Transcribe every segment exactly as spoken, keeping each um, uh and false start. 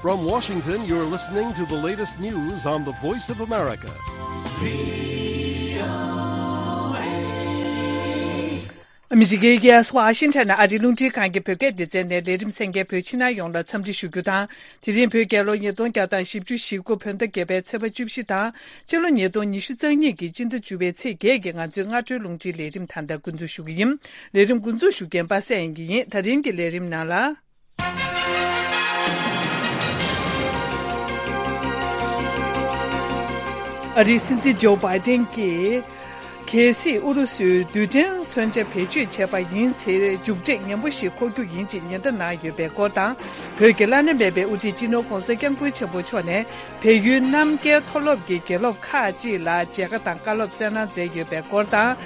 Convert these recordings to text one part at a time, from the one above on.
From Washington, you're listening to the latest news on the Voice of America. ཨ་མི་རི་ཀའི་རྒྱལ་ས་ཝ་ཤིང་ཊོན་ནས་ཨ་རིའི་རླུང་འཕྲིན་ཁང་གི་བོད་སྐད་སྡེ་ཚན་ནས་ལས་རིམ་གསན་མཁན་བོད་ཕྱི་ནང་ཡོངས་ལ་འཚམས་འདྲི་ཞུ་རྒྱུ་དང་། དེ་རིང་བོད་རྒྱལ་ལོ་ཉིས་སྟོང་བརྒྱ་དང་བཞི་བཅུ་ཞེ་དགུ་བོད་ཟླ་བརྒྱད་པའི་ཚེས་པ་བཅུ་བཞི་དང་། སྤྱི་ལོ་ཉིས་སྟོང་ཉི་ཤུ་རྩ་གཉིས་ཀྱི་སྤྱི་ཟླ་བཅུ་པའི་ཚེས་བརྒྱད་ཀྱི་ང་ཚོའི་སྔ་དྲོའི་རླུང་འཕྲིན་ལས་རིམ་ད་ལྟ་འགོ་འཛུགས་ཞུ་གི་ཡིན། ལས་རིམ་འགོ་འཛུགས་ཞུ་མཁན་པ་སངས་དབྱངས་སྐྱིད་ཡིན། ད་རིང་གི་ལས་རིམ་ནང་ལ། ཨ་རིའི་སྲིད་འཛིན་ཇོ་བྷའི་ཏན་གྱིས། གལ་སྲིད་ཨུ་རུ་སུས་རྡུལ་ཕྲན་མཚོན་ཆ་བེད་སྤྱོད་བྱས་པ་ཡིན་ཚེ། མཇུག་འབྲས་ངན་པ་ཞིག་འཁོར་རྒྱུ་ཡིན་ཅེས་ཉེན་བརྡ་གནང་ཡོད་པའི་སྐོར་དང་། བོད་ཀྱི་བླ་ན་མེད་པའི་དབུ་ཁྲིད་སྤྱི་ནོར་༧གོང་ས་༧སྐྱབས་མགོན་ཆེན་པོ་མཆོག་ནས། བལ་ཡུལ་རྣམ་རྒྱལ་མཐོ་སློབ་ཀྱི་དགེ་སློབ་ཁག་ཅིག་ལ་མཇལ་ཁ་དང་བཀའ་སློབ་སྩལ་གནང་མཛད་ཡོད་པའི་སྐོར་དང་།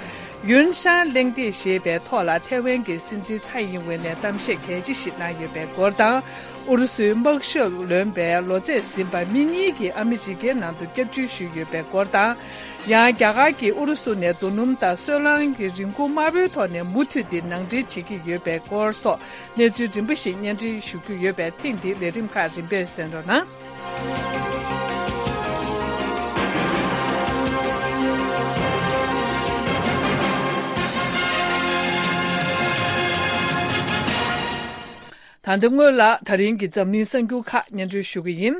ཡུན་ཧྲན་གླེང་སྟེགས་ཞེས་པའི་ཐོག་ལ་ཐའེ་ཝན་གྱི་སྲིད་འཛིན་ཚའེ་ཡིན་ཝེ་ནས་གཏམ་བཤད་གལ་ཆེ་ཞིག་གནང་ཡོད་པའི་སྐོར་དང་། ཨུ་རུ་སུའི་དམག་ཞབས་ལོན་པའི་ལོ་ཚད་ཟིན་པ་མི་གཉིས་ཀྱིས་ཨ་མི་རི་ཀའི་ནང་དུ་སྐྱབས་བཅོལ་ཞུས་ཡོད་པའི་སྐོར་དང་། ཡང་རྒྱ་གར་གྱིས་ཨུ་རུ་སུ་ནས་རྡོ་སྣུམ་དང་སོལ་རླངས་ཀྱི་རིན་གོང་དམའ་པོའི་ཐོག་ནས་མུ་མཐུད་དེ་ནང་འདྲེན་བྱེད་ཀྱི་ཡོད་པའི་སྐོར་སོགས་གནས་ཚུལ་རིམ་པ་ཞིག་སྙན་སྒྲོན་ཞུ་རྒྱུ་ཡོད་པས། ཐེངས་འདིའི་ལས་རིམ་ཁག་རིམ་པས་གསན་རོགས་གནང་། ད་ལྟ་སྔོན་ལ་ད་རིང་གི་འཛམ་གླིང་གསར་འགྱུར་ཁག་སྙན་སྒྲོན་ཞུ་གི་ཡིན།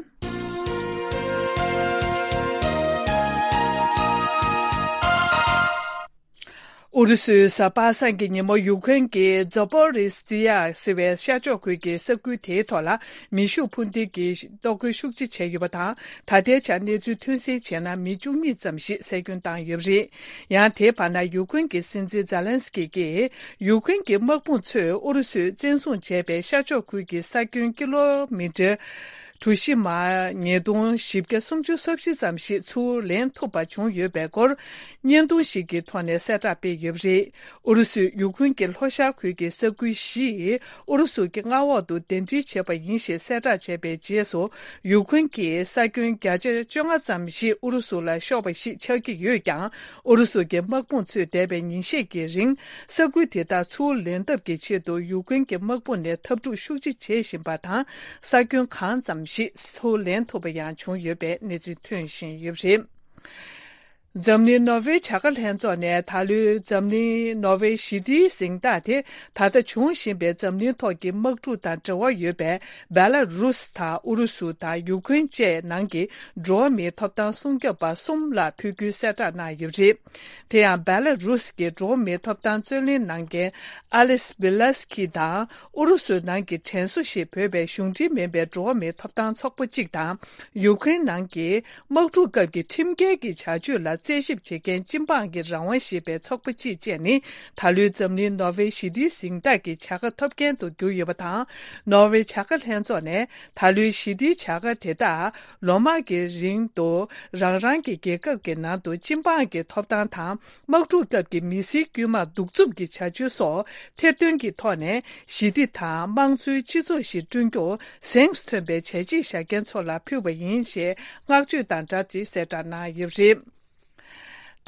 ཨུ་རུ་སུའི་གཟའ་པ་སངས་ཀྱི་ཉིན་མོ་ཡུ་ཀེན་གྱི་ཛོ་པོ་རི་སི་ཡ་ཟེར་བའི་ཤར་ཕྱོགས་ཁུལ་གྱི་ས་ཁུལ་དེའི་ཐོག་ལ་མེ་ཤུགས་འཕུར་མདེལ་གྱིས་གཏོར་རྒོལ་ཤུགས་ཆེ་བྱས་ཡོད་པ་དང་། ད་ལྟའི་ཆར་གནས་ཚུལ་ཐོན་གསལ་བྱས་ན། མི་བཅུ་གཉིས་ཙམ་ཞིག་བསད་སྐྱོན་བཏང་ཡོད་པ་རེད། ཡང་དེའི་བར་ན་ཡུ་ཀེན་གྱི་སྲིད་འཛིན་ཛེ་ལན་སི་ཀི་གིས། ཡུ་ཀེན་གྱི་དམག་དཔུང་ཚོས་ཨུ་རུ་སུས་བཙན་བཟུང་བྱས་པའི་ཤར་ཕྱོགས་ཁུལ་གྱི་ས་ཁྱོན་ཀི་ལོ་མི་ཊར་གྲུ་བཞི་མ་ཉིས་སྟོང་བཞི་བརྒྱ་སུམ་ཅུ་སོ་བཞི་ཙམ་ཞིག་ཚུར་ལེན་ཐུབ་པ་བྱུང་ཡོད་པའི་སྐོར། བརྙན་ཐུང་ཞིག་གི་ཐོག་ནས་གསལ་བསྒྲགས་སྤེལ་ཡོད་པ་རེད། ཨུ་རུ་སུས་ཡུ་ཀེན་གྱི་ལྷོ་ཤར་ཁུལ་གྱི་ས་ཁུལ་བཞི་ཨུ་རུ་སུ་གྱི་མངའ་འོག་ཏུ་གདན་འདྲེན་བྱས་པ་ཡིན་ཞེས་གསལ་བསྒྲགས་བྱས་པའི་རྗེས་སུ། ཡུ་ཀེན་གྱི་ས་ཁྱོན་བརྒྱ་ཆ་བཅོ་ལྔ་ཙམ་ཞིག་ཨུ་རུ་སུ་ལ་ཤོར་བ་ཞིག་ཆགས་ཀྱི་ཡོད་ཀྱང་། ཨུ་རུ་སུ་གྱི་དམག་དཔུང་ཚོས་འདས་པའི་ཉིན་ཤས་ཀྱི་རིང་། ས་ཁུལ་དེ་དག་ཚུར་ལེན་ཐབས་ཀྱི་ཆེད་དུ་ཡུ་ཀེན་གྱི་དམག་དཔུང་ནས་འཐབ་འཁྲུག་ཤུགས་ཆེ་བྱེད་བཞིན་པ་དང་། ས་ཁྱོན་གང་ཙམ་ཞིག་ཚུར་ལེན་ཐུབ་པ་ཡང་བྱུང་ཡོད་པའི་གནས་ཚུལ་ཐོན་བཞིན་ཡོད་པ་རེད། འཛམ་གླིང་ནོར་ཝེ་བྱ་དགའ་ལྷན་ཚོགས་ནས་ད་ལོའི་འཛམ་གླིང་ནོར་ཝེ་ཞི་བདེའི་གཟེངས་རྟགས་དེ། ད་ལྟ་འབྱུང་བཞིན་པའི་འཛམ་གླིང་ཐོག་གི་དམག་འཁྲུག་དང་འབྲེལ་བ་ཡོད་པའི་བེ་ལ་རུས་དང་ཨུ་རུ་སུ་དང་ཡུ་ཀེན་བཅས་ནང་གི་འགྲོ་བ་མིའི་ཐོབ་ཐང་སྲུང་སྐྱོབ་པ་གསུམ་ལ་ཕུལ་རྒྱུའི་གསལ་བསྒྲགས་གནང་ཡོད་པ་རེད། དེ་ཡང་བེ་ལ་རུས་ཀྱི་འགྲོ་བ་མིའི་ཐོབ་ཐང་རྩོད་ལེན་གནང་མཁན་ཨ་ལིས་བི་ལ་སི་ཀི་དང་། ཨུ་རུ་སུ་ནང་གི་དྲན་གསོ་ཞེས་འབོད་པའི་གཞུང་འབྲེལ་མིན་པའི་འགྲོ་བ་མིའི་ཐོབ་ཐང་ཚོགས་པ་གཅིག་དང་། ཡུ་ཀེན་ནང་གི་དམག་འཁྲུག་སྐབས་ཀྱི་ཁྲིམས་འགལ་གྱི་བྱ་སྤྱོད་ལ་རྩད་ཞིབ་བྱེད་མཁན་སྤྱི་འབངས་ཀྱི་རང་དབང་ཞེས་པའི་ཚོགས་པ་གཅིག་བཅས་ནི། ད་ལོའི་འཛམ་གླིང་ནོར་ཝེ་ཞི་བདེའི་གཟེངས་རྟགས་ཀྱི་བྱ་དགའ་ཐོབ་མཁན་དུ་གྱུར་ཡོད་པ་དང་། ནོར་ཝེ་བྱ་དགའ་ལྷན་ཚོགས་ནས་ད་ལོའི་ཞི་བདེའི་བྱ་དགའ་དེ་དག་ལོ་མང་གི་རིང་དུ་རང་རང་གི་རྒྱལ་ཁབ་ཀྱི་ནང་དུ་སྤྱི་འབངས་ཀྱི་ཐོབ་ཐང་དང་། དམག་འཁྲུག་སྐབས་ཀྱི་མི་སེར་དཀྱུས་མ་གདུག་རྩུབ་ཀྱི་བྱ་སྤྱོད་སོགས་ཐེར་འདོན་གྱི་ཐོག་ནས། ཞི་བདེ་དང་དམངས་གཙོའི་སྤྱི་ཚོགས་ཤིག་བསྐྲུན་རྒྱུར་གཟེངས་སུ་ཐོན་པའི་བྱས་རྗེས་བཞག་མཁན་ཚོ་ལ་ཕུལ་བ་ཡིན་ཞེས་བསྔགས་བརྗོད་དང་སྦྲགས་ཏེ་གསལ་བསྒྲགས་གནང་ཡོད་པ་རེད།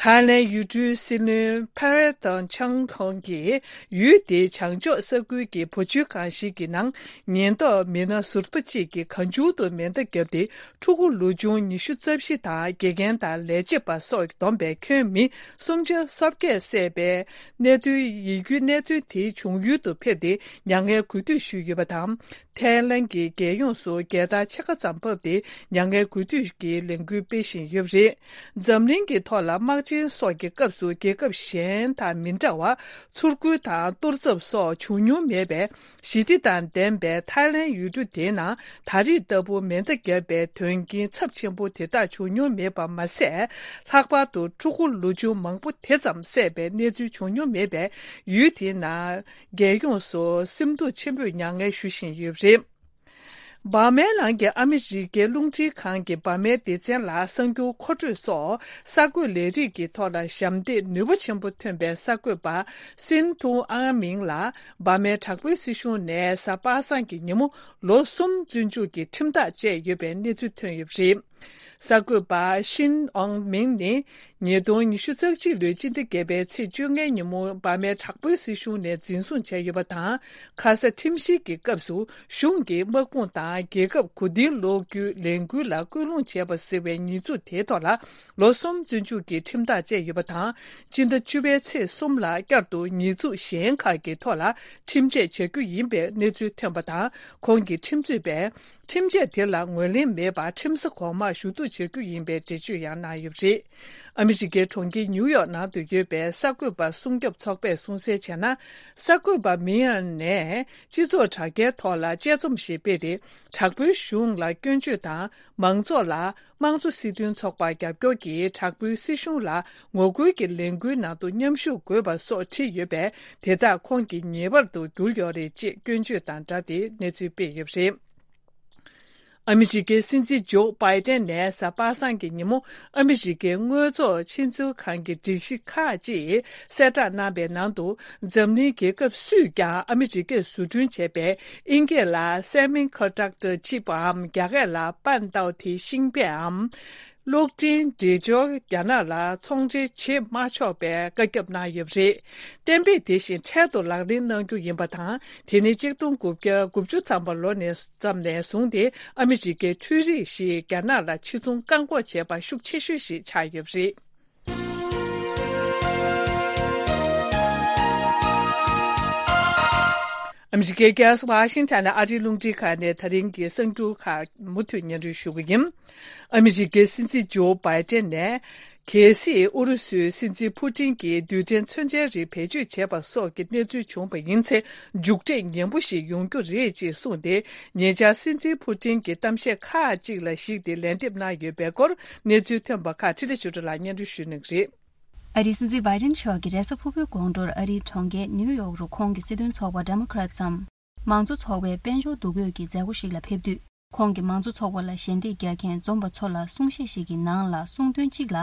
ཐའི་ལེན་ཡུལ་གྲུའི་སྲིད་བློན་ཕེ་རེ་ཏོན་ཆང་ཁོང་གིས་ཡུལ་དེའི་བྱང་ཕྱོགས་ས་ཁུལ་གྱི་བུ་བཅོལ་ཁང་ཞིག་གི་ནང་ཉེན་རྟོག་མི་སྣ་ཟུར་པ་གཅིག་གིས་གང་བྱུང་དུ་མེ་མདའ་བརྒྱབ་སྟེ། ཕྲུ་གུ་ལོ་ཆུང་ཉི་ཤུ་རྩ་བཞི་དང་། དགེ་རྒན་དང་ལས་བྱེད་པ་སོགས་བསྡོམས་པའི་ཁྱོན་མི་སུམ་ཆ་སོ་བརྒྱད་བསད་པའི་གནད་དོན། ཡིད་སྐྱོའི་གནས་ཚུལ་དེའི་བྱུང་ཡུལ་དུ་ཕེབས་ཏེ་མྱ་ངན་གུས་འདུད་ཞུས་ཡོད་པ་དང་། ཐའི་ལན་གྱི་རྒྱལ་ཡོངས་སུ་རྒྱལ་དར་ཕྱེད་ཀ་ཙམ་ཕབ་སྟེ་མྱ་ངན་གུས་འདུད་ཀྱི་ལས་འགུལ་སྤེལ་བཞིན་ཡོད་པ་རེད། འཛམ་གླིང་གི་ཐོག་ལ་དམག་ཆེན་སོགས་ཀྱི་སྐབས་སུ་རྒྱལ་ཁབ་གཞན་དང་མི་འདྲ་བར་ཚུར་རྒོལ་དང་གཏོར་ཚབ་སོགས་བྱུང་མྱོང་མེད་པའི། ཞི་བདེ་དང་ལྡན་པའི་ཐའི་ལན་ཡུལ་གྲུ་དེའི་ནང་ད་རེས་ལྟ་བུ་མེ་མདའ་བརྒྱབ་པའི་དོན་རྐྱེན་ཚབས་ཆེན་པོ་དེ་དག་བྱུང་མྱོང་མེད་པ་མ་ཟད། ལྷག་པར་དུ་ཕྲུ་གུ་ལོ་ཆུང་མང་པོ་དེ་ཙམ་བསད་པའི་གནས་ཚུལ་བྱུང་མྱོང་མེད་པས། ཡུལ་དེའི་ནང་རྒྱལ་ཡོངས་སུ་སེམས་སྡུག་ཆེན་པོས་མྱ་ངན་ཞུ་བཞིན་ཡོད་པ་རེད། འབར་མའི་ལམ་གྱི་ཨ་མི་རི་ཀའི་རླུང་འཕྲིན་ཁང་གིས་འབར་མའི་སྡེ་ཚན་ལ་གསར་འགྱུར་མཁོ་སྤྲོད་སོགས་གསར་འགོད་ལས་རིགས་ཀྱི་ཐོག་ལ་ཞབས་འདེགས་ནུས་པ་ཆེན་པོ་ཐོན་པའི་གསར་འགོད་པ་སིན་ཐུང་ཨང་མིང་ལ་འབར་མའི་དྲག་པོའི་སྲིད་གཞུང་ནས་གཟའ་པ་སངས་ཀྱི་ཉིན་མོ་ལོ་གསུམ་བཙོན་འཇུག་གི་ཁྲིམས་ཐག་བཅད་ཡོད་པའི་གནས་ཚུལ་ཐོན་ཡོད་པ་རེད། གསར་འགོད་པ་ཤིན་ཨོང་མིང་ནི། ཉིས་སྟོང་ཉི་ཤུ་རྩ་གཅིག་ལོའི་སྤྱི་ཟླ་བརྒྱད་པའི་ཚེས་བཅོ་ལྔའི་ཉིན་མོ་འབར་མའི་དྲག་པོའི་སྲིད་གཞུང་ནས་འཛིན་བཟུང་བྱས་ཡོད་པ་དང་། ཁ་ས་ཁྲིམས་བཤེར་གྱི་སྐབས་སུ་གཞུང་གིས་དམག་དཔུང་དང་རྒྱལ་ཁབ་གོ་བསྡུར་སློག་རྒྱུའི་ལས་འགུལ་ལ་སྐུལ་སློང་བྱས་པ་ཟེར་བའི་ཉེས་འཛུགས་དེའི་ཐོག་ལ་ལོ་གསུམ་བཙོན་འཇུག་གི་ཁྲིམས་ཐག་བཅད་ཡོད་པ་དང་། སྤྱི་ཟླ་བཅུ་པའི་ཚེས་གསུམ་ལ་བསྐྱར་དུ་ཉེས་འཛུགས་གཞན་ཁག་གི་ཐོག་ལ་ཁྲིམས་ཆད་བཅད་རྒྱུ་ཡིན་པའི་གནས་ཚུལ་ཐོན་པ་དང་། ཁོང་གི་ཁྲིམས་རྩོད་པས། ཁྲིམས་ཆད་དེ་ལ་ངོས་ལེན་མེད་པར་ཁྲིམས་ས་གོང་མར་ཞུ་གཏུག་བྱ་རྒྱུ་ཡིན་པའི་འགྲེལ་བརྗོད་ཡང་གནང་ཡོད་པ་རེད། ཨ་མི་རི་ཀའི་གྲོང་ཁྱེར་ནིའུ་ཡོག་ནང་དུ་ཡོད་པའི་གསར་འགོད་པ་སྲུང་སྐྱོབ་ཚོགས་པས་གསུང་གསལ་བྱས་ན། གསར་འགོད་པ་མི་ཡན་ནས་སྤྱི་ཚོགས་དྲ་རྒྱའི་ཐོག་ལ་དཔྱད་རྩོམ་ཞིག་སྤེལ་ཏེ། དྲག་པོའི་གཞུང་ལ་སྐྱོན་བརྗོད་དང་། མང་ཚོགས་ལ་དམངས་གཙོ་སྲིད་དོན་ཚོགས་པ་རྒྱབ་སྐྱོར་གྱིས་དྲག་པོའི་སྲིད་གཞུང་ལ་ངོ་རྒོལ་གྱི་ལས་འགུལ་ནང་དུ་མཉམ་ཞུགས་དགོས་པ་སོགས་བྲིས་ཡོད་པས། དེ་དག་ཁོང་གི་ཉེས་པར་དུ་གྱུར་ཡོད་རེད་ཅེས་སྐྱོན་བརྗོད་དང་སྦྲགས་ཏེ་གནས་ཚུལ་སྤེལ་ཡོད་པ་རེད། ཨ་མི་རི་ཀའི་སྲིད་འཛིན་ཇོ་བྷའི་ཏན་ནས་གཟའ་པ་སངས་ཀྱི་ཉིན་མོ་ཨ་མི་རི་ཀའི་དངོས་ཐོག་ཕྱི་ཚུལ་ཁང་གི་སྒྲིག་གཞི་ཁག་ཅིག་གསལ་བསྒྲགས་གནང་པའི་ནང་དུ། འཛམ་གླིང་རྒྱལ་ཁབ་སུས་ཀྱང་ཨ་མི་རི་ཀས་བཟོ་སྐྲུན་བྱས་པའི་དབྱིན་སྐད་ལ་semiconductor chip འམ། རྒྱ་སྐད་ལ་半导体芯片འམ། གློག་འཕྲིན་འདྲེས་སྦྱོར་རྒྱ་ནག་ལ་ཚོང་འབྲེལ་བྱེད་མ་ཆོག་པའི་བཀའ་ཁྱབ་གནང་ཡོད་པ་རེད། གཏན་འབེབས་དེ་བཞིན་འཕྲལ་དུ་ལག་ལེན་གནང་རྒྱུ་ཡིན་པ་དང་། དེ་ནི་གཅིག་སྟོང་དགུ་བརྒྱ་དགུ་བཅུ་ཐམ་པ་ལོ་ནས་ཙམ་ནས་བཟུང་སྟེ་ཨ་མི་རི་ཀའི་འཕྲུལ་རིག་ཞིག་རྒྱ་ནག་ལ་ཕྱིར་ཚོང་བཀག་འགོག་བྱས་པ་ཤུགས་ཆེ་ཤོས་ཤིག་ཆགས་ཡོད་པ་རེད། ཨ་མི་རི་ཀའི་རྒྱལ་ས་ཝ་ཤིང་ཊོན་ནས་ཨ་རིའི་རླུང་འཕྲིན་ཁང་ནས་ད་རིང་གི་གསར་འགྱུར་ཁག་མུ་མཐུད་སྙན་སྒྲོན་ཞུ་གི་ཡིན། ཨ་མི་རི་ཀའི་སྲིད་འཛིན་ཇོ་བྷའི་ཏན་ནས། གལ་སྲིད་ཨུ་རུ་སུའི་སྲིད་འཛིན་ཕུ་ཏིན་གྱིས་རྡུལ་ཕྲན་མཚོན་ཆའི་རིགས་བེད་སྤྱོད་བྱས་པ་སོགས་ཀྱི་གནས་ཚུལ་བྱུང་བ་ཡིན་ཚེ། མཇུག་འབྲས་ངན་པོ་ཞིག་ཡོང་རྒྱུ་རེད་ཅེས་གསུངས་ཏེ། ཉེ་ཆར་སྲིད་འཛིན་ཕུ་ཏིན་གྱི་གཏམ་བཤད་ཁག་ཅིག་ལ་གཞིགས་ཏེ་ལན་འདེབས་གནང་ཡོད་པའི་སྐོར་གནས་ཚུལ་ཐོན་པ་ཁག་འཕྲིན་ལས་ཆོས་སྒྲོན་ལགས་སྙན་སྒྲོན་ཞུ་གནང་གི་རེད། ཨ་རིའི་སྲིད་འཛིན་བྷའི་ཏིན་མཆོག་གིས་རེས་གཟའ་ཕུར་བུའི་དགོང་དྲོར་ཨ་རིའི་གྲོང་ཁྱེར་ནིའུ་ཡོག་རུ་ཁོང་གི་སྲིད་དོན་ཚོགས་པ་Democrats འམ། མང་གཙོ་ཚོགས་པའི་དཔལ་འབྱོར་འདུ་འགོད་ཀྱི་མཛད་སྒོ་ཞིག་ལ་ཕེབས་དུས། ཁོང་གིས་མང་གཙོ་ཚོགས་པ་ལ་ཞལ་འདེབས་རྒྱག་མཁན་འཛོམས་པ་ཚོ་ལ་གསུང་བཤད་ཞིག་གི་ནང་ལ་གསུང་དོན་གཅིག་ལ།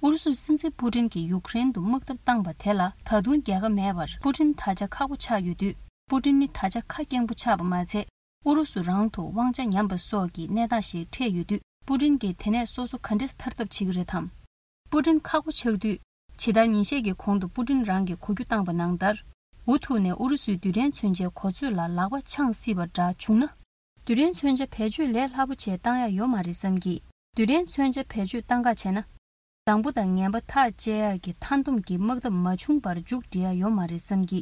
ཨུ་རུ་སུའི་སྲིད་འཛིན་པུ་ཏིན་གྱིས་ཡུཀ་རེན་དུ་དམག་འཐབ་བཏང་པ་དེ་ལ་ད་དུང་རྒྱལ་ཁ་མེད་པར། པུ་ཏིན་ད་ཆ་ཁག་པོ་ཆགས་ཡོད་དུས། པུ་ཏིན་ནི་ད་ཆ་ཁ་སྐྱེངས་པོ་ཆགས་པ་མ་ཚད། ཨུ་རུ་སུ་རང་དུ་དབང་ཆ་ཉམས་པ་སོགས་ཀྱི་གནས་སྟངས་ཤིག་འཕྲད་ཡོད་དུས། པུ་ཏིན་གྱིས་དེ་ནས་སོ་སོ་ག་འདྲས་ཐར་ཐབས་བྱེད་ཀྱི་རེད་དམ། པུ་ཏིན་ཁག་པོ་ཆགས་དུས། ཇི་ལྟར་ཉིན་ཤས་ཀྱི་གོང་དུ་པུ་ཏིན་རང་གིས་གོ་རྒྱུ་བཏང་པ་ནང་ལྟར། འུ་ཐུག་ནས་ཨུ་རུ་སུའི་རྡུལ་ཕྲན་མཚོན་ཆའི་གོ་ཚོད་ལ་ལག་པ་འཆང་སྲིད་པ་འདྲ་བྱུང་ན། རྡུལ་ཕྲན་མཚོན་ཆ་བེད་སྤྱོད་ལས་སླ་པོ་བྱས་བཏང་ཡག་ཡོད་མ་རེད་བསམ་གི། རྡུལ་ཕྲན་མཚོན་ཆ་བེད་སྤྱོད་བཏང་ག་བྱས་ན། བཟང་པོ་དང་ངན་པ་ཐག་བཅད་ཡག་གི་མཐའ་སྡོམ་གྱི་དམག་འཐབ་མ་བྱུང་བར་མཇུག་སྒྲིལ་ཡག་ཡོད་མ་རེད་བསམ་གི།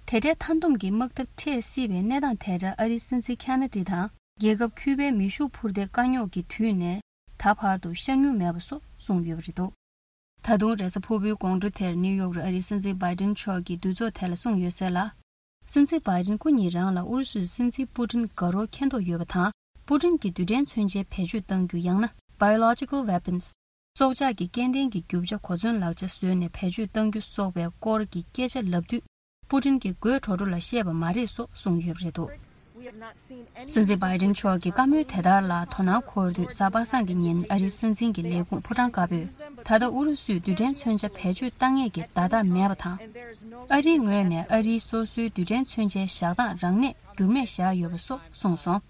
དེ་འདྲའི་མཐའ་སྡོམ་གྱི་དམག་འཐབ་འཕྲད་སྲིད་པའི་གནས་སྟངས་དེ་འདྲ་ཨ་རིའི་སྲིད་འཛིན་ཁེ་ན་ཌི་དང་རྒྱལ་ཁབ་ཁྱུད་པའི་མེ་ཤུགས་འཕུར་མདེལ་དཀའ་རྙོག་གི་དུས་ནས་ད་བར་དུ་ཤར་མྱོང་མེད་པ་སོགས་གསུངས་ཡོད་པ་རེད་འདུག། ད་དུང་རེས་གཟའ་ཕུར་བུའི་དགོང་དྲོ་དེར་ནིའུ་ཡོག་རུ་ཨ་རིའི་སྲིད་འཛིན་བྷའི་ཏིན་མཆོག་གིས་འདུ་ཚོགས་དེ་ལ་གསུངས་ཡོད་གསལ་ལ། སྲིད་འཛིན་བྷའི་ཏིན་སྐུ་ཉིད་རང་ལ་ཨུ་རུ་སུའི་སྲིད་འཛིན་པུ་ཏིན་དགའ་རོགས་མཁྱེན་རྟོགས་ཡོད་པ་དང་། པུ་ཏིན་གྱིས་རྡུལ་ཕྲན་མཚོན་ཆའི་བེད་སྤྱོད་གཏང་རྒྱུ་ཡང་ན་biological weapons སྲོག་ཆགས་ཀྱི་སྐྱེ་ལྡན་གྱི་རྒྱུ་ཆ་གོ་མཚོན་ལག་ཆ་བཟོས་ནས་བེད་སྤྱོད་གཏང་རྒྱུ་སོགས་པའི་སྐོར་གྱི་སྐད་ཆ་ལབ་དུས། པུ་ཏིན་གྱིས་དགོད་བྲོ་བྲོ་ལ་བཤད་པ་མ་རེད་སོགས་གསུངས་ཡོད་པ་རེད་འདུག། སྲིད་འཛིན་བྷའི་ཏིན་མཆོག་གི་བཀའ་མོལ་དེ་ལྟར་ལ་དོ་སྣང་འཁོར་དུས། གཟའ་པ་སངས་ཀྱི་ཉིན་ཨ་རིའི་སྲིད་འཛིན་གྱི་ལས་ཁུངས་ཕོ་བྲང་དཀར་པོས། ད་ལྟ་ཨུ་རུ་སུས་རྡུལ་ཕྲན་མཚོན་ཆ་བེད་སྤྱོད་བཏང་ཡས་ཀྱི་བརྡ་རྟགས་མེད་པ་དང་། ཨ་རིའི་ངོས་ནས་ཨ་རིའི་སོ་སོའི་རྡུལ་ཕྲན་མཚོན་ཆའི་བཞག་སྟངས་རང་ནས་འགྱུར་མེད་བཞག་ཡོད་པ་སོགས་གསུངས་སོང་།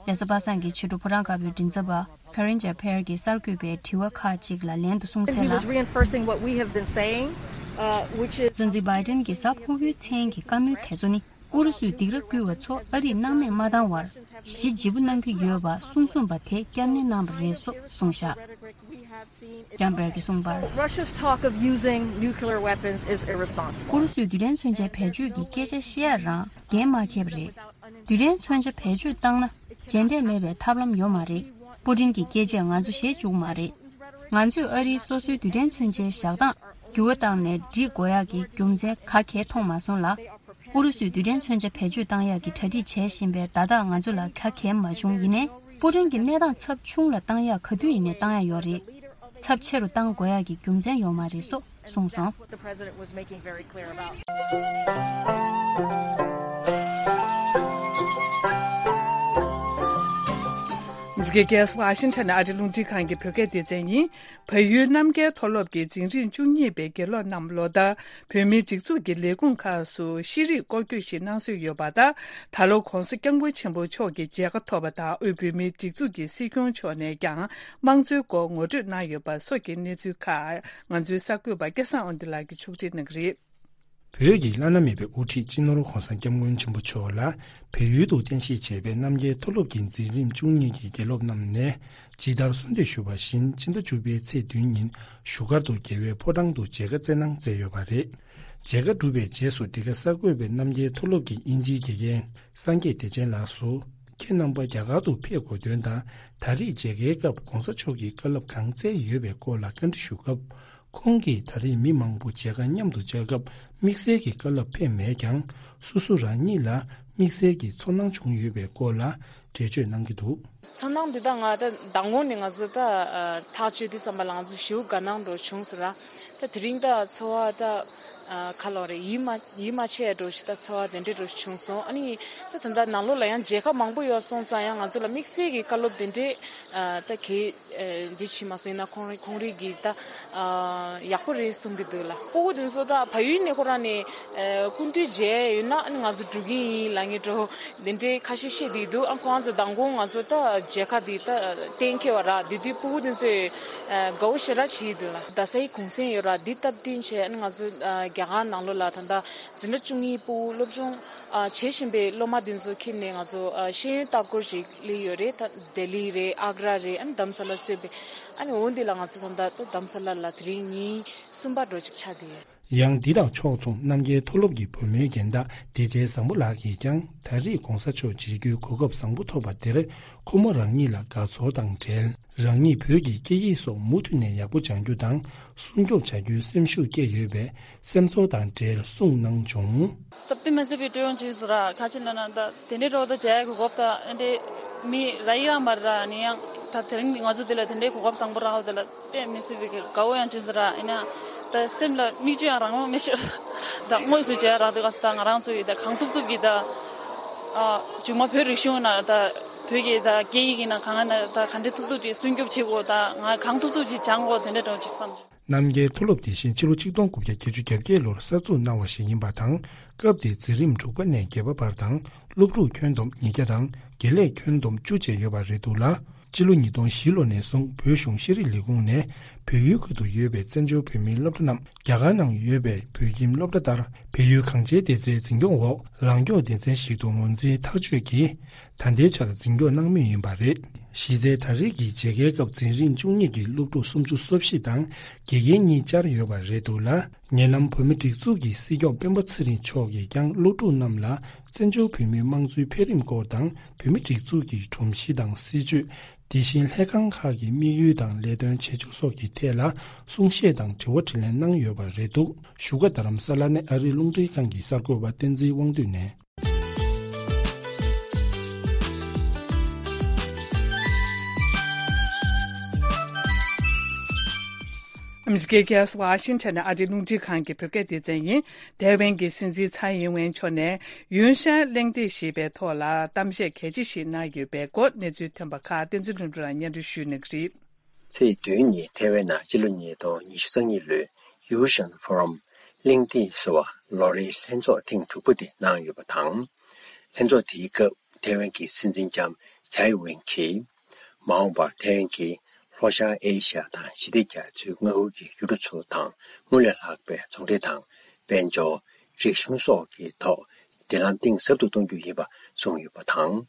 རེས་གཟའ་པ་སངས་ཀྱི་ཕྱི་དྲོ་ཕོ་བྲང་དཀར་པོའི་མགྲིན་ཚབ་པ་Karine Jean-Pierre གྱིས་གསར་འགོད་པའི་དྲི་བ་ཁག་ཅིག་ལ་ལན་དུ་གསུངས་གསལ་ལ། He was reinforcing what we have been saying, uh, which is སྲིད་འཛིན་བྷའི་ཏིན་གྱིས་གཟའ་ཕུར་བུའི་མཚན་གྱི་བཀའ་མོལ་དེ་ཚོ་ནི། ཨུ་རུ་སུས་སྡིགས་ར་བསྐུལ་བ་ཚོ་ཨ་རིས་སྣང་མེད་མ་བཏང་བར། གཞི་བརྗིད་པོ་གནང་གི་ཡོད་པ་གསུང་གསུངས་པ་དེ་བསྐྱར་ནན་གནང་བ་རེད་སོགས་གསུངས་བཞག། Jean-Pierre གྱིས་གསུངས་པར། Russia's talk of using nuclear weapons is irresponsible. ཨུ་རུ་སུས་རྡུལ་ཕྲན་མཚོན་ཆའི་བེད་སྤྱོད་ཀྱི་སྐད་ཆ་བཤད་ཡ་རང་འགན་མ་འཁྱེར་བ་རེད། རྡུལ་ཕྲན་མཚོན་ཆ་བེད་སྤྱོད་བཏང་ན། རྗེས་འབྲས་མེད་པའི་ཐབས་ལམ་ཡོད་མ་རེད། པུ་ཏིན་གྱི་སྐད་ཆས་ང་ཚོ་ཞེད་བཅུག་མ་རེད། ང་ཚོས་ཨ་རིའི་སོ་སོའི་རྡུལ་ཕྲན་མཚོན་ཆའི་བཞག་སྟངས་འགྱུར་བ་བཏང་ནས་འགྲིག་དགོས་ཡག་གི་རྒྱུ་མཚན་ག་གེ་མཐོང་མ་སོང་ལ། ཨུ་རུ་སུས་རྡུལ་ཕྲན་མཚོན་ཆ་བེད་སྤྱོད་བཏང་ཡག་གི་གྲ་སྒྲིག་བྱེད་བཞིན་པའི་བརྡ་རྟགས་ང་ཚོ་ལ་ག་གེ་མ་བྱུང་། ཡིན་ནའི་པུ་ཏིན་གྱིས་གནས་སྟངས་ཚབས་ཆུང་ལ་བཏང་ཡག་ག་དུས་ཡིན་ནའི་བཏང་ཡག་ཡོད་རེད། ཚབས་ཆེ་རུ་བཏང་དགོས་ཡག་གི་རྒྱུ་མཚན་ཡོད་མ་རེད་སོགས་གསུངས་སོང་། That's what the president was making very clear about. ཨ་མི་རི་ཀའི་རྒྱལ་ས་ཝ་ཤིང་ཊོན་ནས་ཨ་རིའི་རླུང་འཕྲིན་ཁང་གི་བོད་སྐད་སྡེ་ཚན་ཡིན། བལ་ཡུལ་རྣམ་རྒྱལ་མཐོ་སློབ་ཀྱི་འཛིན་རིམ་བཅུ་གཉིས་པའི་དགེ་སློབ་རྣམས་ལོ་ལྟར་བོད་མིའི་སྒྲིག་འཛུགས་ཀྱི་ལས་ཁུངས་ཁག་སུ་ཤེས་རིག་སྐོར་སྐྱོད་ཞིག་གནང་སྲོལ་ཡོད་པ་དང་། ད་ལོ་༧གོང་ས་༧སྐྱབས་མགོན་ཆེན་པོ་མཆོག་གི་མཇལ་ཁ་ཐོབ་པ་དང་། དབུས་བོད་མིའི་སྒྲིག་འཛུགས་ཀྱི་སྲིད་སྐྱོང་མཆོག་ནས་ཀྱང་དམངས་གཙོའི་སྐོར་ངོ་སྤྲོད་གནང་ཡོད་པ་སོགས་ཀྱི་གནས་ཚུལ་ཁག་ང་ཚོའི་གསར་འགོད་པ་སྐལ་བཟང་དབང་འདུས་ལགས་ཀྱིས་ཕྱོགས་སྒྲིག་གནང་གི་རེད། བོད་ཀྱི་བླ་ན་མེད་པའི་དབུ་ཁྲིད་སྤྱི་ནོར་༧གོང་ས་༧སྐྱབས་མགོན་ཆེན་པོ་མཆོག་ལ་བལ་ཡུལ་དུ་རྟེན་གཞི་བྱས་པའི་རྣམ་རྒྱལ་མཐོ་སློབ་ཀྱི་འཛིན་རིམ་བཅུ་གཉིས་ཀྱི་དགེ་སློབ་རྣམས་ནས་ཇི་ལྟར་གསོལ་འདེབས་ཞུས་པ་བཞིན། ཕྱི་ཟླ་བཅུ་པའི་ཚེས་བདུན་ཉིན་བཞུགས་སྒར་དུ་རྒྱལ་བའི་ཕོ་བྲང་དུ་མཇལ་ཁ་སྩལ་གནང་མཛད་ཡོད་པ་རེད། མཇལ་ཁ་གྲུབ་པའི་རྗེས་སུ་འདི་ག་གསར་འགོད་པས་རྣམ་རྒྱལ་མཐོ་སློབ་ཀྱི་དབྱིན་ཇིའི་དགེ་རྒན་སངས་རྒྱས་བདེ་ཆེན་ལགས་སུ། ཁྱེད་རྣམ་པ་རྒྱ་གར་དུ་ཕེབས་དགོས་དོན་དང་། ད་རེས་མཇལ་ཁའི་སྐབས་༧གོང་ས་མཆོག་གིས་བཀའ་སློབ་གང་སྩལ་ཡོད་པའི་སྐོར་ལ་བཀའ་འདྲི་ཞུ་སྐབས། ཁོང་གིས་ད་རེས་མི་མང་པོ་མཇལ་ཁ་མཉམ་དུ་བཅར་སྐབས་དམིགས་བསལ་གྱི་བཀའ་སློབ་ཕེབས་མེད་ཀྱང་། སོ་སོ་རང་ཉིད་ལ་དམིགས་བསལ་གྱི་ཚོར་སྣང་བྱུང་ཡོད་པའི་སྐོར་ལ་འགྲེལ་བརྗོད་གནང་གི་འདུག། ཚོར་སྣང་འདི་ད་ང་ད་མདང་དགོང་ནས་ང་ཚོ་ད་ཨ་ཐག་གཅོད་དུས་ཙམ་པ་ལ་ང་ཚོ་ཞེ་པོ་དགའ་སྣང་འདྲ་བྱུང་སོང་ར། ད་དེ་རིང་ད་ཚོར་བ་ད་ཨ་ག་ལབ་རེད། ཡིད་མ་ཡིད་མ་ཆེས་འདྲ་ཞིག་ད་ཚོར་བ་དེ་འདྲ་འདྲ་ཞིག་བྱུང་སོང་། ཨ་ནི་ད་ད་ལྟ་ནང་ལོགས་ལ་ཡང་མཇལ་ཁ་མང་པོ་ཡོད་སོང་ཙང་ཡང་ང་ཚོ་ལ་དམིགས་བསལ་གྱི་བཀའ་སློབ་དེ་འདྲས་ཨ་ད་གས། ཨ་འདི་བྱེད་མ་སོང་། ཡིན་ན་ཁོང་རང་ཁོང་རང་གིས་ད་ཨ་ཡག་པོ་རེད་གསུང་གི་འདུག་ལ། སྤུ་གུ་དེ་ཚོ་ད་བལ་ཡུལ་ནས་ཁོ་རང་ནས་ཨ་སྐུ་མདུན་མཇལ་ཡོད་ན་ཨ་ནི་ང་ཚོ་འགྲོ་གི་ཡིན་ལབ་མཁན་འདྲ་དེ་འདྲའི་ཁ་ཤས་བཤད་བསྡད་འདུག། ཨ་ཁོང་ཚོ་མདང་དགོང་ང་ཚོ་ད་མཇལ་ཁ་འདི་ད་གཏན་འཁེལ་བ་ར། དེ་དུས་སྤུ་གུ་དེ་ཚོས་ཨ་དགའ་བོ་ཞེ་དྲག་བྱེད་ཀྱི་འདུག་ལ། རྡ་སའི་གུང་སེང་ཡོད་ར། འདི་སྟབས་བསྟུན་བྱས་ཨ་ནི་ང་ཚོ་ཨ་རྒྱ་གར་ནང་ལོགས་ལ་ད་ལྟ་འཛིན་གྲྭ་བཅུ་གཉིས་སྤུ་གུ་སློབ་སྦྱོང་ཨ་བྱེད་བཞིན་པའི་སློབ་མ་དེ་ཚོ་ཁྱེར་ནས་ང་ཚོ་ཨ་ཤེས་ཡོན་ལྟ་སྐོར་ཞིག་སླེབས་ཡོད་རེད། ད་ལྡི་ལི་རེད། ཨག་ར་རེད། ཨ་ནི་དྷ་རམ་ས་ལ་གཙོས་པའི་ཨ་ནི་འོ་འདི་ལ་ང་ཚོ་ད་ལྟ་ད་དྷ་རམ་ས་ལ་ལ་དེ་རིང་ཉིན་གསུམ་པ་འགྲོ་ཅིག་ཆགས་བསྡད་ཡོད། ཡང་འདི་དང་ཕྱོགས་མཚུངས་རྣམ་རྒྱལ་མཐོ་སློབ་ཀྱི་བུ་མོའི་རྒན་བདག་བདེ་ཆེན་བཟང་པོ་ལགས་ཀྱིས་ཀྱང་ད་རེས་༧གོང་ས་མཆོག་མཇལ་རྒྱུའི་གོ་སྐབས་བཟང་པོ་ཐོབ་པ་དེར་ཁོ་མོ་རང་ཉིད་ལ་དགའ་ཚོར་དང་འབྲེལ། རང་ཉིད་བོད་ཀྱི་སྐད་ཡིག་སོགས་མུ་མཐུད་ནས་ཡག་པོ་སྦྱང་རྒྱུ་དང་སྲུང་སྐྱོབ་བྱ་རྒྱུའི་སེམས་ཤུགས་བསྐྱེད་ཡོད་པའི་སེམས་ཚོར་དང་འབྲེལ་གསུངས་གནང་བྱུང་། སྟབས་བདེ་མ་སྲིད་པའི་སྤྲོ་ཡོང་བྱུང་ཟེར་ར། ཁ་ཆེ་ན་ན་ད་དེ་འདྲའི་འགྲོ་ད་མཇལ་གོ་སྐབས་ད་ཨེ་འདྲའི་མི་ར་ཡི་ར་མ་ར་ནི་ཡང་ད་དེ་རིང་ང་ཚོ་འདི་ལ་དེ་འདྲའི་གོ་སྐབས་བཟང་པོ་རག་ད་ལ་དཔེ་མི་སྲིད་པའི་དགའ་བོ་ཡང་བྱུང་ཟེར་ར། ཨེ་ན་ད་སེམས་ལ་མིག་ཆུ་ཡང་རང་རང་མི་ཤོར། ད་དངོས་སུ་མཇལ་རག་དུས་ག་ས་ད་ང་རང་ཚོ་ཡི་ད་གང་ཐུབ་ཐུབ་ཀྱི་ད་ཨ་མཇུག་མ་བོད་རིག་གཞུང་ན་ད་བོད་ཀྱི་ད་སྐད་ཡིག་ཡིན་ན་གང་ན་ད་ག་འདྲ་ཐུབ་ཐུབ་ཀྱི་སྲུང་སྐྱོབ་བྱེད་དགོས། ད་ང་གང་ཐུབ་ཐུབ་ཀྱི་སྦྱང་དགོས་དེ་འདྲ་འགྲོ་ཅིག་བསམ། རྣམ་རྒྱལ་མཐོ་སློབ་དེ་བཞིན་ཕྱི་ལོ་ཆིག་སྟོང་དགུ་བརྒྱ་བརྒྱད་ཅུ་གྱ་བརྒྱད་ལོར་གསར་འཛུགས་གནང་བ་ཞིག་ཡིན་པ་དང་། སྐབས་དེའི་འཛིན་རིམ་དྲུག་པ་ནས་བརྒྱད་པ་བར་དང་སློབ་ཕྲུག་ཁྱོན་བསྡོམས་ཉིས་བརྒྱ་དང་དགེ་ལས་ཁྱོན་བསྡོམས་བཅུ་བཅས་ཡོད་པ་རེད་འདུག་ལ། སྤྱི་ལོ་ཉིས་སྟོང་བཞི་ལོ་ནས་བཟུང་བོད་གཞུང་ཤེས་རིག་ལས་ཁུངས་ནས་བོད་ཡུལ་ཁུལ་དུ་ཡོད་པའི་བཙན་བྱོལ་བོད་མིའི་སློབ་གྲྭ་རྣམས་རྒྱ་གར་ནང་ཡོད་པའི་བོད་ཁྱིམ་སློབ་གྲྭ་ལྟར་བལ་ཡུལ་གངས་ཅན་བདེ་རྩའི་འཛིན་སྐྱོང་འོག་ལངས་སྐྱོང་སྡེ་ཚན་ཞིག་ཏུ་ངོས་འཛིན་ཐག་གཅོད་ཀྱིས། ད་ལྟའི་ཆར་འཛིན་སྐྱོང་གནང་མུས་ཡིན་པ་རེད། གཞི་རྩའི་ད་རེས་ཀྱི་མཇལ་ཁའི་སྐབས་འཛིན་རིམ་བཅུ་གཉིས་ཀྱི་སློབ་ཕྲུག་སུམ་ཅུ་སོ་བཞི་དང་དགེ་རྒན་གཉིས་བཅར་ཡོད་པ་རེད་འདུག་ལ། ཉེ་ལམ་བོད་མི་སྒྲིག་འཛུགས་ཀྱི་སྲིད་སྐྱོང་སྤེན་པ་ཚེ་རིང་མཆོག་གིས་ཀྱང་སློབ་ཕྲུག་རྣམས་ལ་བཙན་བྱོལ་བོད་མིའི་དམངས་གཙོའི་འཕེལ་རིམ་སྐོར་དང་བོད་མི་སྒྲིག་འཛུགས་ཀྱི་སྒྲོམ་གཞི་དང་སྲིད་བྱུས། དེ་བཞིན་ལྷན་ཁང་ཁག་གི་དམིགས་ཡུལ་དང་ལས་དོན་བྱེད་ཕྱོགས་སོགས་ཀྱི་ཐད་ལ་གསུང་བཤད་དང་དྲི་བ་དྲིས་ལན་གནང་ཡོད་པ་རེད་འདུག་བཞུགས་སྒར་རྡ་རམ་ས་ལ་ནས་ཨ་རིའི་རླུང་འཕྲིན་ཁང་གི་གསར་འགོད་པ་བསྟན་འཛིན་དབང་འདུས་ནས། ཨ་མི་རི་ཀའི་རྒྱལ་ས་ཝ་ཤིང་ཊོན་ནས་ཨ་རིའི་རླུང་འཕྲིན་ཁང་གི་བོད་སྐད་སྡེ་ཚན་ཡིན། ཐའེ་ཝན་གྱི་སྲིད་འཛིན་ཚའེ་ཡིན་ཝེན་མཆོག་ནས་ཡུན་ཤན་གླེང་སྟེགས་ཞེས་པའི་ཐོག་ལ་གཏམ་བཤད་གལ་ཆེ་ཞིག་གནང་ཡོད་པའི་སྐོར་གནས་ཚུལ་ཐོན་པ་ཁག་བསྟན་འཛིན་ལྷུན་གྲུབ་ལགས་སྙན་སྒྲོན་ཞུ་གནང་གི་རེད། ཚེས་བདུན་ཉིན་ཐའེ་ཝན་ནང་སྤྱི་ལོ་ཉིས་སྟོང་ཉི་ཤུ་རྩ་གཉིས་ལོའི་ཡུ་ཤན་ཕོ་རམ་གླེང་སྟེགས་ཟེར་བ་ལོ་རེའི་ལྷན་ཚོགས་ཐེངས་དྲུག་པ་དེ་གནང་ཡོད་པ་དང་། ལྷན་ཚོགས་དེའི་སྐབས་ཐའེ་ཝན་གྱི་སྲིད་འཛིན་ལྕམ་ཚའེ་ཝེན་གྱིས། མ་འོངས་པར་ཐའེ་ཝན་གྱིས་ལྷོ་ཤར་ཨེ་ཤ་ཡ་དང་ཞི་བདེ་རྒྱ་མཚོའི་མངའ་ཁུལ་གྱི་ཡུལ་གྲུ་ཚོ་དང་སྔོན་ལས་ལྷག་པའི་ཚོང་འབྲེལ་དང་། དཔལ་འབྱོར། རིག་གཞུང་སོགས་ཀྱི་ཐོག་འབྲེལ་ལམ་གཏིང་ཟབ་ཏུ་གཏོང་རྒྱུ་ཡིན་པ་གསུངས་ཡོད་པ་དང་།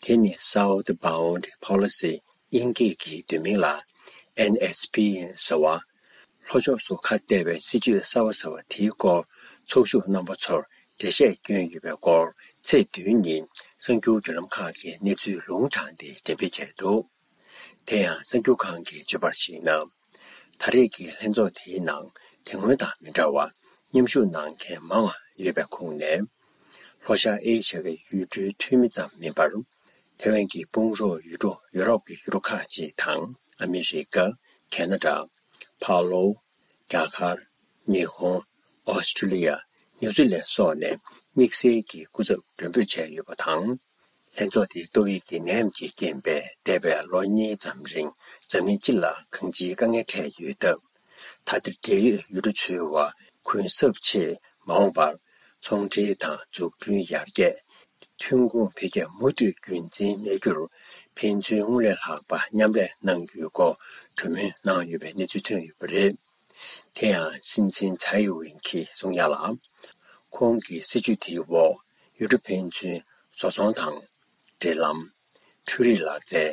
དེ་ནི་Southbound Policy དབྱིན་སྐད་ཀྱི་བསྡུས་མིང་ལ་ཨེན་ཨེས་པི་ཟེར་བ། ལྷོ་ཕྱོགས་སུ་ཁ་གཏད་པའི་སྲིད་བྱུས་གསར་བ་ཟེར་བ་དེའི་སྐོར་ཚོགས་ཞུགས་རྣམ་པ་ཚོར་འགྲེལ་བཤད་བསྐྱོན་ཡོད་པའི་སྐོར་ཚེས་བདུན་ཉིན་གསར་འགྱུར་བརྒྱུད་ལམ་ཁག་གིས་གནས་ཚུལ་ལུང་དྲངས་ཏེ་འགྲེམས་སྤེལ་བྱས་འདུག། དེ་ཡང་གསར་འགྱུར་ཁང་གིས་བརྗོད་པར་གཞིགས་ན། ད་རེས་ཀྱི་ལྷན་ཚོགས་དེའི་ནང་དེ་སྔོན་དང་མི་འདྲ་བར་མཉམ་ཞུགས་གནང་མཁན་མང་བ་ཡོད་པའི་ཁོངས་ནས། ལྷོ་ཤར་ཨེ་ཤ་ཡའི་ཡུལ་གྲུའི་འཐུས་མི་ཙམ་མིན་པར། ཐའེ་ཝན་གྱི་དཔུང་རོགས་ཡུལ་གྲུ་ཡུ་རོབ་ཀྱི་ཡུལ་གྲུ་ཁག་ཅིག་དང་ཨ་མི་རི་ཀ། ཁེ་ན་ཌ། ཕ་ལོ། རྒྱ་གར། ཉི་ཧོང་། ཨོ་སི་ཀྲི་ལི་ཡ། ནིའུ་ཛི་ལན་སོགས་ནས་དམིགས་བསལ་གྱི་སྐུ་ཚབ་མགྲོན་འབོད་བྱས་ཡོད་པ་དང་། ལྷན་ཚོགས་དེའི་ཏོག་དབྱིབས་ཀྱི་ནད་ཡམས་ཀྱི་རྐྱེན་པས་འདས་པའི་ལོ་གཉིས་ཙམ་རིང་འཛམ་གླིང་སྤྱི་ལ་གང་ཅིའི་དཀའ་ངལ་འཕྲད་ཡོད་སྟབས། ད་ལྟ་འབྲེལ་ཡོད་ཡུལ་གྲུ་ཚོའི་བར་གུན་གསབ་ཆེད་མ་འོངས་པར་ཚོང་འབྲེལ་དང་འཛུགས་སྐྲུན་ཡར་རྒྱས། ཐོན་ཁུངས་འཕེལ་རྒྱས་མུ་མཐུད་རྒྱུན་འཛིན་གནས་རྒྱུར་ཕན་ཚུན་སྔར་ལས་ལྷག་པ་མཉམ་ལས་གནང་རྒྱུའི་སྐོར་གྲོས་མོལ་གནང་ཡོད་པའི་གནས་ཚུལ་ཐོན་ཡོད་པ་རེད། དེ་ཡང་སྲིད་འཛིན་ཚའེ་ཝེན་གྱིས་གསུངས་ཡ་ལ། ཁོང་གི་སྲིད་ཇུས་དེའི་འོག་ཡུལ་གྲུ་ཕན་ཚུན་བཟོ་ཚོང་དང་། འབྲེལ་ལམ། འཕྲུལ་རིག་ལག་རྩལ།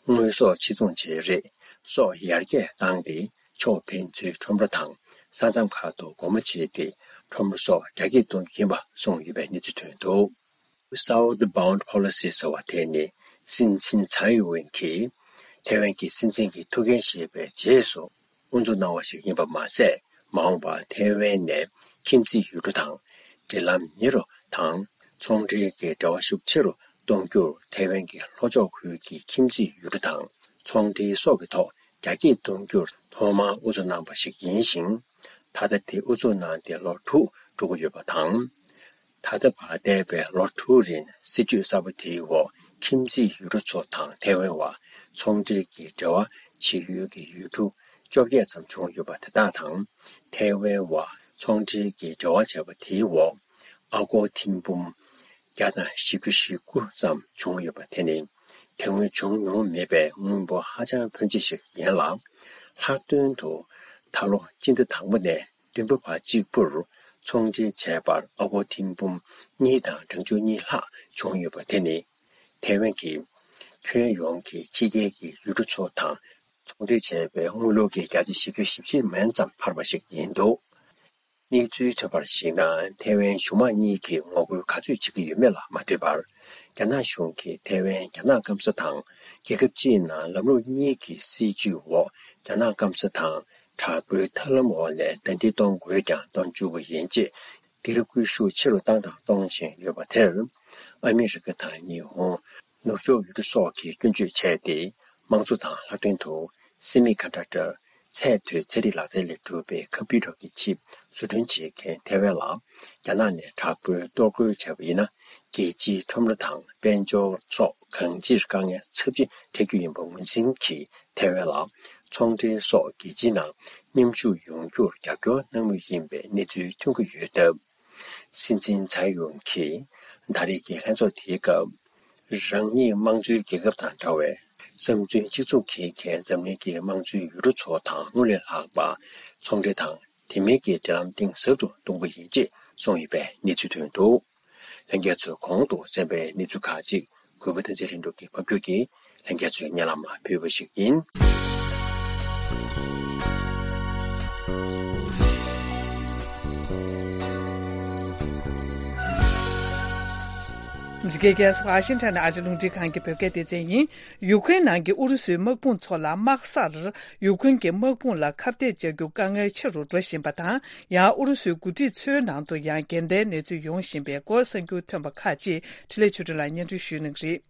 དངོས་ཟོག་ཕྱིར་ཚོང་བྱེད་རེས་སོགས་ཡར་རྒྱས་བཏང་སྟེ། ཕྱོགས་ཕན་ཚུན་ཁྲོམ་ར་དང་ས་མཚམས་ཁག་ཏུ་སྒོ་མོ་ཕྱེ་སྟེ། ཁྲོམ་ར་སོགས་རྒྱ་སྐྱེད་གཏོང་རྒྱུ་ཡིན་པ་གསུངས་ཡོད་པའི་གནས་ཚུལ་ཐོན་འདུག། Southbound Policy ཟེར་བ་དེ་ནི་སྲིད་འཛིན་ཚའེ་ཝེན་གྱིས་ཐའེ་ཝན་གྱི་སྲིད་འཛིན་གྱི་ཐུགས་འགན་བཞེས་པའི་རྗེས་སུ་དབུ་འཛུགས་གནང་བ་ཞིག་ཡིན་པ་མ་ཟད། མ་འོངས་པར་ཐའེ་ཝན་ནས་ཁྱིམ་མཚེས་ཡུལ་གྲུ་དང་འབྲེལ་ལམ་ཉེ་རུ་དང་། ཚོང་འབྲེལ་གྱི་འབྲེལ་བ་ཤུགས་ཆེ་རུ་གཏོང་རྒྱུར་ཐའེ་ཝན་གྱི་ལྷོ་ཕྱོགས་ཁུལ་གྱི་ཁྱིམ་མཚེས་ཡུལ་གྲུ་དང་ཚོང་འབྲེལ་སོགས་ཀྱི་ཐོག་རྒྱ་སྐྱེད་གཏོང་རྒྱུར་ཐོག་མར་དབུ་འཛུགས་གནང་པ་ཞིག་ཡིན་ཞིང་། ད་ལྟ་དེ་དབུ་འཛུགས་གནང་སྟེ་ལོ་དྲུག་འགྲོ་གི་ཡོད་པ་དང་། ད་ལྟ་བར་འདས་པའི་ལོ་དྲུག་རིང་སྲིད་ཇུས་གསར་པ་དེའི་འོག་ཁྱིམ་མཚེས་ཡུལ་གྲུ་ཚོ་དང་ཐའེ་ཝན་བར་ཚོང་འབྲེལ་གྱི་འབྲེལ་བ་བྱེད་ཡུལ་གྱི་ཡུལ་གྲུ་བཅོ་བརྒྱད་ཙམ་བྱུང་ཡོད་པ་དེ་དག་དང་། ཐའེ་ཝན་བར་ཚོང་འབྲེལ་གྱི་འབྲེལ་བ་བྱས་པ་དེའི་འོག་ཨ་སྒོར་ཐེར་འབུམ་བརྒྱ་དང་བཞི་བཅུ་ཞེ་དགུ་ཙམ་བྱུང་ཡོད་པ་དེ་ནི་དེ་སྔོན་བྱུང་མྱོང་མེད་པའི་དངོས་པོ་ཧ་ཅང་ཕོན་ཆེ་ཞིག་ཡིན་ལ། ལྷག་དོན་དུ་ད་ལོ་སྤྱི་ཟླ་དང་པོ་ནས་བདུན་པ་བར་གཅིག་པུར་ཚོང་འབྲེལ་བྱས་པར་ཨ་སྒོར་ཐེར་འབུམ་གཉིས་དང་གྲངས་ཆུང་གཉིས་ལྷག་བྱུང་ཡོད་པ་དེ་ནི། ཐའེ་ཝན་གྱིས་ཁྱོན་ཡོངས་ཀྱི་ཕྱི་རྒྱལ་གྱི་ཡུལ་གྲུ་ཚོ་དང་ཚོང་འབྲེལ་བྱས་པའི་དངུལ་ལོར་གྱི་བརྒྱ་ཆ་བཞི་བཅུ་ཞེ་བཞི་མན་ཙམ་འཕར་བ་ཞིག་ཡིན་འདུག། གནས་ཚུལ་ཐོན་པར་གཞིགས་ན། ཐའེ་ཝན་གཞུང་མང་གཉིས་ཀྱིས་ངོ་རྒོལ་ག་ཚོད་བྱེད་ཀྱི་ཡོད་མེད་ལ་མ་ལྟོས་པར། རྒྱ་ནག་གཞུང་གིས་ཐའེ་ཝན་རྒྱ་ནག་སྐམ་ས་དང་རྒྱལ་ཁབ་སྤྱིའི་ནང་ལམ་ལུགས་གཉིས་ཀྱི་སྲིད་ཇུས་འོག་རྒྱ་ནག་སྐམ་ས་དང་དྲག་པོའི་ཐབས་ལམ་འོག་ནས་ཟླ་སྒྲིལ་གཏོང་དགོས་ཀྱང་གཏོང་བཅུག་པ་ཡིན་ཅེས་སྒེར་སྐུལ་ཤུགས་ཆེ་རུ་བཏང་དང་གཏོང་བཞིན་ཡོད་པ་དེར། ཨ་མི་རི་ཀ་དང་ཉི་ཧོང་། ནུབ་ཕྱོགས་ཡུལ་གྲུ་སོགས་ཀྱིས་སྐྱོན་བརྗོད་བྱས་ཏེ། དམངས་གཙོ་དང་ལྷག་དོན་དུ་སེ་མི་ཀོན་ཌག་ཊར་ཚད་མཐོའི་ཚན་རིག་ལག་རྩལ་ལས་གྲུབ་པའི་ཀམ་པུ་ཊར་གྱི་ཆིབ་བཟོ་སྐྲུན་བྱེད་མཁན་ཐའེ་ཝན་ལ་རྒྱ་ནག་ནས་དྲག་པོའི་གཏོར་རྒོལ་བྱས་པ་ཡིན་ན། རྒྱལ་སྤྱིའི་ཁྲོམ་ར་དང་དཔལ་འབྱོར་སོགས་གང་ཅིར་དཀའ་ངལ་ཚབས་ཆེ་འཕྲད་རྒྱུ་ཡིན་པ་ངོས་འཛིན་གྱིས། ཐའེ་ཝན་ལ་ཚོང་འབྲེལ་སོགས་རྒྱལ་སྤྱིའི་ནང་མཉམ་ཞུགས་ཡོང་རྒྱུར་རྒྱབ་སྐྱོར་གནང་མུས་ཡིན་པའི་གནས་ཚུལ་ཐོན་གྱི་ཡོད་སྟབས། སྲིད་འཛིན་ཚའེ་ཝེན་གྱིས་ད་རེས་ཀྱི་ལྷན་ཚོགས་དེའི་སྐབས། རང་ཉིད་དམངས་གཙོའི་རྒྱལ་ཁབ་དང་འདྲ་བའི་བསམ་ཚུལ་གཅིག་མཚུངས་འཁྱེར་མཁན་འཛམ་གླིང་གི་དམངས་གཙོའི་ཡུལ་གྲུ་ཚོ་དང་སྔར་ལས་ལྷག་པ་ཚོང་འབྲེལ་དང་དེ་མིན་གྱི་འབྲེལ་ལམ་གཏིང་ཟབ་ཏུ་གཏོང་རྒྱུ་ཡིན་ཅེས་གསུངས་ཡོད་པའི་གནས་ཚུལ་ཐོན་འདུག། ལྷན་རྒྱས་ཚོས་གོང་དུ་གསན་པའི་གནས་ཚུལ་ཁག་ཅིག་གུས་པ་བསྟན་འཛིན་ལྷུན་གྲུབ་ཀྱིས་ཕབ་སྒྱུར་གྱིས་ལྷན་རྒྱས་ཚོའི་སྙན་ལམ་ལ་ཕུལ་བ་ཞིག་ཡིན། འདི་གའི་རྒྱལ་ས་ཝ་ཤིང་ཊོན་ནས་ཨ་རི་རླུང་འཕྲིན་ཁང་གི་བོད་སྐད་སྡེ་ཚན་ཡིན། ཡུ་ཀེ་རེན་ནང་གི་ཨུ་རུ་སུའི་དམག་དཔུང་ཚོ་ལ་དམག་སར་ཡུ་ཀེ་རེན་གྱི་དམག་དཔུང་ལ་ཁ་གཏད་བཅག་རྒྱུ་དཀའ་ངལ་ཆེ་རུ་འགྲོ་བཞིན་པ་དང་། ཡང་ཨུ་རུ་སུའི་འགོ་ཁྲིད་ཚོའི་ནང་དུ་ཡང་འགལ་ཟླའི་གནས་ཚུལ་ཡོང་བཞིན་པའི་སྐོར་གསར་འགྱུར་ཐོན་པ་ཁག་ཅིག་འཕྲིན་ལས་ཆོས་སྒྲོན་ལགས་སྙན་སྒྲོན་ཞུ་གནང་གི་རེད།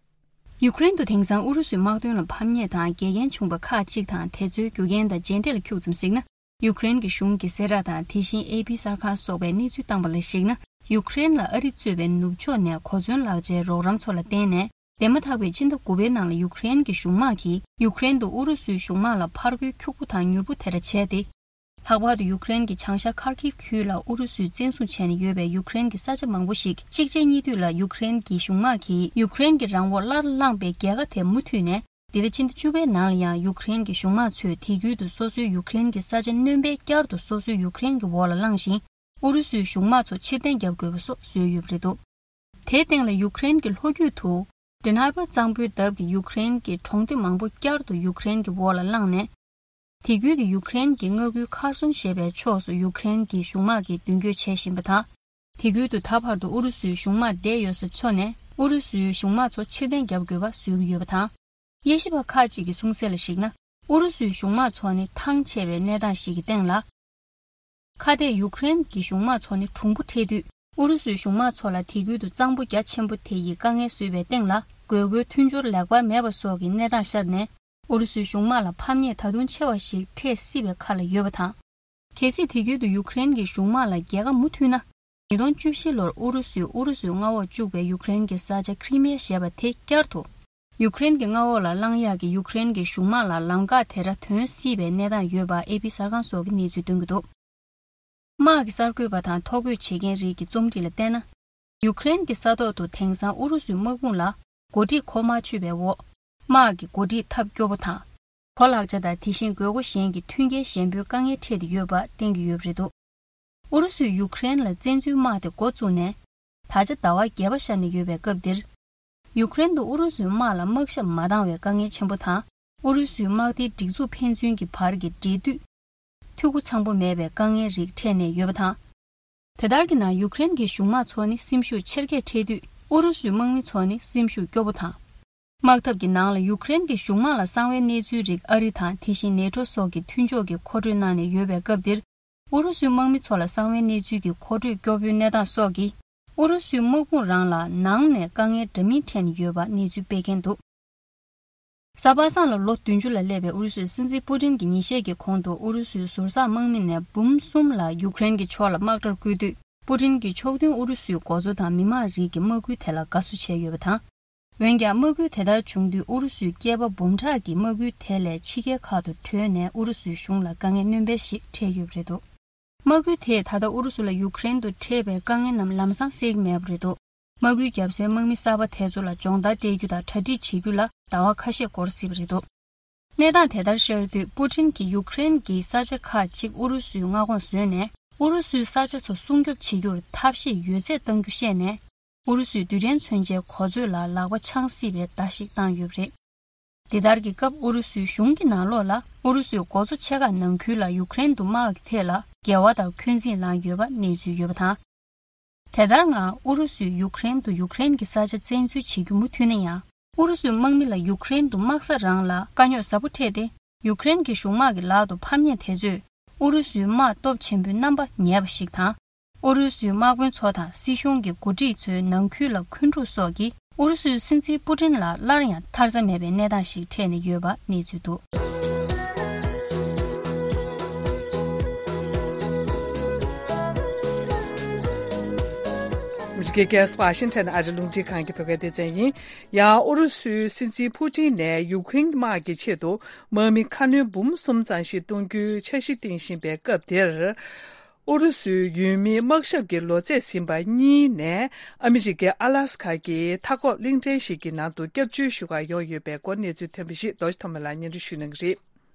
ཡུ་ཀེ་རེན་དུ་དེང་སང་ཨུ་རུ་སུའི་དམག་དོན་ལ་ཕམ་ཉེས་དང་འགལ་རྐྱེན་བྱུང་པ་ཁག་ཅིག་དང་དེ་ཚོའི་རྒྱུ་རྐྱེན་དང་རྗེས་འབྲས་ལ་འཁྱུག་ཙམ་གཟིགས་ན། ཡུ་ཀེ་རེན་གྱི་གཞུང་གི་གསལ་བསྒྲགས་དང་དེ་བཞིན་ཨེ་པི་གསར་ཁང་སོགས་པས་གནས་ཚུལ་བཏང་པ་ལ་གཞིགས་ན། ཡུ་ཀེ་རེན་ལ་ཨ་རི་གཙོས་པའི་ནུབ་ཕྱོགས་ནས་གོ་མཚོན་ལག་ཆའི་རོགས་རམ་ཚོ་ལ་བརྟེན་ནས། འདས་མ་ཐག་པའི་ཕྱི་ཟླ་དགུ་པའི་ནང་ལ་ཡུ་ཀེ་རེན་གྱི་གཞུང་དམག་གིས་ཡུ་ཀེ་རེན་དུ་ཨུ་རུ་སུའི་གཞུང་དམག་ལ་ཕར་རྒོལ་ཁྱུག་པོ་དང་མྱུར་པོ་དེ་འདྲ་བྱས་ཏེ། ལྷག་པར་དུ་ཡུ་ཀེ་རེན་གྱི་བྱང་ཤར་ཁར་ཁིབ་ཁུལ་ལ་ཨུ་རུ་སུས་བཙན་བཟུང་བྱས་ནས་ཡོད་པའི་ཡུ་ཀེ་རེན་གྱི་ས་ཆ་མང་པོ་ཞིག་གཅིག་རྗེས་གཉིས་མཐུད་ལ་ཡུ་ཀེ་རེན་གྱི་གཞུང་དམག་གིས་ཡུ་ཀེ་རེན་གྱི་རང་འོག་སླར་བླངས་པའི་རྒྱལ་ཁ་དེ་མུ་མཐུད་ནས། འདི་ཟླ་ཕྱི་ཟླ་བཅུ་པའི་ནང་ལ་ཡང་ཡུ་ཀེ་རེན་གྱི་གཞུང་དམག་ཚོས་དེ་ཁུལ་དུ་སོ་སོའི་ཡུ་ཀེ་རེན་གྱི་ས་ཆ་སྣོན་པས་བསྐྱར་དུ་སོ་སོའི་ཡུ་ཀེ་རེན་གྱི་འོག་ལ་བླངས་ཤིང་། ཨུ་རུ་སུའི་གཞུང་དམག་ཚོ་ཕྱིར་འཐེན་བརྒྱབ་དགོས་པ་སོགས་བཟོས་ཡོད་པ་རེད་འདུག། དེའི་སྟེང་ལ་ཡུ་ཀེ་རེན་གྱི་ལྷོ་རྒྱུད་དུ། ཌི་ནེ་པར་གཙང་པོའི་འདབས་ཀྱི་ཡུ་ཀེ་རེན་གྱི་གྲོང་སྡེ་མང་པོ་བསྐྱར་དུ་ཡུ་ཀེ་རེན་གྱི་འོག་ལ་བླངས་ནས། དེ་ཁུལ་གྱི་ཡུ་ཀེ་རེན་གྱི་མངའ་ཁུལ་ཁར་སོན་ཞེས་པའི་ཕྱོགས་སུ་ཡུ་ཀེ་རེན་གྱི་གཞུང་དམག་གིས་མདུན་སྐྱོད་བྱེད་བཞིན་པ་དང་། དེ་ཁུལ་དུ་ད་བར་དུ་ཨུ་རུ་སུའི་གཞུང་དམག་བསྡད་ཡོད་ས་ཚོ་ནས་ཨུ་རུ་སུའི་གཞུང་དམག་ཚོ་ཕྱིར་འཐེན་བརྒྱབ་དགོས་པ་བཟོས་ཀྱི་ཡོད་པ་དང་། དབྱེ་ཞིབ་པ་ཁག་ཅིག་གི་གསུང་གསལ་ལ་གཞིགས་ན། ཨུ་རུ་སུའི་གཞུང་དམག་ཚོ་ནི་ཐང་ཆད་པའི་གནས་སྟངས་ཤིག་གི་སྟེང་ལ། ཁ་གཏད་ཡུ་ཀེ་རེན་གྱི་གཞུང་དམག་ཚོ་ནི་གྲུང་པོ་འཕྲད་དུས། ཨུ་རུ་སུའི་གཞུང་དམག་ཚོ་ལ་དེ་ཁུལ་དུ་གཙང་པོ་རྒྱ་ཆེན་པོ་དེ་ཡིས་དཀའ་ངལ་བཟོས་པའི་སྟེང་ལ། དགོས་མཁོའི་མཐུན་སྦྱོར་ལེགས་པར་མེད་པ་སོགས་ཀྱི་གནས་སྟངས་ཤར་ནས། ཨུ་རུ་སུའི་གཞུང་དམག་ལ་ཕམ་ཉེས་ད་དུང་ཆེ་བ་ཞིག་འཕྲད་སྲིད་པའི་ཁ་ལ་ཡོད་པ་དང་། གལ་སྲིད་དེ་ཁུལ་དུ་ཡུ་ཀེ་རེན་གྱི་གཞུང་དམག་ལ་རྒྱལ་ཁ་མུ་མཐུད་ན། ཉིས་སྟོང་བཅུ་བཞི་ལོར་ཨུ་རུ་སུས་ཨུ་རུ་སུའི་མངའ་འོག་བཅུག་པའི་ཡུཀ་རེན་གྱི་ས་ཆ་ཁྲི་མེ་ཞེས་པ་དེ་བསྐྱར་དུ་ཡུཀ་རེན་གྱི་མངའ་འོག་ལ་བླང་ཡག་གི་ཡུཀ་རེན་གྱི་གཞུང་དམག་ལ་ལམ་ཁ་དེ་འདྲ་ཐོན་སྲིད་པའི་གནས་སྟངས་ཡོད་པ་ཨེ་པི་གསར་ཁང་སོགས་ཀྱིས་གནས་ཚུལ་སྟོན་གྱི་འདུག། དམག་གི་གསར་འགོད་པ་དང་ཐོ་འགོད་བྱེད་མཁན་རིགས་ཀྱི་རྩོམ་སྒྲིག་ལ་བལྟས་ན། ཡུཀ་རེན་གྱི་ས་ཐོག་ཏུ་དེང་སང་ཨུ་རུ་སུའི་དམག་དཔུང་ལ་འགོ་ཁྲིད་གོ་མ་ཆོད་པའི་འོག། དམག་གི་འགོ་ཁྲིད་ཐབས་སྐྱོ་པོ་དང་། གོ་ལག་ཆ་དང་དེ་བཞིན་དགོས་མཁོ་གཞན་གྱི་མཐུན་རྐྱེན་གཞན་པོའི་དཀའ་ངལ་འཕྲད་དེ་ཡོད་པ་བསྟན་གྱི་ཡོད་པ་རེད་འདུག། ཨུ་རུ་སུས་ཡུཀ་རེན་ལ་བཙན་འཛུལ་དམག་དེ་འགོ་བཙུགས་ནས། ད་ཆ་ཟླ་བ་བརྒྱད་པ་ཤར་ནས་ཡོད་པའི་སྐབས་འདིར། ཡུཀ་རེན་དུ་ཨུ་རུ་སུའི་དམག་ལ་དམག་ཞབས་མ་འདང་བའི་དཀའ་ངལ་ཆེན་པོ་དང་། ཨུ་རུ་སུའི་དམག་སྡེའི་སྒྲིག་འཛུགས་ཕན་ཚུན་གྱི་བར་གྱི་འབྲེལ་མཐུད། འཐུས་སྒོ་ཚང་པོ་མེད་པའི་དཀའ་ངལ་རིགས་འཕྲད་ནས་ཡོད་པ་དང་། དེ་ལྟར་གྱི་ནང་ཡུཀ་རེན་གྱི་གཞུང་དམངས་ཚོ་ནི་སེམས་ཤུགས་ཆེར་སྐྱེད་འཕྲད་དུས། ཨུ་རུ་སུའི་དམག་མི་ཚོ་ནི་སེམས་ཤུགས་སྐྱོ་པོ་དང་། དམག་འཐབ་ཀྱི་ནང་ལ་ཡུཀ་རེན་གྱི་གཞུང་དམངས་ལ་གསང་བའི་གནས་ཚུལ་རིགས་ཨ་རི་དང་དེ་བཞིན་ནེ་ཊོ་སོགས་ཀྱི་མཐུན་ཕྱོགས་ཀྱིས་མཁོ་སྤྲོད་གནང་ནས་ཡོད་པའི་སྐབས་འདིར། ཨུ་རུ་སུའི་དམག་མི་ཚོ་ལ་གསང་བའི་གནས་ཚུལ་གྱི་མཁོ་སྤྲོད་སྐྱོ་པོའི་གནས་སྟངས་སོགས་ཀྱིས། ཨུ་རུ་སུའི་དམག་དཔུང་རང་ལ་ནང་ནས་དཀའ་ངལ་འདྲ་མིན་འཕྲད་ནས་ཡོད་པ་གནས་ཚུལ་སྤེལ་མཁན་འདུག། གཟའ་པ་སངས་ལ་ལོ་བདུན་ཅུ་ལ་སླེབས་པའི་ཨུ་རུ་སུའི་སྲིད་འཛིན་པུ་ཏིན་གྱིས་ཉིན་ཤས་ཀྱི་གོང་དུ་ཨུ་རུ་སུའི་ཟུར་བཟང་དམག་མི་ནས་འབུམ་གསུམ་ལ་ཡུཀ་རེན་གྱི་ཕྱོགས་ལ་དམག་གྲབས་བསྐུལ་དུས། པུ་ཏིན་གྱིས་ཕྱོགས་མཐུན་ཨུ་རུ་སུའི་འགོ་གཙོ་དང་མི་མང་རིགས་ཀྱི་དམག་འགུལ་དེ་ལ་དགའ་བསུ་བྱས་ཡོད་པ་དང་། འོན་ཀྱང་དམག་འགུལ་དེ་ལྟར་བྱུང་དུས་ཨུ་རུ་སུའི་སྐྱེས་པ་འབུམ་ཕྲག་གིས་དམག་འགུལ་དེ་ལས་ཕྱི་རྒྱལ་ཁག་ཏུ་བྲོས་ནས་ཨུ་རུ་སུའི་གཞུང་ལ་དཀའ་ངལ་སྣོན་སྤེལ་ཞིག་འཕྲད་ཡོད་པ་རེད་འདུག། དམག་འགུལ་དེས་ད་ལྟ་ཨུ་རུ་སུ་ལ་ཡུཀ་རེན་དུ་འཕྲད་པའི་དཀའ་ངལ་རྣམས་ལམ་སང་སེལ་གྱི་མེད་པ་རེད་འདུག། དམག་འགུལ་བརྒྱབ་སའི་དམག་མི་གསར་པ་དེ་ཚོ་ལ་སྦྱོང་བརྡར་སྤྲད་རྒྱུ་དང་གྲ་སྒྲིག་བྱེད་རྒྱུ་ལ་ཟླ་བ་ཁ་ཤས་འགོར་སྲིད་པ་རེད་འདུག། གནས་སྟངས་དེ་ལྟར་ཤར་དུས་པུ་ཏིན་གྱིས་ཡུཀ་རེན་གྱི་ས་ཆ་ཁག་ཅིག་ཨུ་རུ་སུའི་མངའ་ཁོངས་བཟོས་ནས། ཨུ་རུ་སུའི་ས་ཆ་ཚོ་སྲུང་སྐྱོབ་བྱེད་རྒྱུར་ཐབས་ཤེས་ཡོད་ཚད་གཏང་རྒྱུ་བཤད་ནས། ཨུ་རུ་སུའི་རྡུལ་ཕྲན་མཚོན་ཆའི་གོ་མཛོད་ལ་ལག་པ་འཆང་སྲིད་པའི་བརྡ་ཞིག་བཏང་ཡོད་པ་རེད། འདི་ལྟར་གྱི་སྐབས་ཨུ་རུ་སུའི་གཞུང་གི་ནང་ལོགས་ལ་ཨུ་རུ་སུའི་འགོ་གཙོ་ཆེ་ཁག་ནང་ཁུལ་ལ་ཡུཀ་རེན་དུ་དམག་གི་ཐད་ལ་འགལ་བ་དང་འཁོན་འཛིན་ལངས་ཡོད་པ་གནས་ཚུལ་ཡོད་པ་དང་། དེ་ལྟར་ངང་ཨུ་རུ་སུས་ཡུཀ་རེན་དུ་ཡུཀ་རེན་གྱི་ས་ཆ་བཙན་འཛུལ་བྱེད་རྒྱུ་མུ་མཐུད་ན་ཡང་། ཨུ་རུ་སུའི་དམག་མི་ལ་ཡུཀ་རེན་དུ་དམག་ས་རང་ལ་དཀའ་རྙོག་ཟབ་པོ་འཕྲད་དེ། ཡུཀ་རེན་གྱི་གཞུང་དམག་གི་ལག་ཏུ་ཕམ་ཉེས་དེ་ཚོས་ཨུ་རུ་སུའི་དམག་སྟོབས་ཆེན་པོའི་རྣམ་པ་ཉེས་པ་ཞིག་དང་། ཨུ་རུ་སུའི་དམག་དཔོན་ཚོ་དང་སྲིད་གཞུང་གི་འགོ་ཁྲིད་ཚོའི་ནང་ཁུལ་ལ་འཁོན་འཁྲུག་སོགས་ཀྱིས་ཨུ་རུ་སུའི་སྲིད་འཛིན་པུ་ཏིན་ལ་སླར་ཡང་ཐར་ས་མེད་པའི་གནས་སྟངས་ཤིག་འཕྲད་ནས་ཡོད་པ་གནས་ཚུལ་འདུག། ཨ་མི་རི་ཀའི་རྒྱལ་ས་ཝ་ཤིང་ཊོན་ཨ་རི་རླུང་འཕྲིན་ཁང་གི་བོད་སྐད་སྡེ་ཚན་ཡིན། ཡང་ཨུ་རུ་སུའི་སྲིད་འཛིན་པུ་ཏིན་ནས་ཡུ་ཁུན་དམག་གི་ཆེད་དུ་དམག་མི་ཁ་སྣོན་འབུམ་གསུམ་ཙམ་ཞིག་གཏོང་རྒྱུའི་འཆར་གཞི་བཏིང་བཞིན་པའི་སྐབས་དེར། ཨུ་རུ་སུའི་ཡུལ་མིའི་དམག་ཞབས་ཀྱི་ལོ་ཚད་ཟིན་པ་གཉིས་ནས་ཨ་མི་རི་ཀའི་ཨ་ལ་སི་ཁ་གི་མཐའ་འཁོབ་གླིང་ཕྲན་ཞིག་གི་ནང་དུ་སྐྱབས་བཅོལ་ཞུ་གར་ཡོང་ཡོད་པའི་སྐོར་གནས་ཚུལ་ཐོན་པ་ཞིག་རྡོ་རྗེ་ཐོགས་མེད་ལགས་སྙན་སྒྲོན་ཞུ་གནང་གི་རེད།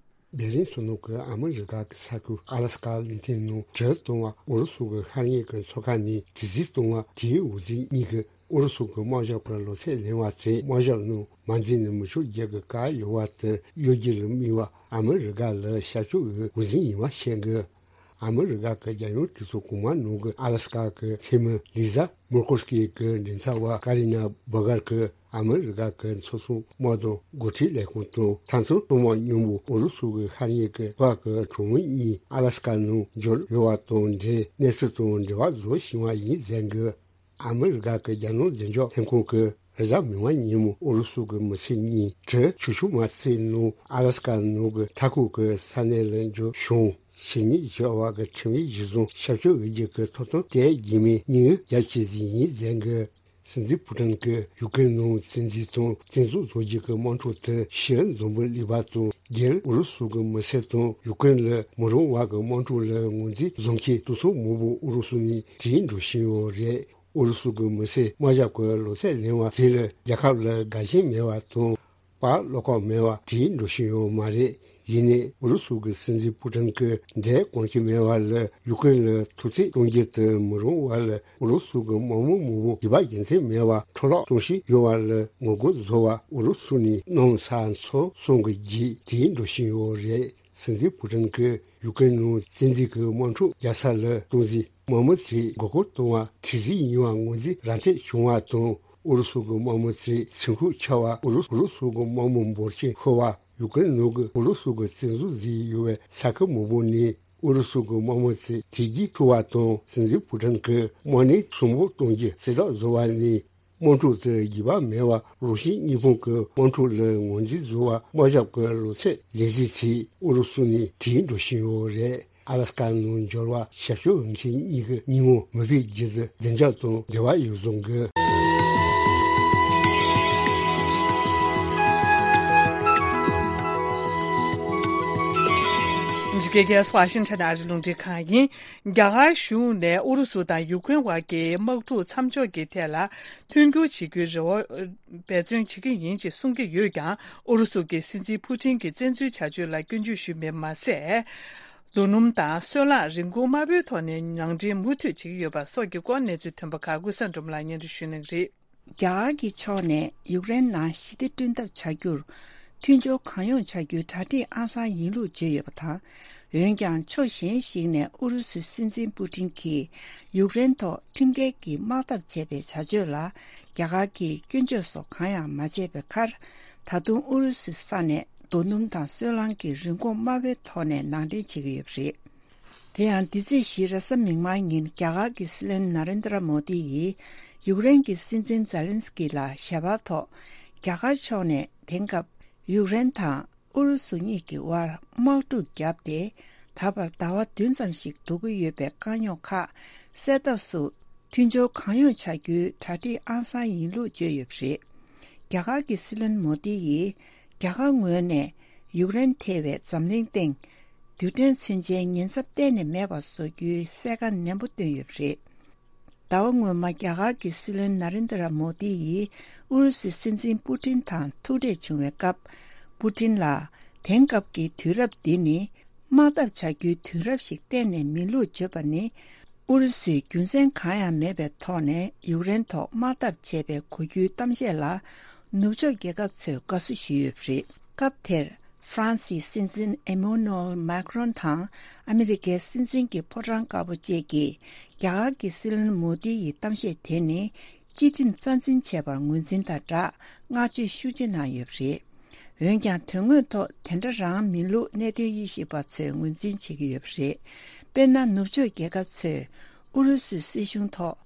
བྷེ་རིན་མཚོ་ནུབ་ཀྱི་ཨ་མི་རི་ཀ་གི་ས་ཁུལ་ཨ་ལ་སི་ཀ་གླིང་ཕྲན་ནང་དྲིལ་བསྒྲགས་གཏོང་བ་ཨུ་རུ་སུ་གི་ཤར་ཉེ་གི་མཚོ་ཁ་ནས་དྲི་རྩད་གཏོང་བ་དེའི་འོག་འཛིན་གཉིས་ཀྱིས་ཨུ་རུ་སུ་གི་དམག་ཞབས་ཀྱི་ལོ་ཚད་ལེན་པ་དེ་དམག་ཞབས་ནང་མ་འཛུལ་ནས་མི་ཆོག་རྒྱུ་གི་བཀག་ཡོད་པ་དེ་གཡོལ་རྒྱུ་ལ་དམིགས་པ་ཨ་མི་རི་ཀ་ལ་ཤར་ཕྱོགས་ཀྱི་འོག་འཛིན་ཡིན་པ་བཤད་འདུག། ཨ་མི་རི་ཀ་གི་རྒྱལ་ཡོངས་གྲོས་ཚོགས་གོང་མ་ནང་གི་ཨ་ལ་སི་ཀ་གི་འཐུས་མི་ལི་ཛ་མོར་ཀོ་སི་ཀི་གི་མགྲིན་ཚབ་པ་ཀ་རི་ན་བྷ་གར་གྱིས་ཨ་མི་རི་ཀ་གི་ཚོགས་གཙོ་དམག་དོན་འགོ་ཁྲིད་ལས་ཁུངས་དང་ས་མཚམས་དོན་དམག་མཉམ་པོ་ཨུ་རུ་སུ་གི་ཤར་ཉེ་གི་བར་གྱི་གྲོས་མོལ་གཉིས་ཨ་ལ་སི་ཀ་ནང་འབྱོར་ཡོད་པ་དང་འབྲེལ་གནས་ཚུལ་དང་འབྲེལ་བ་བཟོ་བཞིན་པ་ཡིན་ཟེར་གི། ཨ་མི་རི་ཀ་གི་རྒྱལ་ནང་བདེ་འཇགས་ལྷན་ཁང་གི་རེས་གཟའ་མིག་དམར་ཉིན་མོ་ཨུ་རུ་སུ་གི་མི་སེར་གཉིས་དྲིལ་བསྒྲགས་མ་བྱས་ནང་ཨ་ལ་སི་ཀ་ནང་གི་མཐའ་འཁོབ་ཀྱི་ས་གནས་ལ་འབྱོར་བྱུང་། ཕྱི་ཉིན་བཞི་པ་གི་ཁྲིམས་ཡིག་གཞིར་བཟུང་ཞབས་ཞུ་འོས་བསྡུ་གི་ཐོབ་ཐང་དེ་རྒྱུས་མེད་གཉིས་རྒྱ་ཆེ་ཟིན་ཡིན་ཟེར་གི། སྲིད་འཛིན་ཕུ་ཀྲིན་གྱིས་ཡུ་ཀེ་རེན་ནང་བཙན་འཛུལ་དང་བཙན་འཛུལ་བཟོ་རྒྱུ་གི་དམག་འཁྲུག་དེ་ཕྱིའི་འཛམ་བུ་གླིང་པ་དང་སྒེར་ཨུ་རུ་སུ་གི་མི་སེར་དང་ཡུ་ཀེ་རེན་ལ་མི་རུང་བ་གི་དམག་འཁྲུག་ལ་ངོས་འཛིན་བཟུང་མཁན་དུད་ཚང་མང་པོ་ཨུ་རུ་སུ་ནས་དྲིལ་འགྲོ་བཞིན་ཡོད་རེད། ཨུ་རུ་སུ་གི་མི་སེར་དམག་ཞབས་ཀྱི་ལོ་ཚད་ལེན་པ་དེ་ལ་རྒྱལ་ཁབ་ལ་དགའ་ཞེན་མེད་པ་དང་། བར་བློ་ཁོག་མེད་པ་དྲིལ་འགྲོ་བཞིན་ཡོད་མ་རེད། ཡིན་ནའི་ཨུ་རུ་སུ་གི་སྲིད་འཛིན་ཕུ་ཀྲིན་གྱིས་འདས་གོང་ཆེ་མེད་པ་ལ་ཡུ་ཀེ་རེན་ལ་ཐུགས་རྩིས་གཏོང་རྒྱུ་དེ་མི་རུང་བ་ལ་ཨུ་རུ་སུ་གི་དམག་མི་མང་པོ་རྒྱུ་བ་རྒྱུ་མཚན་མེད་པར་འཕྲོ་བརླག་གཏོང་བཞིན་ཡོད་པ་ལ་ངོ་རྒོལ་བཟོ་བར་ཨུ་རུ་སུ་ནས་གནམ་ས་མཚོ་གསུམ་གྱི་རྒྱུད་དྲིལ་འགྲོ་བཞིན་ཡོད་རེད། སྲིད་འཛིན་ཕུ་ཀྲིན་གྱིས་ཡུ་ཀེ་རེན་ནང་བཙན་འཛུལ་གྱི་དམག་འཁྲུག་རྒྱག་ས་ལ་གཏོང་འཛིན་དམག་མི་ཚོས་མགོ་སྐོར་གཏོང་བ་དྲི་རྩད་ཡིན་པ་ངོས་འཛིན་ར་འཕྲོད་བྱུང་བ་དང་། ཨུ་རུ་སུ་གི་དམག་མི་ཚོས་ཚེ་འཁོར་ཆག་པ། ཨུ་རུ་ཨུ་རུ་སུ་གི་དམག་མི་འབོར་ཆེན་ཤོར་བ། ཡུ་ཀེ་རེན་ནང་གི་ཨུ་རུ་སུ་གི་བཙན་འཛུལ་ཟིན་ཡོད་པའི་ས་ཁུལ་མང་པོ་ནས་ཨུ་རུ་སུ་གི་དམག་མི་ཚོས་དེ་རྗེས་ཐུག་པ་དང་། སྲིད་འཛིན་ཕུ་ཀྲིན་གྱིས་དམག་གནས་གསོན་པོ་གཏོང་རྒྱུ་གསལ་བསྒྲགས་བཟོ་བ་ནས། དམག་འཁྲུག་དེ་རྒྱུས་པ་མེད་པར་རུ་ཤན་གཉིས་ཕུང་གི་དམག་འཁྲུག་ལ་ངོས་འཛིན་བཟོ་བར་དམག་ཞབས་ཀྱི་ལོ་ཚད་ལེགས་འཛིན་ཚེ་ཨུ་རུ་སུ་ནས་དྲིལ་འགྲོ་བཞིན་ཡོད་རེད། ཨ་ལ་སི་ཀ་ནང་འབྱོར་བ་ཞབས་ཞུ་འོས་འཕེན་གཉིས་ཀྱི་ཉིན་མོ་མི་ཕེབས་རྒྱུ་དེ་བདེ་འཇགས་དང་འབྲེལ་བ་ཡོད་བཟོ་དགོས། འཇིགས་སྐལ་གྱི་ཝ་ཤིང་ཊོན་ཨ་རི་རླུང་འཕྲིན་ཁང་ཡིན། རྒྱ་གར་གཞུང་ནས་ཨུ་རུ་སུ་དང་ཡུ་ཀེ་རེན་བར་གྱི་དམག་འཁྲུག་མཚམས་འཇོག་གི་ཐད་ལ་མཐུན་འགྱུར་བྱེད་རྒྱུའི་རེ་བ་འབད་བརྩོན་བྱེད་ཀྱི་ཡིན་ཅེས་གསུང་གི་ཡོད་ཀྱང་། ཨུ་རུ་སུ་གྱི་སྲིད་འཛིན་ཕུ་ཊིན་གྱི་བཙན་འཛུལ་བྱ་སྤྱོད་ལ་སྐྱོན་བརྗོད་ཞུས་པ་མ་ཟད། རྡོ་སྣུམ་དང་སོལ་རླངས་རིན་གོང་དམའ་པོའི་ཐོག་ནས་ནང་འདྲེན་མུ་མཐུད་བྱེད་ཀྱི་ཡོད་པ་སོགས་ཀྱི་སྐོར་གནས་ཚུལ་ཐོན་པ་ཁག་ཀུན་བཟང་སྒྲོལ་མ་ལགས་སྙན་སྒྲོན་ཞུ་གནང་གི་རེད། རྒྱ་གར་གྱི་ཕྱོགས་ནས་ཡུཀ་རེན་ནང་ཞི་བདེ་བསྐྲུན་ཐབས་བྱ་རྒྱུར་མཐུན་སྦྱོར་གང་ཡོང་བྱ་རྒྱུའི་གྲ་སྒྲིག་ཨང་གསར་ཡིན་ལུགས་བརྗོད་ཡོད་པ་དང་། འོན་ཀྱང་ཕྱོགས་གཞན་ཞིག་ནས་ཨུ་རུ་སུའི་སྲིད་འཛིན་པུ་ཏིན་གྱིས་ཡུཀ་རེན་ཐོག་ཁྲིམས་འགལ་གྱི་དམག་འཐབ་བྱས་པའི་བྱ་སྤྱོད་ལ་རྒྱ་གར་གྱིས་སྐྱོན་བརྗོད་སོགས་གང་ཡང་མ་བྱས་པའི་ཁར། ད་དུང་ཨུ་རུ་སུའི་ས་ནས་རྡོ་སྣུམ་དང་སོལ་རླངས་ཀྱི་རིན་གོང་དམའ་བོའི་ཐོག་ནས་ནང་འདྲེན་བྱེད་ཀྱི་ཡོད་པ་རེད། དེ་ཡང་འདི་ཚེས་བཞི་རེས་གཟའ་མིག་དམར་ཉིན་རྒྱ་གར་གྱི་སྲིད་བློན་ན་རེན་དྲ་མོ་དི་ཡིས་ཡུཀ་རེན་གྱི་སྲིད་འཛིན་ཛེ་ལན་སི་ཀི་ལ་ཞལ་པར་ཐོག་རྒྱ་གར་ཕྱོགས་ནས་དེང་སྐབས་ཡུཀ་རེན་དང་ཨུ་རུ་སུ་གཉིས་ཀྱི་དབར་དམག་འཁྲུག་བརྒྱབ་སྟེ། ད་བར་ཟླ་བ་བདུན་ཙམ་ཞིག་འགྲོ་གི་ཡོད་པའི་དཀའ་རྙོག་ཁག་སེལ་ཐབས་སུ་མཐུན་སྦྱོར་གང་ཡོང་བྱ་རྒྱུའི་གྲ་སྒྲིག་ཨང་གསར་ཡིན་ལུགས་བརྗོད་ཡོད་པ་རེད། རྒྱ་གར་གྱི་སྲིད་བློན་མོ་དི་ཡིས་རྒྱ་གར་ངོས་ནས་ཡུཀ་རེན་ཐེ་བའི་འཛམ་གླིང་སྟེང་རྡུལ་ཕྲན་མཚོན་ཆའི་ཉེན་ཚབས་གཏན་ནས་མེད་པ་བཟོ་རྒྱུའི་གསལ་ཁ་ནན་པོ་བཏོན་ཡོད་པ་རེད། ཟླ་བ་སྔོན་མ་རྒྱ་གར་གྱི་སྲིད་བློན་ན་རེན་དྲ་མོ་དི་ཡིས་ཨུ་རུ་སུའི་སྲིད་འཛིན་པུ་ཏིན་དང་ཐུག་འཕྲད་བྱུང་བའི་སྐབས། པུ་ཏིན་ལ་དེང་སྐབས་ཀྱི་དུས་རབས་འདི་ནི་དམག་འཐབ་བྱ་རྒྱུའི་དུས་རབས་ཤིག་གཏན་ནས་མིན་ལུགས་བརྗོད་པ་ནི། ཨུ་རུ་སུས་རྒྱུ་མཚན་གང་ཡང་མེད་པའི་ཐོག་ནས་ཡུཀ་རེན་ཐོག་དམག་འཐབ་བྱས་པའི་གོ་རྒྱུའི་གཏམ་བཤད་ལ་ནུབ་ཕྱོགས་རྒྱལ་ཁབ་ཚོས་དགའ་བསུ་ཞུས་ཡོད་པ་རེད། སྐབས་དེར་ཧྥ་རན་སིའི་སྲིད་འཛིན་ཨེ་མོ་ནུ་ཨེལ་མཱ་ཀྲོན་དང་ཨ་མི་རི་ཀའི་སྲིད་འཛིན་གྱི་ཕོ་བྲང་དཀར་པོ་བཅས་ཀྱིས་རྒྱ་གར་གྱི་སྲིད་བློན་མོ་དི་ཡི་གཏམ་བཤད་དེ་ནི་སྤྱི་ཁྲིམས་རྩ་འཛིན་བྱས་པར་ངོས་འཛིན་དང་སྦྲགས་བསྔགས་བརྗོད་ཤུགས་ཆེ་གནང་ཡོད་པ་རེད། འོན་ཀྱང་དོན་དངོས་ཐོག་དེ་འདྲ་རང་མིན་ལུགས་གནད་དོན་དབྱེ་ཞིབ་པ་ཚོས་ངོས་འཛིན་བྱེད་ཀྱི་ཡོད་པ་རེད། དཔེར་ན། ནུབ་ཕྱོགས་རྒྱལ་ཁབ་ཚོས་ཨུ་རུ་སུའི་སྲིད་གཞུང་ཐོག་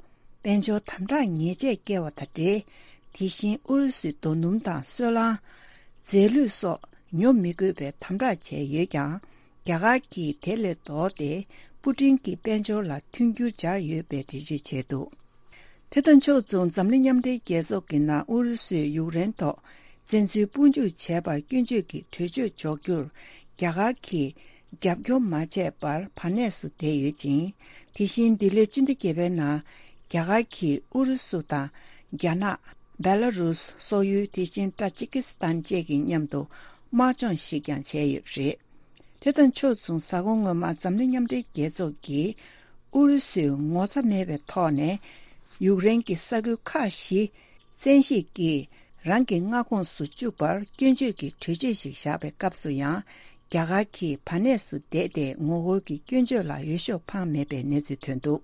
དཔལ་འབྱོར་དམ་དྲག་ཉེས་ཆད་བཀལ་བ་དང་འབྲེལ། དེ་བཞིན་ཨུ་རུ་སུའི་རྡོ་སྣུམ་དང་སོལ་རླངས། རྫས་ལུད་སོགས་ཉོ་མི་དགོས་པའི་དམ་དྲག་བྱས་ཡོད་ཀྱང་། རྒྱ་གར་གྱིས་དེ་ལས་ལྡོག་སྟེ། པུ་ཏིན་གྱི་དཔལ་འབྱོར་ལ་མཐུན་འགྱུར་སྦྱར་ཡོད་པའི་འགྲེལ་བརྗོད་བྱས་འདུག་དེ་དང་ཕྱོགས་མཚུངས། འཛམ་གླིང་མཉམ་འབྲེལ་རྒྱལ་ཚོགས་ཀྱི་ནང་ཨུ་རུ་སུས་ཡུཀ་རེན་ཐོག་བཙན་འཛུལ་དཔུང་འཇུག་བྱས་པར་སྐྱོན་བརྗོད་ཀྱི་གྲོས་ཆོད་འཇོག་རྒྱུར་རྒྱ་གར་གྱིས་རྒྱབ་སྐྱོར་མ་བྱས་པར་བར་གནས་སུ་བསྡད་ཡོད་ཅིང་། དེ་བཞིན་འདི་ལོའི་སྤྱི་ཟླ་བརྒྱད་པའི་ནང་རྒྱ་གར་གྱིས་ཨུ་རུ་སུ་དང་རྒྱ་ནག་བེ་ལ་རུས། སོག་ཡུལ། དེ་བཞིན་ཊ་ཇི་ཀི་སི་ཐན་བཅས་ཀྱི་མཉམ་དུ་དམག་སྦྱོང་ཞིག་ཀྱང་བྱས་ཡོད་པ་རེད། དེ་དང་ཕྱོགས་མཚུངས། གཟའ་འཁོར་སྔོན་མ་འཛམ་གླིང་མཉམ་འབྲེལ་རྒྱལ་ཚོགས་ཀྱིས་ཨུ་རུ་སུས་ངོ་ཚ་མེད་པའི་ཐོག་ནས་ཡུཀ་རེན་གྱི་ས་ཁུལ་ཁག་བཞི་བཙན་ཤེད་ཀྱིས་རང་གི་མངའ་ཁོངས་སུ་བཅུག་པར་སྐྱོན་བརྗོད་ཀྱི་གྲོས་ཆོད་ཞིག་བཞག་པའི་སྐབས་སུ་ཡང་། རྒྱ་གར་གྱིས་བར་གནས་སུ་བསྡད་དེ་ངོ་རྒོལ་གྱི་སྐྱོན་བརྗོད་ལ་འོས་ཤོག་འཕངས་མེད་པའི་གནས་ཚུལ་ཐོན་འདུག་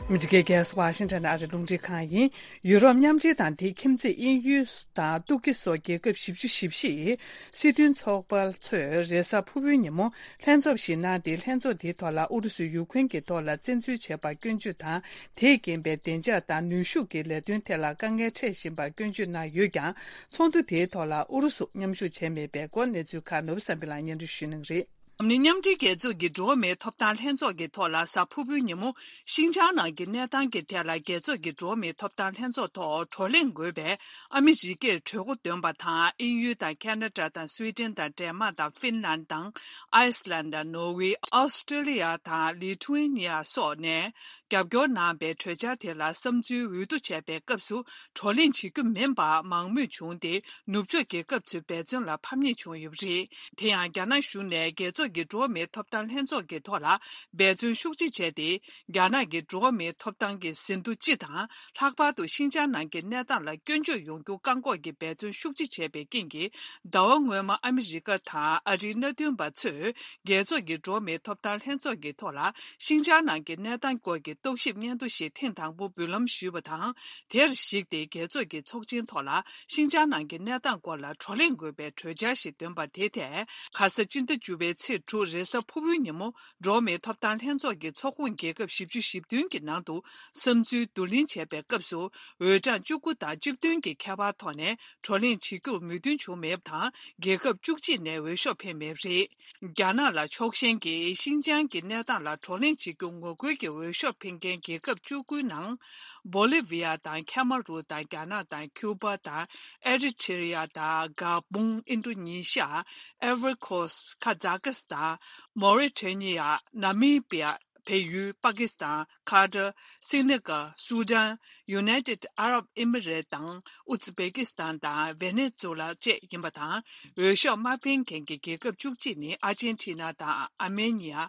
ཨ་མི་རི་ཀའི་རྒྱལ་ས་ཝ་ཤིང་ཊོན་ཨ་རིའི་རླུང་འཕྲིན་ཁང་ཡིན། ཡུ་རོབ་མཉམ་འབྲེལ་དང་དེའི་ཁྱིམ་མཚེས་དབྱིན་ཡུལ་དང་ཏུར་ཀི་སོགས་རྒྱལ་ཁབ་བཞི་བཅུ་ཞེ་བཞི་ཡིས་སྲིད་དོན་ཚོགས་པ་ཚོས་རེས་གཟའ་ཕུར་བུའི་ཉིན་མོ་ལྷན་ཚོགས་ཤིག་གནང་སྟེ། ལྷན་ཚོགས་དེའི་ཐོག་ལ་ཨུ་རུ་སུས་ཡུ་ཁུན་གྱི་ཐོག་ལ་བཙན་འཛུལ་བྱས་པར་སྐྱོན་བརྗོད་དང་། དེས་རྐྱེན་པས་བདེ་འཇགས་དང་ནུས་ཤུགས་ཀྱི་ལས་དོན་ཐད་ལ་དཀའ་ངལ་འཕྲད་བཞིན་པར་སྐྱོན་བརྗོད་གནང་ཡོད་ཀྱང་། ཚོགས་འདུ་དེའི་ཐོག་ལ་ཨུ་རུ་སུ་མཉམ་ཞུགས་བྱས་མེད་པའི་སྐོར་གནས་ཚུལ་ཁག་ནོར་བུ་བསམ་འཕེལ་ལགས་སྙན་སྒྲོན་ཞུ་གནང་གི་རེད། འཛམ་གླིང་མཉམ་འབྲེལ་རྒྱལ་ཚོགས་ཀྱི་འགྲོ་བ་མིའི་ཐོབ་ཐང་ལྷན་ཚོགས་ཀྱི་ཐོག་ལ་གཟའ་ཕུར་བུའི་ཉིན་མོ། ཤིན་ཅང་ནང་གི་གནས་སྟངས་ཀྱི་ཐད་ལ་རྒྱལ་ཚོགས་ཀྱི་འགྲོ་བ་མིའི་ཐོབ་ཐང་ལྷན་ཚོགས་ཐོག་བགྲོ་གླེང་དགོས་པའི་ཨ་མི་རི་ཀས་གྲོས་འགོ་འདོན་པ་དང་། དབྱིན་ཡུལ་དང་ཁེ་ན་ཌ་དང་སུའེ་ཏེན་དང་ཌེན་མཱག་དང་ཧྥིན་ལན་དང་ཨའི་སི་ལན་དང་ནོར་ཝེ། ཨོ་སི་ཀྲི་ལི་ཡ་དང་ལི་ཐུ་ཝེ་ནི་ཡ་སོགས་ནས་རྒྱབ་སྐྱོར་གནང་བའི་གྲོས་འཆར་དེ་ལ་བསམ་ཚུལ་འོས་བསྡུ་བྱས་པའི་སྐབས་སུ། བགྲོ་གླེང་བྱེད་རྒྱུ་མིན་པ་མང་མོས་བྱུང་སྟེ། ནུབ་ཕྱོགས་རྒྱལ་ཁབ་ཚོའི་འབད་བརྩོན་ལ་ཕམ་ཉེས་བྱུང་ཡོད་པ་རེད། དེ་ཡང་། རྒྱ་ནག་གཞུང་ནས་རྒྱལ་ཚོགས་ཀྱི་འགྲོ་བ་མིའི་ཐོབ་ཐང་ལྷན་ཚོགས་ཀྱི་ཐོག་ལ་འབད་བརྩོན་ཤུགས་ཆེ་བྱས་ཏེ། རྒྱ་ནག་གི་འགྲོ་བ་མིའི་ཐོབ་ཐང་གི་ཟིན་ཐོ་སྤྱི་དང་། ལྷག་པར་དུ་ཤིན་ཅང་ནང་གི་གནས་སྟངས་ལ་སྐྱོན་བརྗོད་ཡོང་རྒྱུ་བཀག་འགོག་གི་འབད་བརྩོན་ཤུགས་ཆེ་བྱས་པའི་རྐྱེན་གྱིས། ཟླ་བ་སྔོན་མ་ཨ་མི་རི་ཀ་དང་ཨ་རིའི་མནའ་མཐུན་པ་ཚོས། རྒྱལ་ཚོགས་ཀྱི་འགྲོ་བ་མིའི་ཐོབ་ཐང་ལྷན་ཚོགས་ཀྱི་ཐོག་ལ། ཤིན་ཅང་ནང་གི་གནས་སྟངས་སྐོར་གྱི་རྟོག་ཞིབ་སྙན་ཐོ་ཞིག་ཐེངས་དང་པོ་འབུལ་ལམ་ཞུས་པ་དང་། དེར་གཞིགས་ཏེ། རྒྱལ་ཚོགས་ཀྱི་ཚོགས་ཆེན་ཐོག་ལ་ཤིན་ཅང་ནང་གི་གནས་སྟངས་སྐོར་ལ་བགྲོ་གླེང་དགོས་པའི་གྲོས་འཆར་ཞིག་འདོན་པ་དེ་ཐད། ཁ་ས་སྤྱི་ཟླ་བཅུ་པའི་ཚེས། དྲུག་རེས་གཟའ་ཕུར་བུའི་ཉིན་མོ། འགྲོ་བ་མིའི་ཐོབ་ཐང་ལྷན་ཚོགས་ཀྱི་ཚོགས་ཁོངས་རྒྱལ་ཁབ་བཞི་བཅུ་ཞེ་བདུན་གྱི་ནང་དུ་བསམ་ཚུལ་བསྡུ་ལེན་བྱས་པའི་སྐབས་སུ། འོས་གྲངས་བཅུ་དགུ་དང་བཅུ་བདུན་གྱི་ཁྱད་པར་ཐོག་ནས་བགྲོ་གླེང་བྱེད་རྒྱུར་མོས་མཐུན་བྱུང་མེད་པ་དང་། རྒྱལ་ཁབ་བཅུ་གཅིག་ནས་འོས་ཤོག་འཕེན་མེད་པ་རེད། རྒྱ་ནག་ལ་ཕྱོགས་ཞེན་གྱིས་ཤིན་ཅང་གི་གནས་སྟངས་ལ་བགྲོ་གླེང་བྱེད་རྒྱུ་ངོ་རྒོལ་གྱི་འོས་ཤོག་འཕེན་མཁན་རྒྱལ་ཁབ་བཅུ་དགུའི་ནང་། བོ་ལི་ཝི་ཡ་དང་ཁེ་མ་རུ་དང་རྒྱ་ནག་དང་ཁྱུ་པ་དང་། ཨེ་རི་ཐི་རི་ཡ་དང་ག་བུང་། ཨིན་ཌོ་ནི་ཤི་ཡ། ཨའི་ཝོ་རི་ཁོ་སི། ཁ་ཛ་ཀི་སི་ཐན། མོ་རི་ཊེ་ནི་ཡ། ན་མི་པི་ཡ། བལ་ཡུལ། པ་ཀི་སི་ཐན། ཁ་ཏར། སི་ནི་གལ། སུ་ཌན། ཡུ་ནའི་ཊེཌ་ཨ་རབ་ཨི་མི་རེ་ཊི་དང་། ཨུ་ཛི་བེ་ཀི་སི་ཐན་དང་ཝེ་ནེ་ཛུ་ལ་བཅས་ཡིན་པ་དང་། འོས་ཤོག་མ་འཕེན་མཁན་གྱི་རྒྱལ་ཁབ་བཅུ་གཅིག་ནི་ཨར་ཇེན་ཊི་ན་དང་། ཨར་མེ་ནི་ཡ།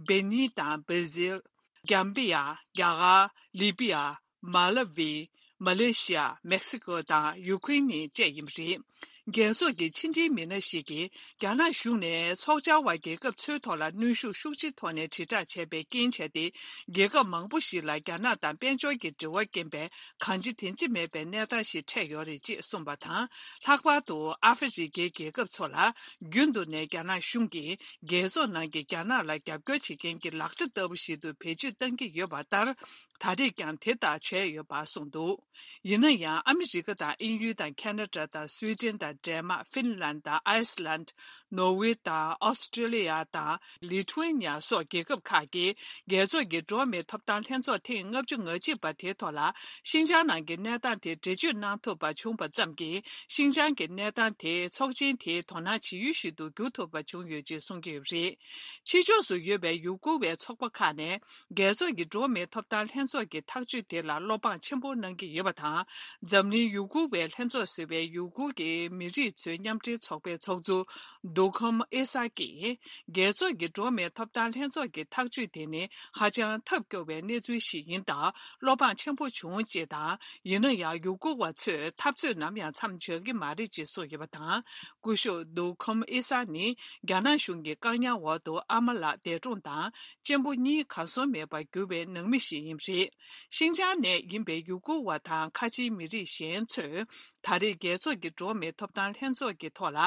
བེ་ནིན་དང་། བྷར་ཛིལ། གྷམ་བི་ཡ། རྒྱ་གར། ལི་བི་ཡ། མ་ལ་ཝི། མ་ལེ་ཤི་ཡ། མེག་སི་ཀོ་དང་ཡུ་ཁུ་རེན་ནི་བཅས་ཡིན་པ་རེད། རྒྱལ་ཚོགས་ཀྱི་ཕྱི་འབྲེལ་མི་སྣ་ཞིག་གིས། རྒྱ་ནག་གཞུང་ནས་ཚོགས་བཅར་བ་རྒྱལ་ཁབ་ཚོའི་ཐོག་ལ་གནོན་ཤུགས་ཤུགས་ཆེའི་ཐོག་ནས་དྲིལ་བསྒྲགས་བྱས་པའི་རྐྱེན་བྱས་ཏེ། རྒྱལ་ཁབ་མང་པོ་ཞིག་ལ་རྒྱ་ནག་དང་དཔལ་འབྱོར་གྱི་འབྲེལ་བ་རྐྱེན་པས། གང་ཅི་དེ་ཅི་མེད་པའི་གནས་སྟངས་ཤིག་འཕྲད་ཡོད་རེད་ཅེས་གསུངས་པ་དང་། ལྷག་པར་དུ་ཨ་ཧྥེ་རི་ཁའི་རྒྱལ་ཁབ་ཚོ་ལ། རྒྱུན་དུ་ནས་རྒྱ་ནག་གཞུང་གིས། རྒྱལ་ཚོགས་ནང་གི་རྒྱ་ནག་ལ་རྒྱབ་སྐྱོར་བྱེད་མཁན་གྱི་ལག་ཆ་ལྟ་བུ་ཞིག་ཏུ་བེད་སྤྱོད་གཏང་གི་ཡོད་པ་ལྟར། ད་རེས་ཀྱང་དེ་ལྟར་བྱས་ཡོད་པ་གསུངས་འདུག་ཡིན་ན་ཡང་། ཨ་མི་རི་ཀ་དང་། དབྱིན་ཡུལ་དང་། ཁེ་ན་ཌ་དང་། སུའེ་ཏེན་དང་། ཌེན་མཱག་ཧྥིན་ལན་དང་། ཨའི་སི་ལན། ནོར་ཝེ་དང་། ཨོ་སི་ཀྲོ་ལི་ཡ་དང་། ལི་ཐུ་ཝེ་ནི་ཡ་སོགས་རྒྱལ་ཁབ་ཁག་གིས། རྒྱལ་ཚོགས་ཀྱི་འགྲོ་བ་མིའི་ཐོབ་ཐང་ལྷན་ཚོགས་ཐེངས་ལྔ་བཅུ་ང་གཅིག་པ་དེའི་ཐོག་ལ། ཤིན་ཅང་ནང་གི་གནས་སྟངས་དེ་འགྲེལ་བརྗོད་གནང་ཐུབ་པ་བྱུང་བ་ཙམ་གྱིས། ཤིན་ཅང་གི་གནས་སྟངས་དེ་ཚོགས་ཆེན་དེའི་དོ་སྣང་བྱེད་ཡུལ་ཞིག་ཏུ་འགྱུར་ཐུབ་པ་བྱུང་ཡོད་ཅེས་གསུང་གི་ཡོད་པ་རེད། ཕྱི་ཕྱོགས་སུ་ཡོད་པའི་ཡུ་གུར་བའི་ཚོགས་པ་ཁག་ནས། རྒྱལ་ཚོགས་ཀྱི་འགྲོ་བ་མིའི་ཐོབ་ཐང་ལྷན་ཚོགས་ཀྱི་ཐག་གཅོད་དེ་ལ་བློ་ཕམ་ཆེན་པོ་གནང་གི་ཡོད་པ་དང་། འཛམ་གླིང་ཡུ་གུར་བའི་ལྷན་ཚོགས་ཟེར་བའི་ཡུ་གུར་གྱི་མི་རིགས་ཚོའི་མཉམ་འབྲེལ་ཚོགས་པའི་ཚོགས་གཙོ། རྡོ་ཁམ་ཨེ་ས་ཀྱིས། རྒྱལ་ཚོགས་ཀྱི་འགྲོ་བ་མིའི་ཐོབ་ཐང་ལྷན་ཚོགས་ཀྱི་ཐག་གཅོད་དེ་ནི་ཧ་ཅང་ཐབས་སྐྱོ་བའི་གནས་ཚུལ་ཞིག་ཡིན་སྟབས། བློ་ཕམ་ཆེན་པོ་བྱུང་ཅེས་དང་། ཡིན་ན་ཡང་། ཡུ་གུར་བ་ཚོས་འཐབ་རྩོད་ནམ་ཡང་མཚམས་འཇག་གི་མ་རེད་ཅེས་གསུངས་ཡོད་པ་དང་། སྐུ་ཞབས་རྡོ་ཁམ་ཨེ་ས་ནི། རྒྱ་ནག་གཞུང་གི་བཀག་ཉར་འོག་ཏུ་ཨ་མ་ལགས་འདས་གྲོངས་དང་། གཅེན་པོ་གཉིས་གར་སོང་མེད་པར་གྱུར་པའི་ནང་མི་ཞིག་ཡིན་པ་རེད། ཤིན་ཅང་ནས་ཡིན་པའི་ཡུ་གུར་བ་དང་ཁ་ཆེའི་མི་རིགས་གཞན་ཚོས། ད་རེས་རྒྱལ་ཚོགས་ཀྱི་འགྲོ་བ་མིའི་ཐོབ་ཐང་ལྷན་ཚོགས་ཀྱི་ཐོག་ལ།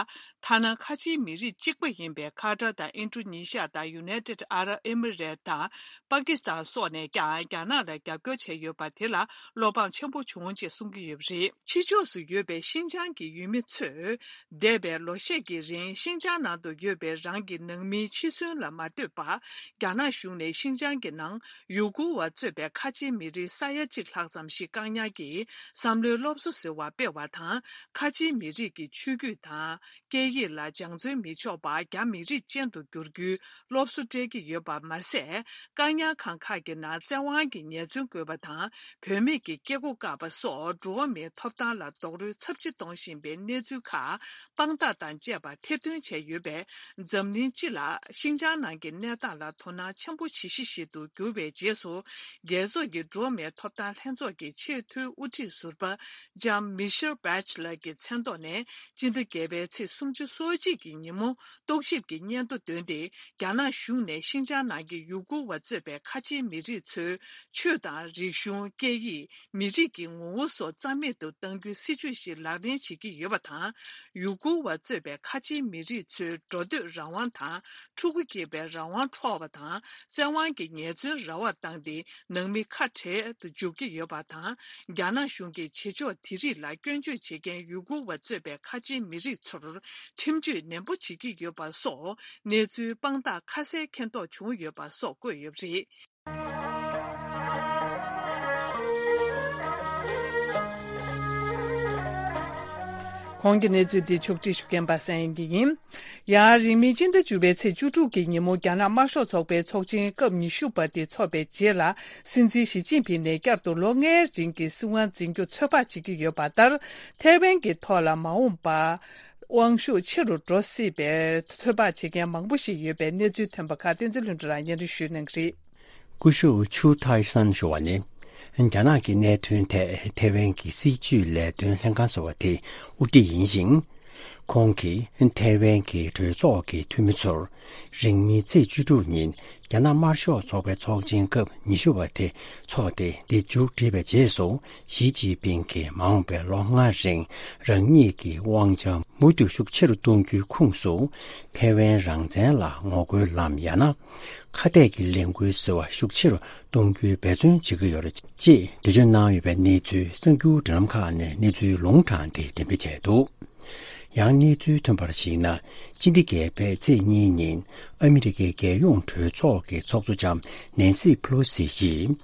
ཐ་ན་ཁ་ཆེའི་མི་རིགས་གཅིག་པ་ཡིན་པའི་ཁ་ཏར་དང་། ཨིན་ཌོ་ནི་ཤི་ཡ་དང་། ཡུ་ནའི་ཊེཌ་ཨ་རབ་ཨེ་མི་རེ་ཊི་དང་། པ་ཀི་སི་ཐན་སོགས་ནས་ཀྱང་རྒྱ་ནག་ལ་རྒྱབ་སྐྱོར་བྱས་ཡོད་པ་དེ་ལ་བློ་ཕམ་ཆེན་པོ་བྱུང་ཅེས་གསུང་གི་ཡོད་པ་རེད། ཕྱི་ཕྱོགས་སུ་ཡོད་པའི་ཤིན་ཅང་གི་ཡུལ་མི་ཚོས། འདས་པའི་ལོ་ཤས་ཀྱི་རིང་། ཤིན་ཅང་ནང་དུ་ཡོད་པའི་རང་གི་ནང་མིའི་འཆི་གསོན་ལ་མ་ལྟོས་པར། རྒྱ་ནག་གཞུང་ནས་ཤིན་ཅང་གི་ནང་ཡུ་གུར་བ་གཙོས་པའི་ཁ་ཆེའི་མི་རིགས་ས་ཡ་གཅིག་ལྷག་ཙམ་ཞིག་བཀག་ཉར་གྱིས་བསམ་བློའི་སློབ་གསོ་ཟེར་བ་སྤེལ་བ་དང་། ཁ་ཆེའི་མི་རིགས་ཀྱི་ཆོས་བརྒྱུད་དང་། སྐད་ཡིག་ལ་སྦྱང་བརྩོན་མི་ཆོག་པར་རྒྱ་མི་རིགས་ཅན་དུ་བསྒྱུར་རྒྱུའི་སློབ་གསོ་སྤྲད་ཀྱི་ཡོད་པ་མ་ཟད། བཀག་ཉར་ཁང་ཁག་གི་ནང་བཙན་དབང་གིས་ཉེས་རྫུན་བཀོད་པ་དང་། བུད་མེད་ཀྱི་སྐྱེ་སྒོ་བཀག་པ་སོགས་འགྲོ་བ་མིའི་ཐོབ་ཐང་ལ་རྡོག་རོལ་ཚབས་ཆེ་གཏོང་བཞིན་པའི་གནས་ཚུལ་ཁག་དཔང་རྟགས་དང་བཅས་པ་ཐེར་འདོན་བྱས་ཡོད་པས། འཛམ་གླིང་སྤྱི་ལ་ཤིན་ཅང་ནང་གི་གནས་སྟངས་ལ་དོ་སྣང་ཆེན་པོ་བྱེད་གཞི་ཞིག་ཏུ་གྱུར་བའི་རྗེས་སུ། རྒྱལ་ཚོགས་ཀྱི་འགྲོ་བ་མིའི་ཐོབ་ཐང་ལྷན་ཚོགས་ཀྱི་ཆེས་མཐོའི་དབུ་ཁྲིད་ཟུར་པ་ལྕམ་མི་ཤེལ་བྷེ་ཆེ་ལེཊ་ཀྱི་མཚན་ཐོག་ནས། སྤྱི་ཟླ་བརྒྱད་པའི་ཚེས་སུམ་ཅུ་སོ་གཅིག་གི་ཉིན་མོ། རྟོག་ཞིབ་ཀྱི་སྙན་ཐོ་བཏོན་ཏེ། རྒྱ་ནག་གཞུང་ནས་ཤིན་ཅང་ནང་གི་ཡུ་གུར་བ་གཙོས་པའི་ཁ་ཆེའི་མི་རིགས་ཚོའི་ཆོས་དང་། རིག་གཞུང་། སྐད་ཡིག། མི་རིགས་ཀྱི་ངོ་བོ་སོགས་རྩ་མེད་དུ་གཏང་རྒྱུའི་སྲིད་བྱུས་ཤིག་ལག་ལེན་བྱེད་ཀྱི་ཡོད་པ་དང་། ཡུ་གུར་བ་གཙོས་པའི་ཁ་ཆེའི་མི་རིགས་ཚོའི་འགྲོ་སྡོད་རང་དབང་དང་། ཕྲུ་གུ་སྐྱེས་པའི་རང་དབང་འཕྲོག་པ་དང་། བཙན་དབང་གིས་ཉེས་རྫུན་ར་བ་བཏང་སྟེ། ནང་མི་ཁ་བྲལ་དུ་འཇུག་གི་ཡོད་པ་དང་། རྒྱ་ནག་གཞུང་གིས་བྱེད་ཕྱོགས་དེ་རིགས་ལ་སྐྱོན་བརྗོད་བྱེད་མཁན་ཡུ་གུར་བ་གཙོས་པའི་ཁ་ཆེའི་མི་རིགས་ཚོར་ཁྲིམས་གཅོད་ནན་པོ་བྱེད་ཀྱི་ཡོད་པ་སོགས། གནས་ཚུལ་དཔང་རྟགས་ཁ་གསལ་མཁྱེན་རྟོགས་བྱུང་ཡོད་པ་སོགས་བཀོད་ཡོད་པ་རེད། གོང་གི་གནས་ཚུལ་འདི་ཕྱོགས་སྒྲིག་ཞུ་མཁན་པ་སངས་དབྱངས་སྐྱིད་ཡིན། ཡང་རིང་མིན་སྤྱི་ཟླ་བཅུ་པའི་ཚེས་བཅུ་དྲུག་གི་ཉིན་མོ། རྒྱ་ནག་དམར་ཤོག་ཚོགས་པའི་ཚོགས་ཆེན་སྐབས་ཉི་ཤུ་པ་དེ་འཚོགས་པའི་རྗེས་ལ། སྲིད་འཛིན་ཞི་ཅིན་ཕིང་ནས་བསྐྱར་དུ་ལོ་ལྔའི་རིང་གི་སྲིད་དབང་འཛིན་རྒྱུ་ཚོད་དཔག་བྱེད་ཀྱི་ཡོད་པ་ལྟར། ཐའེ་ཝན་གྱི་ཐོག་ལ་མ་འོངས་པར་དབང་ཤུགས་ཆེ་རུ་འགྲོ་སྲིད་པའི་ཚོད་དཔག་བྱེད་མཁན་མང་པོ་ཞིག་ཡོད་པའི་གནས་ཚུལ་ཐོན་པ་ཁག་བསྟན་འཛིན་ལྷུན་གྲུབ་ལགས་སྙན་སྒྲོན་ཞུ་གནང་གི་རེད། སྐུ་ཞབས་ཆུ་ཐའི་སན་ཞུ་བ་ནི། རྒྱ་ནག་གི་གནད་དོན་ཐད་ཐའེ་ཝན་གྱི་སྲིད་བྱུས་ལས་དོན་ལྷན་ཁང་ཟེར་བ་དེ་དབུ་ཁྲིད་ཡིན་ཞིང་། ཁོང་གིས་ཐའེ་ཝན་གྱི་གྲོས་ཚོགས་ཀྱི་འཐུས་མི་ཚོར། རིང་མིན་ཚེས་བཅུ་དྲུག་ཉིན་རྒྱ་ནག་དམར་ཤོག་ཚོགས་པའི་ཚོགས་ཆེན་སྐབས་ཉི་ཤུ་པ་དེ་འཚོགས་ཏེ། འདི་མཇུག་བསྒྲིལ་བའི་རྗེས་སུ། ཞི་ཅིན་ཕིང་གིས་མ་འོངས་པའི་ལོ་ལྔ་རིང་རང་ཉིད་ཀྱི་དབང་ཆ་མུ་མཐུད་ཤུགས་ཆེ་རུ་གཏོང་རྒྱུའི་ཁོངས་སུ། ཐའེ་ཝན་རང་བཙན་ལ་ངོ་རྒོལ་ལམ། ཡང་ན་ཁ་གཏད་ཀྱི་ལས་འགུལ་ཟེར་བ་ཤུགས་ཆེ་རུ་གཏོང་རྒྱུའི་འབད་བརྩོན་བྱེད་ཀྱི་ཡོད་རེད་ཅེས་འགྲེལ་བརྗོད་གནང་ཡོད་པའི་གནས་ཚུལ་གསར་འགྱུར་འབྲེལ་ལམ་ཁག་ནས་གནས་ཚུལ་ལུང་དྲངས་ཏེ་འགྲེམས་སྤེལ་བྱས་འདུག་ཡང་གནས་ཚུལ་ཐོན་པར་གཞིགས་ན། སྤྱི་ཟླ་བརྒྱད་པའི་ཚེས་གཉིས་ཉིན་ཨ་མི་རི་ཀའི་རྒྱལ་ཡོངས་གྲོས་ཚོགས་ཀྱི་ཚོགས་གཙོ་ལྕམ་ནན་སི་ཕེ་ལོ་སི་ཡིས།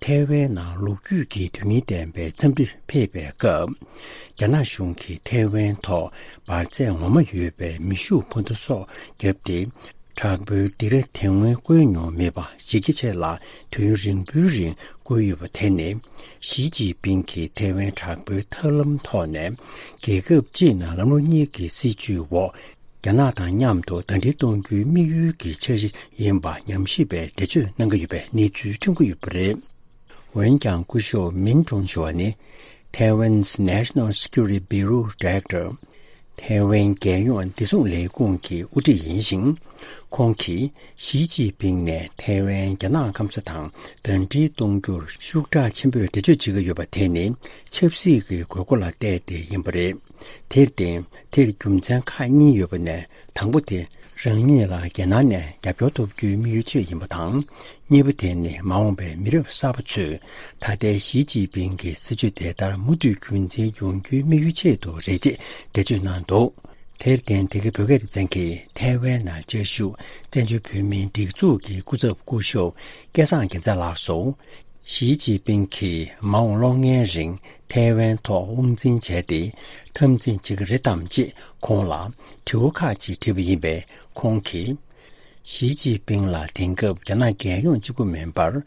ཐའེ་ཝན་ནང་ལོ་རྒྱུས་ཀྱི་དོན་སྙིང་ལྡན་པའི་འཚམས་འདྲིར་ཕེབས་པའི་སྐབས། རྒྱ་ནག་གཞུང་གིས་ཐའེ་ཝན་ཐོག་འབར་རྫས་ངོ་མ་ཡོད་པའི་མེ་ཤུགས་འཕུར་མདའ་སོགས་བརྒྱབ་སྟེ། དྲག་པོའི་སྡིགས་ར་དེ་སྔོན་བཀོལ་མྱོང་མེད་པ་གཞི་རྒྱ་ཆེ་ལ་དུས་ཡུན་རིང་པོའི་རིང་བཀོལ་ཡོད་པ་དེ་ནི། ཞི་ཅིན་ཕིང་གིས་ཐའེ་ཝན་དྲག་པོའི་ཐབས་ལམ་ཐོག་ནས་རྒྱལ་ཁབ་གཅིག་ནང་ལམ་ལུགས་གཉིས་ཀྱི་སྲིད་བྱུས་འོག་རྒྱ་ནག་དང་མཉམ་དུ་ཟླ་སྒྲིལ་གཏོང་རྒྱུའི་དམིགས་ཡུལ་གྱི་འཆར་གཞི་ཡིན་པ་ཉམས་ཞིབ་པས་འགྲེལ་བརྗོད་གནང་གི་ཡོད་པའི་གནས་ཚུལ་ཐོན་གྱི་ཡོད་པ་རེད། འོན་ཀྱང་སྐུ་ཞབས་མིན་ཀྲུང་ཞུ་བ་ནི། Taiwan's National Security Bureau Director། ཐའེ་ཝན་རྒྱལ་ཡོངས་བདེ་སྲུང་ལས་ཁུངས་ཀྱི་དབུ་ཁྲིད་ཡིན་ཞིང་། ཁོང་གིས་ཞི་ཅིན་ཕིང་ནས་ཐའེ་ཝན་རྒྱ་ནག་སྐམ་ས་དང་ཟླ་སྒྲིལ་གཏོང་རྒྱུར་ཤུགས་དྲག་ཆེན་པོས་འགྲེལ་བརྗོད་བྱེད་ཀྱི་ཡོད་པ་དེ་ནི་ཆབ་སྲིད་ཀྱི་དགོས་མཁོ་ལ་བལྟས་ཏེ་ཡིན་པ་རེད། དེར་བརྟེན། དེར་རྒྱུ་མཚན་ཁག་གཉིས་ཡོད་པ་ནས། དང་པོ་དེ། རང་ཉིད་ལ་རྒྱལ་ནང་ནས་རྒྱབ་སྐྱོར་ཐོབ་རྒྱུའི་དམིགས་ཡུལ་ཆེད་ཡིན་པ་དང་། གཉིས་པ་དེ་ནི་མ་འོངས་པའི་མི་རབས་གསར་པ་ཚོས་ད་ལྟའི་ཞི་ཅིན་ཕིང་གི་སྲིད་བྱུས་དེ་ལྟར་མུ་མཐུད་རྒྱུན་འཛིན་ཡོང་རྒྱུའི་དམིགས་ཡུལ་ཆེད་དུ་རེད་ཅེས་འགྲེལ་བརྗོད་གནང་འདུག་དེར་བརྟེན། འདི་གའི་བོད་སྐད་སྡེ་ཚན་གྱིས་ཐའེ་ཝན་ནང་བཅའ་བཞུགས་བཙན་བྱོལ་བོད་མིའི་སྒྲིག་འཛུགས་ཀྱི་སྐུ་ཚབ་སྐུ་ཞབས་སྐལ་བཟང་རྒྱལ་མཚན་ལགས་སུ། ཞི་ཅིན་ཕིང་གིས་མ་འོངས་ལོ་ལྔའི་རིང་ཐའེ་ཝན་ཐོག་དབང་འཛིན་བྱས་ཏེ། འཐབ་འཛིང་བྱེད་ཀྱི་རེད་དམ་ཅེས་ཁོང་ལ་དྲི་བ་ཁག་ཅིག་དྲིས་པ་ཡིན་པས། ཁོང་གིས། ཞི་ཅིན་ཕིང་ལ་དེང་སྐབས་རྒྱ་ནག་རྒྱལ་ཡོངས་གཅིག་པུ་མིན་པར།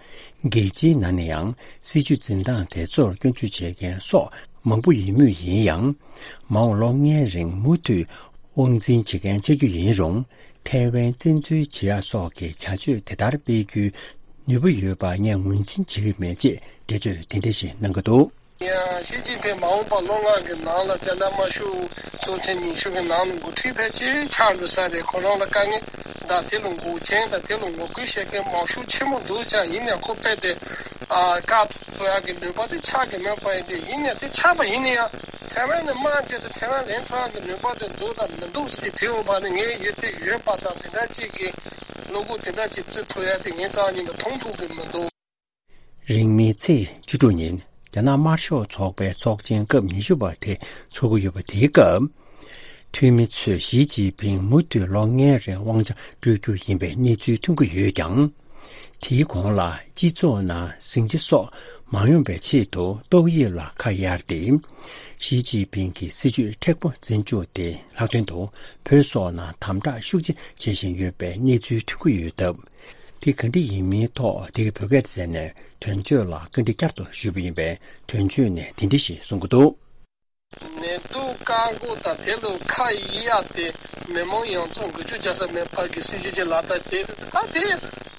རྒྱལ་སྤྱིའི་ནང་ནས་ཡང་སྲིད་བྱུས་འཛིན་སྟངས་དེ་ཚོར་སྐྱོན་བརྗོད་བྱེད་མཁན་སོགས་མང་པོ་ཡོད་མུས་ཡིན་ཡང་། མ་འོངས་ལོ་ལྔའི་རིང་མུ་མཐུད་དབང་འཛིན་བྱེད་མཁན་ཆགས་རྒྱུ་ཡིན་རུང་། ཐའེ་ཝན་བཙན་འཛུལ་བྱེད་ཡག་སོགས་ཀྱི་བྱ་སྤྱོད་དེ་ལྟར་སྤེལ་རྒྱུའི་ནུས་པ་ཡོད་པ་ངས་ངོས་འཛིན་བྱེད་ཀྱི་མེད་ཅེས་འགྲེལ་བརྗོད་དེ་འདྲ་ཞིག་གནང་གི་འདུག་ཡང་ཞི་ཅིན་ཕིང་མ་འོངས་པ་ལོ་ལྔ་གི་ནང་ལ་རྒྱ་ནག་དམར་ཤོག་ཚོགས་ཆེན་ཉི་ཤུ་གི་ནང་ལ་འགོ་ཁྲིད་ཕལ་ཆེར་ཆགས་འགྲོ་ས་རེད། ཁོ་རང་ལ་དཀའ་ངལ་དང་དེ་ལ་འགོག་རྐྱེན་དང་དེ་ལ་ངོ་རྒོལ་བྱེད་མཁན་མང་ཤོས་ཆེན་པོ་འདུག་ཀྱང་། ཡིན་ཡང་ཁོ་དཔེ་དེ་ཨ་བཀག་ཐུབ་ཡག་གི་ནུས་པ་དེ་ཆགས་ཀྱི་མེད་པ་ཡིན་དུས། ཡིན་ཡང་དེ་ཆགས་པ་ཡིན་ན་ཡང་ཐའེ་ཝན་ནས་དམག་བརྒྱབ་སྟེ་ཐའེ་ཝན་ལེན་ཐུབ་ཡག་གི་ནུས་པ་དེ་འདུག་དང་མི་འདུག་ཟེར་དྲི་འོང་བ་ནི། ངས་ཡོད་དེ་ཡོད་པ་དང་དེ་འདྲ་ཅིག་གི་བློ་ཁོག་དེ་འདྲ་ཅིག་བརྩི་ཐུབ་ཡག་དེ་ངའི་རྩ་བ་ཉིད་ནས་མཐོང་ཐུབ་ཀྱི་མི་འདུག་རིང་མིན་ཚེས་བཅུ་དྲུག་ཉིན་རྒྱ་ནག་དམར་ཤོག་ཚོགས་པའི་ཚོགས་ཆེན་སྐབས་ཉི་ཤུ་པ་དེ་འཚོགས་ཀྱི་ཡོད་པ་དེའི་སྐབས། འཐུས་མི་ཚོས་ཞི་ཅིན་ཕིང་མུ་མཐུད་ལོ་ལྔའི་རིང་དབང་ཆ་སྤྲོད་རྒྱུ་ཡིན་པའི་གནས་ཚུལ་ཐོན་གྱི་ཡོད་ཀྱང་། དེའི་གོང་ལ་སྤྱི་ཚོགས་ནང་ཟིང་ཆ་སོགས་མ་ཡོང་པའི་ཆེད་དུ་ཏོག་དབྱིབས་ལ་ཁ་གཡར་ཏེ། ཞི་ཅིན་ཕིང་གི་སྲིད་བྱུས་མཁྲེགས་པོ་འཛིན་རྒྱུ་དེ་ལྷག་དོན་དུ་བོད་སོགས་ནང་དམ་དྲག་ཤུགས་ཆེ་བྱེད་བཞིན་ཡོད་པའི་གནས་ཚུལ་ཐོན་གྱི་ཡོད་སྟབས། དེ་ག་འདྲ་ཡིན་མིན་ཐོག་འདི་གའི་བོད་སྐད་སྡེ་ཚན་ནས་དོན་གཅོད་ལ་བཀའ་འདྲི་བསྐྱར་དུ་ཞུས་པ་ཡིན་པས། དོན་གཅོད་ནས་འདི་འདྲ་ཞིག་གསུང་གི་འདུག་ནད་དུག་བཀག་འགོག་དང་དེ་ལ་ཁ་གཡར་ཏེ་མི་མང་ཡོངས་རྫོགས་འགུལ་སྐྱོད་རྒྱག་ས་མེད་པ་གི་སྲིད་ཇུས་ཅིག་ལག་བསྟར་བྱས། ད་དེ་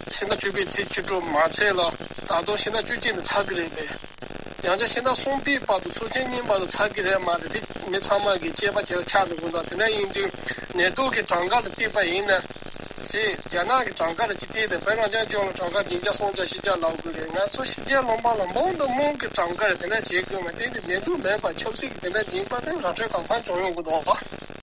ཕྱི་ཟླ་བཅུ་པའི་ཚེས་བཅུ་དྲུག་མ་ཚད་ལ་ད་དུང་ཕྱི་ཟླ་བཅུ་གཅིག་ནས་ཚར་གི་རེད་དེ། ཡང་བསྐྱར་ཕྱི་ཟླ་གསུམ་པའི་བར་དུ་ཚོགས་ཆེན་གཉིས་བར་དུ་ཚར་གི་རེད་མ་རེད་དེ། མི་ཚང་མ་གི་དཔྱད་པ་བྱས་ཆགས་འགྲོ་གི་འདུག་དེ་འདྲ་ཡིན་དུས་ནད་དུག་གི་གྲངས་ཀ་ལ་བལྟས་པ་ཡིན་ན། ཅེས་རྒྱ་ནག་གི་གྲངས་ཀ་ལ་ཅིག་བལྟས་ཏེ། བོད་རང་སྐྱོང་ལྗོངས་ལ་གྲངས་ཀ་བདུན་བརྒྱ་སུམ་བརྒྱ་བཞི་བརྒྱ་ལབ་དགོས་རེད། ང་ཚོ་ཕྱི་རྒྱལ་ལུང་པ་ལ་མང་དུ་མང་གི་གྲངས་ཀ་རེད། དེ་འདྲ་བྱེད་དགོས་མ་རེད། དེ་ནི་ནད་དུག་མེད་པ་ཆབ་སྲིད་ཀྱི་དེ་འདྲ་ཡིན་པ་དེ་ར་སྤྲོད་གང་འཚམ་བྱུང་ཡོང་གི་འདུག་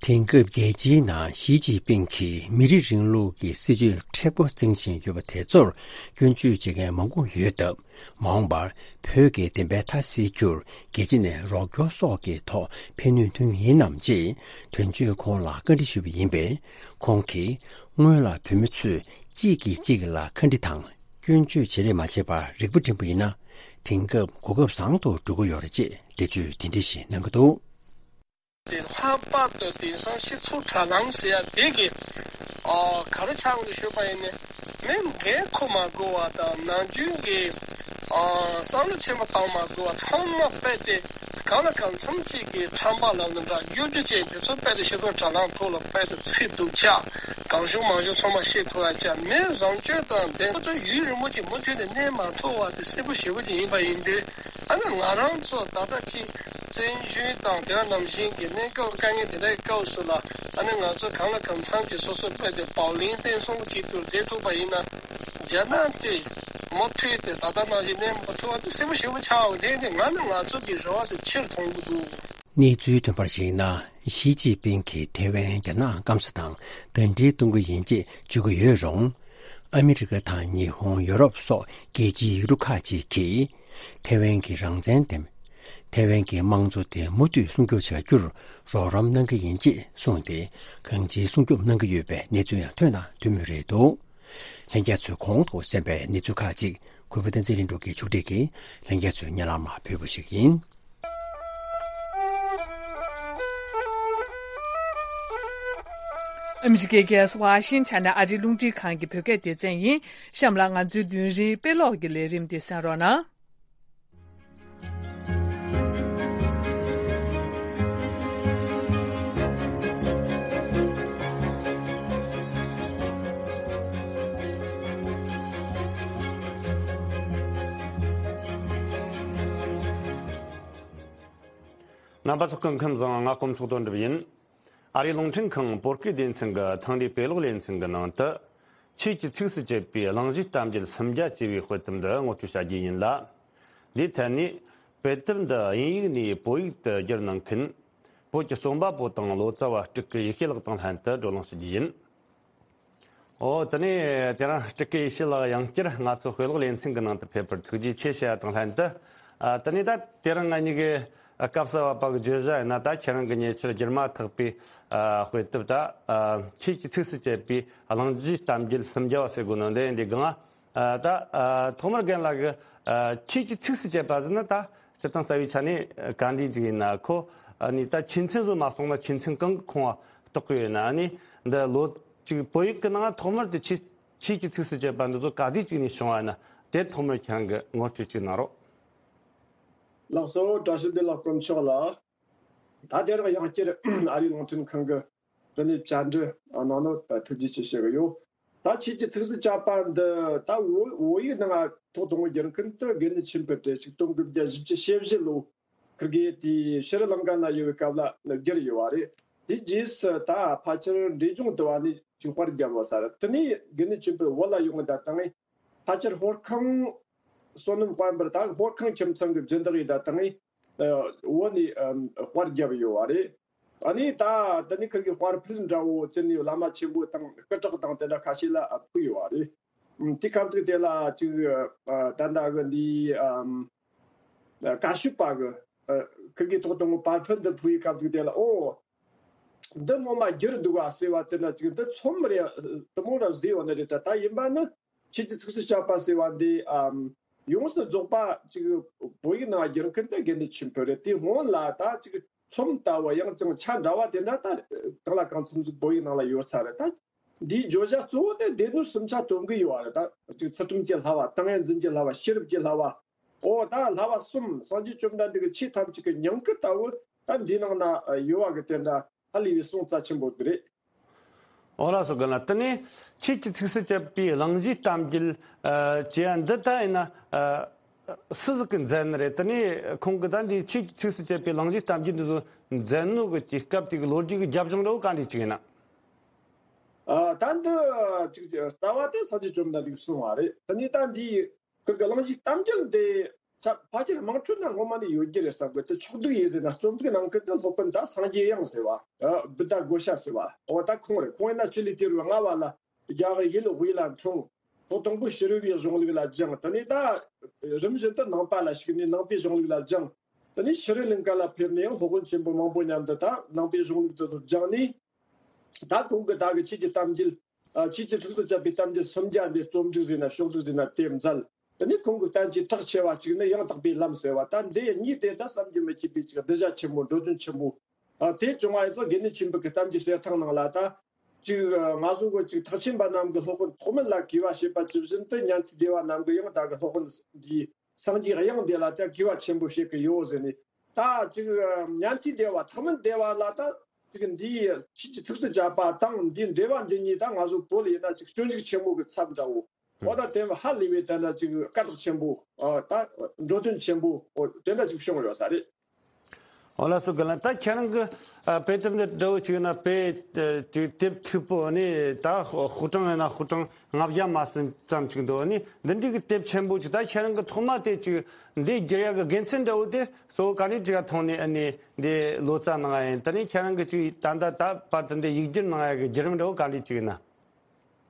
དེང་སྐབས་རྒྱལ་སྤྱིའི་ནང་ཞི་ཅིན་ཕིང་གིས་མི་རིགས་རིང་ལུགས་ཀྱི་སྲིད་བྱུས་མཁྲེགས་པོ་འཛིན་བཞིན་ཡོད་པ་དེ་ཚོར་སྐྱོན་བརྗོད་བྱེད་མཁན་མང་པོ་ཡོད་སྟབས། མ་འོངས་པར་བོད་ཀྱི་བདེན་པའི་མཐའ་གསལ་རྒྱུར་རྒྱལ་སྤྱི་ནས་རོགས་སྐྱོར་སོགས་ཀྱི་ཐོག་ཕན་ནུས་ཐོན་ཡིན་ནམ་ཅེས་དོན་གཅོད་ཁོང་ལ་བཀའ་འདྲི་ཞུས་པ་ཡིན་པས། ཁོང་གིས་སྔོན་ལ་བོད་མི་ཚོས་གཅིག་གིས་གཅིག་ལ་ཁ་འདྲི་དང་སྐྱོན་བརྗོད་བྱེད་རེས་མ་བྱས་པར་རིག་པ་སྒྲིམ་པ་ཡིན་ན། དེང་སྐབས་གོ་སྐབས་བཟང་དུ་འགྲོ་གི་ཡོད་རེད་ཅེས་འགྲེལ་བརྗོད་དེ་འདྲ་ཞིག་གནང་གི་འདུག་དེ་ལྷག་པར་དུ་དེང་སང་སྤྱི་ཚོགས་དྲ་ལམ་ཟེར་ཡ་དེ་གི་ཨ་ག་རེ་ཆགས་འདུག་ཞུས་པ་ཡིན་ན། མི་འགན་འཁུར་མ་དགོས་པ་དང་། ནམ་རྒྱུན་གྱི་ཨ་བསམ་བློ་ཆེན་པོ་བཏང་མ་དགོས་པ། ཚང་མ་རྦད་དེ་གང་ལ་གང་འཚམ་ཅིག་གི་ཁྲམ་པ་ལབ་ན་འདྲ། གཡོ་སྒྱུ་ཅན་དེ་ཚོ་རྦད་དེ་སྤྱི་ཚོགས་དྲ་ལམ་ཐོག་ལ་རྦད་དེ་ཚིག་སྡུག་ཅག་གང་བྱུང་མང་བྱུང་ཚང་མ་བཤད་ཐུབ་པ་ཅག་མི་བཟང་སྤྱོད་དང་དེ་ཚོ་ཡུན་རིང་པོ་ཅིག་མུ་མཐུད་ནས་གནས་མ་ཐུབ་པ་དེ་གསལ་པོ་ཞེ་པོ་ཅིག་ཡིན་པ་ཡིན་དུས། ཨ་ནི་ང་རང་ཚོ་ད་ལྟ་ཅིག་ བཙན་བྱོལ་དང་དེ་ནང་བཞིན་གྱི་གནས་སྐབས་དཀའ་ངལ་དེ་འདྲའི་སྐབས་སུ་ལ་ཨ་ནི་ང་ཚོ་གང་ལ་གང་འཚམ་གྱི་སོ་སོ་དཔེ་དེ་བག་ལེན་བརྟན་གསུམ་གཅིག་ཏུ་བསྡད་ཐུབ་པ་ཡིན་ན། རྒྱ་ནག་དེ་མུ་མཐུད་དེ་ད་ལྟ་ནང་བཞིན་གནས་མ་ཐུབ་པ་དེ་གསལ་པོ་ཞེ་པོ་ཆགས་འོང་དེ་ནི་ང་ནི་ང་ཚོ་གི་རེ་བ་དེ་ཕྱིར་མཐོང་གི་འདུག། གནས་ཚུལ་ཐོན་པར་གཞིགས་ན། ཞི་ཅིན་ཕིང་གིས་ཐེ་ཝན་རྒྱ་ནག་སྐམ་ས་དང་ཟླ་སྒྲིལ་གཏོང་གི་ཡིན་ཅེས་བརྗོད་ཀྱི་ཡོད་རུང་། ཨ་མི་རི་ཀ་དང་ཉི་ཧོང་། ཡོ་རོབ་སོགས་རྒྱལ་སྤྱིའི་ཡུལ་གྲུ་ཁག་ཅིག་གིས་ཐེ་ཝན་གྱི་རང་བཙན་དེ། ཐེ་ཝན་གྱི་དམངས་གཙོ་དེ་མུ་མཐུད་སྲུང་སྐྱོབ་བྱ་རྒྱུར་རོགས་རམ་གནང་གི་ཡིན་ཅེས་གསུངས་ཏེ། གང་ཅིའི་སྲུང་སྐྱོབ་གནང་གི་ཡོད་པའི་གནས་ཚུལ་ཡང་ཐོན་དང་ཐོན་མུས་རེད་འདུག། ལྷན་རྒྱས་ཚོས་གོང་དུ་གསན་པའི་གནས་ཚུལ་ཁག་ཅིག་གུས་པ་བསྟན་འཛིན་ལྷུན་གྲུབ་ཀྱིས་ཕྱོགས་སྒྲིག་གིས་ལྷན་རྒྱས་ཚོའི་སྙན་ལམ་ཕུལ་བ་ཞིག་ཡིན། ཨ་མི་རི་ཀའི་རྒྱལ་ས་ཝ་ཤིང་ཊོན་ནས་ཨ་རིའི་རླུང་འཕྲིན་ཁང་གི་བོད་སྐད་སྡེ་ཚན་ཡིན། གཤམ་ལ་ང་ཚོའི་མདུན་རིའི་དཔེ་ཀློག་གི་ལས་རིམ་དེ་གསན་རོགས་གནང་། རྣམ་པ་ཚོ་སྐུ་ཁམས་བཟང་། ང་དཀོན་མཆོག་དོན་གྲུབ་ཡིན། ཨ་རིའི་རླུང་འཕྲིན་ཁང་བོད་སྐད་སྡེ་ཚན་གྱི་ཐེངས་འདིའི་དཔེ་ཀློག་ལེ་ཚན་གྱི་ནང་དུ། ཆོས་ཀྱི་ཚིགས་སུ་བཅད་པའི་གླེང་གཞིའི་གཏམ་རྒྱུད་སུམ་བརྒྱ་ཅེས་པའི་དཔེ་དེབ་འདི་ངོ་སྤྲོད་བྱ་རྒྱུ་ཡིན་ལ། འདིའི་ཐད་ནས་དཔེ་དེབ་འདི་དབྱིན་ཡིག་ནས་བོད་ཡིག་ཏུ་བསྒྱུར་གནང་མཁན་བོད་ཀྱི་རྩོམ་པ་པོ་དང་ལོ་ཙཱ་བ་སྤྲུལ་སྐུ་ཡེ་ཤེས་ལགས་དང་ལྷན་དུ་བགྲོ་གླེང་ཞུ་རྒྱུ་ཡིན། ཨོ། དེ་ནས་དེ་རིང་སྤྲུལ་སྐུ་ཡེ་ཤེས་ལགས་ཡང་བསྐྱར་ང་ཚོ་དཔེ་ཀློག་ལེ་ཚན་གྱི་ནང་དུ་ཕེབས་པར་ཐུགས་རྗེ་ཆེ་ཞུ་བ་དང་ལྷན་དུ། ཨ། དེ་ནས་ད་དེ་རིང་ང་གཉིས་ཀྱི་སྐབས་སུ་བབས་པ་གི་བརྗོད་བྱ་ཡིན་ན། ད་ཁྱེད་རང་གི་ཉེ་ཆར་བསྒྱུར་མ་ཐག་པའི། ཨ། དཔེ་དེབ་ད། ཨ། ཆོས་ཀྱི་ཚིགས་སུ་བཅད་པའི་གླེང་གཞིའི་གཏམ་རྒྱུད་སུམ་བརྒྱ་བ་ཟེར་དགོས་ནོ་འདི་ཡིན། འདི་གང་། ཨ། ད། ཨ། ཐོག་མར་རྒན་ལགས་ཀྱིས། ཨ། ཆོས་ཀྱི་ཚིགས་སུ་བཅད་པ་ཟེར་ན་ད་སྤྱིར་བཏང་རྩ་བའི་ཆ་ནས་ག་འདྲ་ཅིག་ཡིན་ན། ཁོ་ཨ་ནི་ད་ཆོས་ཚན་བཟོ་མ་སོང་ན་ཆོས་ཚན་གང་གི་ཁོངས་ལ་གཏོགས་ཀྱི་ཡོད་ན། ཨ་ནི་འདི་ལོ་ཅིག་བོད་ཡིག་གི་ནང་ཐོག་མར་དུ་ཆོས་ཆོས་ཀྱི་ཚིགས་སུ་བཅད་པ་འདི་ཚོ་ག་དུས་ཅིག་ནས་བྱུང་བ་ན། དེ་ཐོག་མར་ཁྱེད་རང་གིས་ངོ་སྤྲོད་ཅིག་གནང་རོགས། ལགས་སོ། བཀྲ་ཤིས་བདེ་ལེགས་དཀོན་མཆོག་ལགས། ད་དེ་རིང་ཡང་བསྐྱར་ཨ་རིའི་རླུང་འཕྲིན་ཁང་གི་འདི་ནས་བཅར་འདྲི་གནང་ནོ་ཐུགས་རྗེ་ཆེ་ཞུ་གི་ཡོད། ད་ཆོས་ཀྱི་ཚིགས་སུ་བཅད་པ་འདི་ད་བོད་བོད་ཡིག་ནང་ཐོག་དང་པོ་བསྒྱུར་མཁན་དེ་དགེ་འདུན་ཆོས་འཕེལ་རེད། ཆིག་སྟོང་དགུ་བརྒྱ་བཞི་བཅུ་ཞེ་བཞི་ལོ། ཁིར་གེ་དེ་ཤྲི་ལང་ཀ་ན་ཡོད་པའི་སྐབས་ལ་བསྒྱུར་ཡོད་པ་རེད། དེ་རྗེས་སུ་ད་ཕལ་ཆེར་འབྲས་ལྗོངས་དུ་བ་ནས་ཅིག་དཔར་བརྒྱབ་པ་ས་རེད། དེ་ནས་དགེ་འདུན་ཆོས་འཕེལ་བོད་ལ་ཡོང་གི་ད་དང་ཕལ་ཆེར་ཧོར་ཁང་བསོད་ནམས་དཔལ་འབར་ད་ཧོར་ཁང་ཁྱིམ་ཚང་གི་སྦྱིན་བདག་ཡིན་ད་དང་བོད་ནས་དཔར་བརྒྱབ་ཡོད་པ་རེད། ཨ་ནི་ད་དེ་ནས་ཁིར་གེ་དཔར་ཕུལ་འདྲ་བོ་བྱས་ནས་བླ་མ་ཆེན་པོ་དང་སྐུ་དྲག་དང་དེ་འདྲ་ཁ་ཤས་ལ་ཕུལ་ཡོད་པ་རེད། དེ་སྐབས་དུས་དེ་ལ་ཅིག་ད་ལྟ་གི་འདི་ཨམ། བཀའ་ཤོད་པ་གི་ཨ། ཁིར་གེ་ཐོག་དང་པོ་པར་ཕུད་འདི་ཕུལ་བའི་སྐབས་དུས་དེ་ལ། ཨོ། འདི་ངོ་མ་བསྒྱུར་འདུག་ག་ཟེར་བ་དེ་འདྲ་ཅིག་འདི་ཚོམས་རེ་དེ་མོ་ར་བཟོས་པ་ནི་རེད་ད། ད་ཡིན་པ་ནི་ཆོས་ཀྱི་ཚིགས་སུ་བཅད་པ་ཟེར་བ་འདི་ཨམ། ཡོངས་སུ་རྫོགས་པ་ཅིག་བོད་ཡིག་ནང་བསྒྱུར་མཁན་དེ་དགེ་འདུན་ཆོས་འཕེལ་རེད། དེ་སྔོན་ལ་ད་ཅིག་ཚོམས་ལྟ་བུ་ཡང་ཅིག་ཆ་འདྲ་བ་དེ་འདྲ་ད་གང་ལ་གང་འཚམ་ཅིག་བོད་ཡིག་ནང་ལ་ཡོད་ས་རེད་ད། འདིའི་བརྗོད་བྱ་གཙོ་བོ་དེ་སྡེ་སྣོད་སུམ་ཆ་སྟོན་གི་ཡོད་པ་རེད་ད། ཅིག་ཚུལ་ཁྲིམས་ཀྱི་བསླབ་པ། ཏིང་ངེ་འཛིན་གྱི་བསླབ་པ། ཤེས་རབ་ཀྱི་བསླབ་པ། ཨོ་ད་བསླབ་པ་གསུམ། སངས་རྒྱས་བཅོམ་ལྡན་འདས་ཀྱི་ཆོས་ཐམས་ཅད་ཀྱི་ཉིང་ཁུ་ལྟ་བུ་ད་འདིའི་ནང་ན་ཡོད་པ་གི་དེ་འདྲ་ཧ་ལས་པའི་གསུང་རྩ་ཆེན་པོ་འདི་རེད། ཨོ་ལགས་སོ། རྒན་ལགས། དེ་ནས་ཆོས་ཀྱི་ཚིགས་སུ་བཅད་པའི་གླེང་གཞིའི་གཏམ་རྒྱུད་ཨ། ཅེས་པ་འདི་ད་ཡིན་ན་ཨ། སུ་ཟིག་གིས་མཛད་ནི་རེད། དེ་ནས་ཁོང་གིས་ད་འདི་ཆོས་ཀྱི་ཚིགས་སུ་བཅད་པའི་གླེང་གཞིའི་གཏམ་རྒྱུད་འདི་ཚོ་མཛད་ནོ་གི་དུས་སྐབས་དེ་གི་ལོ་རྒྱུས་ཀྱི་རྒྱབ་ལྗོངས་འདྲ་བོ་ག་འདྲ་ཅིག་ཡིན་ན། ཨ། ད་འདི་ཅིག་རྩ་བ་དེ་སངས་རྒྱས་བཅོམ་ལྡན་འདས་ཀྱིས་གསུངས་པ་རེད། དེ་ནས་ད་འདི་ཁིར་གི་གླེང་གཞིའི་གཏམ་རྒྱུད་འདི་ཆ་ཕལ་ཆེར་དམངས་ཁྲོད་ན་ངོ་མ་ནས་ཡོད་རྒྱུ་རེད་བསམ་གི། དེ་ཕྱོགས་བསྡུས་ཡིན་ཟེར་ན་རྩོམ་སྒྲིག་གནང་མཁན་དེ་སློབ་དཔོན་ད་སངས་རྒྱས་དབྱངས་ཟེར་བ། ཨ། བུདྡྷ་གོ་ཤ་ཟེར་བ། འོ་ད་ཁོང་རེད། ཁོང་ཡིན་ན་ཆུ་ལུད་ཐེར་བའི་རྔ་བ་ལ་རྒྱ་གར་ཡུལ་དབུས་ལ་འཁྲུངས། ཐོག་དང་པོ་ཕྱི་རོལ་པའི་གཞུང་ལུགས་ལ་སྦྱངས། དེ་ནས་ད་རིམ་བཞིན་དུ་ནང་པ་ལ་ཞུགས་ནས་ནང་པའི་གཞུང་ལུགས་ལ་སྦྱངས། དེ་ནས་ཕྱི་རོལ་ལིང་ག་ལ་ཕེབས་ནས་ཡང་སློབ་དཔོན་ཆེན་པོ་མང་པོ་མཉམ་དུ་ད་ནང་པའི་གཞུང་ལུགས་དེ་ཚོ་སྦྱངས་ནས། ད་ཁོང་གིས་ད་གི་ཆོས་ཀྱི་གཏམ་རྒྱུད། ཨ། ཆོས་ཀྱི་ཚིགས་སུ་བཅད་པའི་གཏམ་རྒྱུད་སུམ་བརྒྱ་འདི་རྩོམ་སྒྲིག་ཟེར་ན་ཕྱོགས་སྒྲིག་ཟེར་ན་དེ་མཛད། དེ་ནས་ཁོང་གི་བསྟན་བཅོས་གྲགས་ཆེ་བ་གཅིག་ནི་ཡང་དག་པའི་ལམ་ཟེར་བ། ད་འདི་གཉིས་དེ་ད་བསམ་གྱིས་མི་ཁྱབ་པའི་ཅིག་གདུལ་བྱ་ཆེན་པོ། འགྲོ་དོན་ཆེན་པོ། ཨ། དེ་བྱུང་བ་ཡིན་ཙང་དགེ་འདུན་ཆོས་འཕེལ་གྱི་གཏམ་རྒྱུད་གསེར་ཐང་ནང་ལ་ད་ཅིག་ང་ཚོ་གི་ཅིག་ཐེག་ཆེན་པ་རྣམས་ཀྱི་སློབ་དཔོན་ཐོགས་མེད་ལ་གུས་པ་བྱེད་པ་ཇི་བཞིན་དུ་ཉན་ཐོས་སྡེ་པ་རྣམས་ཀྱི་ཡང་ད་གི་སློབ་དཔོན་འདི་སངས་རྒྱས་དབྱངས་འདི་ལ་ད་གུས་པ་ཆེན་པོ་བྱེད་ཀྱི་ཡོད་ཟེར་ནས། ད་ཅིག་ཉན་ཐོས་སྡེ་པ་ཐོགས་མེད་སྡེ་པ་ལ་ད་ཅིག་འདིའི་ཆོས་ཀྱི་ཚིགས་སུ་བཅད་པ་དང་འདིའི་འགྲེལ་པ་འདི་གཉིས་ད་ང་ཚོ་བོད་ལ་ཡིན་ན་ཅིག་སྤྱོད་འཇུག་ཆེན་མོ་གི་ཚབ་འདྲ་བོ། འོ་ད་དེ་ཧ་ལས་པའི་དེ་འདྲ་ཅིག་སྐད་གྲགས་ཆེན་པོ། ཨ། ད་འགྲོ་དོན་ཆེན་པོ། འོ་དེ་འདྲ་ཅིག་བྱུང་ཡོད་ས་རེད། ཨོ་ལགས་སོ། རྒན་ལགས། ད་ཁྱེད་རང་གི་ཨ་དཔེ་དེབ་འདི་འདྲ་བོ་ཅིག་ན་དཔེ་ཨ་ཅིག་དེབ་མཐུག་པོ་ནི་ད་ཧུ་ཀྲང་ཡིན་ན་ཧུ་ཀྲང་ལྔ་བརྒྱ་མ་ཟིན་ཙམ་ཅིག་འདུག་ནི་འདི་འདྲའི་གི་དེབ་ཆེན་པོ་ཅིག་ད་ཁྱེད་རང་གི་ཐོག་མ་དེ་ཅིག་འདི་བསྒྱུར་ཡག་གི་དགེ་མཚན་འདྲ་བོ་དེ་གཙོ་བོ་ག་འདྲའི་ཅིག་ག་ཐོག་ནས་ཨ་ནི་འདི་ལོ་ཙཱ་གནང་ཡ་ཡིན། དེ་ནས་ཁྱེད་རང་གི་ཅིག་ད་ལྟ་ད་བར་དུ་འདི་ཡིག་སྒྱུར་གནང་ཡ་གི་བརྒྱུད་རིམ་འདྲ་བོ་ག་འདྲའི་ཅིག་ཡིན་ན།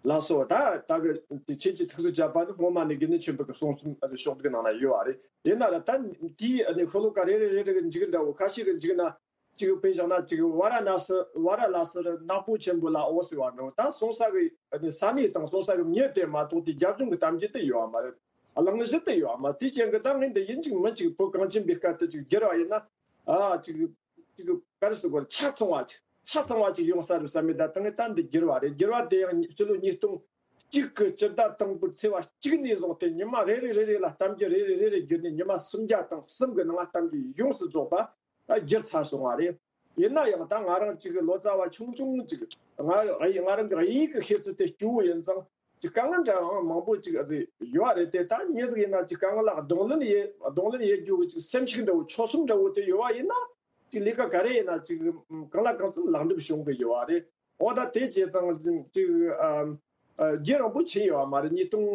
ལགས་སོ། ད་ད་གི་ཁྱེད་ཀྱི་ཐུགས་སུ་བཅད་པ་ནི་སྔོན་མ་ནས་དགེ་འདུན་ཆོས་འཕེལ་གྱི་གསུང་རྩོམ་ཕྱོགས་བསྒྲིགས་གནང་ན་ཡོད་པ་རེད། ཡིན་ན་ར་ད་དེའི་ནི་ཤོ་ལོ་ཀ་རེ་རེ་རེ་རེ་གི་མཇུག་འདྲ་བོ་ཁ་ཤས་ཀྱི་མཇུག་ན་ཅིག་དཔེ་བཞག་ན་ཅིག་ཝཱ་ར་ཎ་སི་ཝཱ་ར་ཎ་སི་རི་ནག་པོ་ཆེན་པོ་ལ་འོ་ཟེར་བ་འདྲ་བོ། ད་སོང་ས་གི་ནི་ས་གནས་དང་སོང་ས་གི་མྱི་དེ་མ་གཏོགས་དེ་རྒྱབ་ལྗོངས་ཀྱི་གཏམ་རྒྱུད་དེ་ཡོད་པ་མ་རེད། གླེང་གཞི་དེ་ཡོད་པ་མ་རེད། དེའི་རྐྱེན་གྱིས་ད་ངས་འདི་ཡིན་གཅིག་མིན་གཅིག་བོད་གངས་ཅན་པའི་སྐད་དུ་ཅིག་བསྒྱུར་བ་ཡིན་ན། ཨ་ཅིག་ཅིག་ག་རེ་ཟེར་དགོས་རེད། ཆ་ཚང་བ་ཅིག་ཆ་ཚང་བ་ཅིག་ཡོང་ས་རེད་བསམ་མེད། ད་ད་ངས་ད་འདི་བསྒྱུར་བ་རེད། བསྒྱུར་བ་དེ་ཡང་སྤྱི་ལོ་ཉིས་སྟོང་གཅིག་གི་སྤྱི་ཟླ་དང་པོའི་ཚེས་པ་གཅིག་ནས་བཟུང་སྟེ་ཉི་མ་རེ་རེ་རེ་རེ་ལ་གཏམ་རྒྱུད་རེ་རེ་རེ་རེ་བསྒྱུར་ནས་ཉི་མ་སུམ་བརྒྱ་དང་གསུམ་གི་ནང་ལ་གཏམ་རྒྱུད་ཡོངས་སུ་རྫོགས་པ་ད་བསྒྱུར་ཚར་སོང་བ་རེད། ཡིན་ན་ཡང་ད་ང་རང་ཅིག་ལོ་ཙཱ་བ་ཆུང་ཆུང་ཅིག་ང་ང་རང་གི་དབྱིན་ཡིག་གི་ཤེས་ཚད་དེ་སྐྱོ་བོ་ཡིན་ཙང་། ཅིག་དཀའ་ངལ་འདྲ་ཡང་མང་པོ་ཅིག་ཨ་ཙི་ཡོད་རེད་དེ། ད་མྱི་ཟིག་ཡིན་ན་ཅིག་དཀའ་ངལ་ལ་གདོང་ལེན་ཡེ་གདོང་ལེན་ཡེ་རྒྱུ་གི་ཅིག་སེམས་ཤུགས་འདྲ་བོ་ཆོད་སེམས་འདྲ་བོ་དེ་ཡོད་པ་ཡིན་ན། ཅིག་ལས་ཀ་ག་རེ་ཡིན་ན་ཅིག་གང་ལ་གང་འཚམ་ལེགས་འགྲུབ་བྱུང་གི་ཡོད་པ་རེད། འོ་ད་དེ་བྱས་ཙང་ཅིག་ཨ་ཨ་རྒྱུན་རིང་པོ་ཕྱིན་ཡོད་པ་མ་རེད། ཉིས་སྟོང་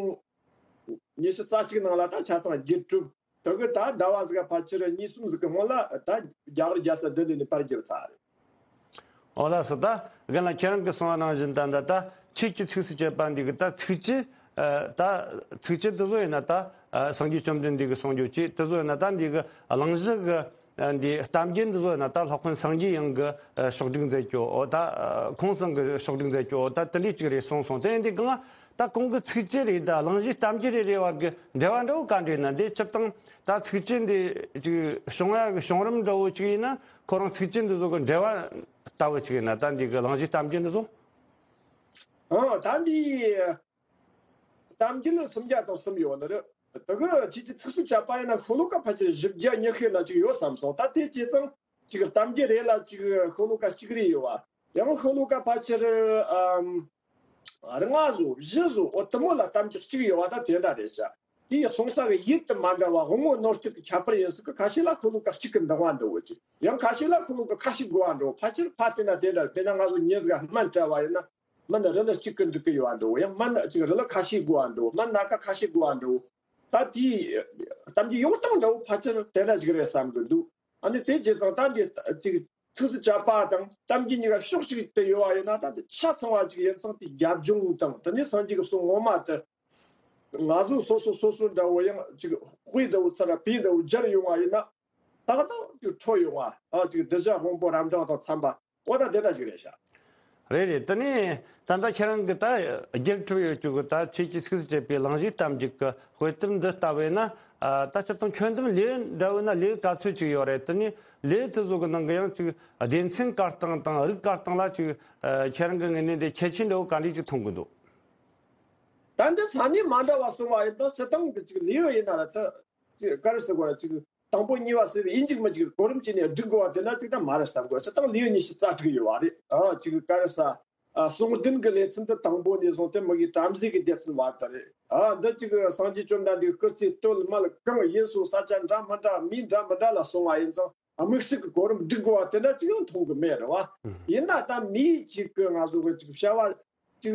ཉི་ཤུ་རྩ་གཅིག་ནང་ལ་ད་ཆ་ཚང་བསྒྱུར་གྲུབ། དེ་གི་ད་ཟླ་བ་ཟིག་ག་ཕལ་ཆེར་གཉིས་གསུམ་ཟིག་གི་སྔོན་ལ་ད་རྒྱ་གར་རྒྱལ་ས་ལྡི་ལི་ནས་པར་བསྒྱུར་ཚར་རེད། ཨོ་ལགས་སོ། ད་རྒན་ལགས་ཁྱེད་རང་གིས་གསུངས་པ་ནང་བཞིན་ད་ད་ད་ཁྱེད་ཀྱི་ཚིགས་སུ་བཅད་པ་འདི་གི་ད་ཚིགས་བཅད་ཨ་ད་ཚིགས་བཅད་འདི་ཚོ་ཡིན་ན་ད་ཨ་སངས་རྒྱས་བཅོམ་ལྡན་འདས་ཀྱི་གསུང་རྒྱུ་ཅིག་དེ་ཚོ་ཡིན་ན་ད་འདི་གི་གླེང་གཞི་གི་ཨ་འདི་གཏམ་རྒྱུད་འདི་ཚོ་ཡིན་ན་ད་སློབ་དཔོན་སངས་རྒྱས་དབྱངས་ཀྱིས་ཨ་ཕྱོགས་སྒྲིག་མཛད་རྒྱུ། ཨོ་ད་ཨ་ཁོང་ཚང་གིས་ཕྱོགས་སྒྲིག་མཛད་རྒྱུ། ཨོ་ད་དེ་འདྲས་ཅིག་རེད་གསུངས་སོང་། དེ་ཡིན་དུས་གང་ད་གོང་གི་ཚིགས་བཅད་རེད་ད་གླེང་གཞི་གཏམ་རྒྱུད་རེད་རེད་བར་གི་འབྲེལ་བ་འདྲ་བོ་ག་འདྲ་ཡིན་ན། འདི་སྤྱིར་བཏང་ད་ཚིགས་བཅད་འདི་ཅིག་བྱུང་ཡག་གི་བྱུང་རིམ་འདྲ་བོ་ཅིག་ཡིན་ན་ཁོ་རང་ཚིགས་བཅད་འདི་ཚོ་གི་འབྲེལ་བ་ལྟ་བུ་ཅིག་ཡིན་ན། ད་འདི་གི་གླེང་གཞི་གཏམ་རྒྱུད་འདི་ཚོ། ཨང་། ད་འདི་གཏམ་རྒྱུད་ནི་སུམ་བརྒྱ་དང་གསུམ་ཡོད་ནི་རེད། དེ་གི་ཁྱེད་ཀྱི་ཚིགས་སུ་བཅད་པ་ཡིན་ན་ཤོ་ལོ་ཀ་ཕལ་ཆེར་བཞི་བརྒྱ་ཉི་ཤུ་ན་ཅིག་ཡོད་བསམ་སོང་། ད་དེ་བྱས་ཙང་ཅིག་གཏམ་རྒྱུད་རེ་ལ་ཅིག་ཤོ་ལོ་ཀ་གཅིག་རེ་ཡོད་པ། ཡང་ཤོ་ལོ་ཀ་ཕལ་ཆེར་ཨམ་ལྔ་བཟོ་བཞི་བཟོ་འོ་དེ་མོ་ལ་གཏམ་རྒྱུད་གཅིག་ཡོད་པ་ད་དེ་འདྲ་རེད་ཤག་དེའི་གསུང་ས་གི་ཡུལ་དུ་མ་འདྲ་བ་དབང་པོ་རྣོ་རྟུལ་གྱི་ཁྱད་པར་ཡིན་སྲིད་གི། ཁ་ཤས་ལ་ཤོ་ལོ་ཀ་གཅིག་གི་འདང་བ་འདྲ་བོ་ཅིག་ཡང་ཁ་ཤས་ལ་ཤོ་ལོ་ཀ་ཁ་ཤས་དགོས་པ་འདྲ་བོ། ཕལ་ཆེར་ཕ་དེ་ན་དེ་འདྲ། དཔེར་ན་ང་ཚོ་མྱི་ཟིག་ག་སྨན་སྤྲད་པ་ཡིན་ན། སྨན་རིལ་གཅིག་གིས་འགྲིག་གི་ཡོད་པ་འདྲ་བོ། ཡང་སྨན་ཅིག་རིལ་ཁ་ཤས་དགོས་པ་འདྲ་བོ། སྨན་སྣ་ཁ་ཁ་ཤས་དགོས་པ་འདྲ་བོ། ད་དེའི་གཏམ་རྒྱུད་ཡོང་སྟངས་འདྲ་བོ་ཕལ་ཆེར་དེ་འདྲ་ཞིག་རེད་བསམ་གི་འདུག་ཨ་ནི་དེ་བྱས་ཙང་ད་འདི་ཅིག་ཚིགས་སུ་བཅད་པ་དང་གཏམ་རྒྱུད་གཉིས་ཀ་ཕྱོགས་གཅིག་ཏུ་ཡོད་པ་ཡིན་ན། ད་འདི་ཆ་ཚང་བ་ཅིག་ཡིན་ཙང་དེའི་རྒྱབ་ལྗོངས་དང་དེ་ནས་སངས་རྒྱས་ཀྱི་གསུང་ངོ་མ་དེ་ང་ཚོ་སོ་སོ་སོ་སོ་འདྲ་བོ་ཡང་ཅིག་དཔེ་འདྲ་བོ་ཚུར་བེད་འདྲ་བོ་སྦྱར་ཡོང་བ་ཡིན་ན། ཏག་ཏག་ཅིག་འཕྲོད་ཡོང་བ། ཨ་ཅིག་གདུལ་བྱ་སྔོན་པོ་རབ་འབྲིང་དང་འཚམ་པ། འོ་ད་དེ་འདྲ་ཞིག་རེད་ཤག་རེད་རེད། དེ་ནས་ད་ལྟ་ཁྱེད་རང་གིས་ད་རྒྱུགས་འཕྲོད་ཡོད་རྒྱུ་གི་ད་ཁྱེད་ཀྱི་ཚིགས་སུ་བཅད་པའི་གླེང་གཞི་གཏམ་རྒྱུད་ཀྱི་དཔེ་དེབ་འདི་ལྟ་བས་ན། ཨ་ད་སྤྱིར་བཏང་ཁྱོན་བསྡོམས་ལེའུ་འདྲ་བོ་ན་ལེའུ་ག་ཚོད་ཅིག་ཡོད་རེད། དེ་ནས་ལེའུ་དེ་ཚོ་གི་ནང་གི་ཡང་ཅིག་སྡེ་ཚན་བཀར་སྟངས་དང་རིགས་བཀར་སྟངས་ལ་ཅིག་ཨ་ཁྱེད་རང་གི་ངོས་ནས་འདི་ཁྱད་ཆོས་འདྲ་བོ་ག་འདྲས་ཅིག་མཐོང་གི་འདུག་ད་འདི་ས་གནས་མ་འདྲ་བ་གསུངས་པ་ཡིན་ན་སྤྱིར་བཏང་གི་ཅིག་ལེའུ་ཡིན་ན་ར་ད་ཅིག་ག་རེ་ཟེར་དགོས་ར་ཅིག་དང་པོ་གཉིས་པ་ཟེར་བའི་ཡིན་གཅིག་མིན་གཅིག་གོ་རིམ་བྱས་ནས་སྒྲིག་དགོས་པ་དེ་འདྲ་ཅིག་ད་མ་རེད་བསམ་གི། སྤྱིར་བཏང་ལེའུ་ཉི་ཤུ་རྩ་དྲུག་ཡོད་པ་རེད། ཨ་ཅིག་ག་རེ་ཟ། ཨ་གསུང་བདུན་གྱི་ལེ་ཚན་དེ་དང་པོ་ནས་བཟུང་སྟེ་མི་གི་བྲམ་ཟེ་གི་སྡེ་ཚན་བར་དུ་རེད། ཨ་འདི་ཅིག་སངས་རྒྱས་བཅོམ་ལྡན་འདས་སྐུ་ཚེ་སྟོད་ལ་སྨད་ལ་གང་ཡིན་སོང་ས་ཆ་འདྲ་མི་འདྲ་མི་འདྲ་མི་འདྲ་ལ་སོང་བ་ཡིན་ཙང་དམིགས་བསལ་གྱི་གོ་རིམ་སྒྲིག་དགོས་པ་དེ་འདྲ་ཅིག་ཡང་མཐོང་གི་མེད་རེད་བ། ཡིན་ན་ད་མིའི་ཅིག་གི་ང་ཚོ་གི་ཅིག་བྱ་བ་ཅིག་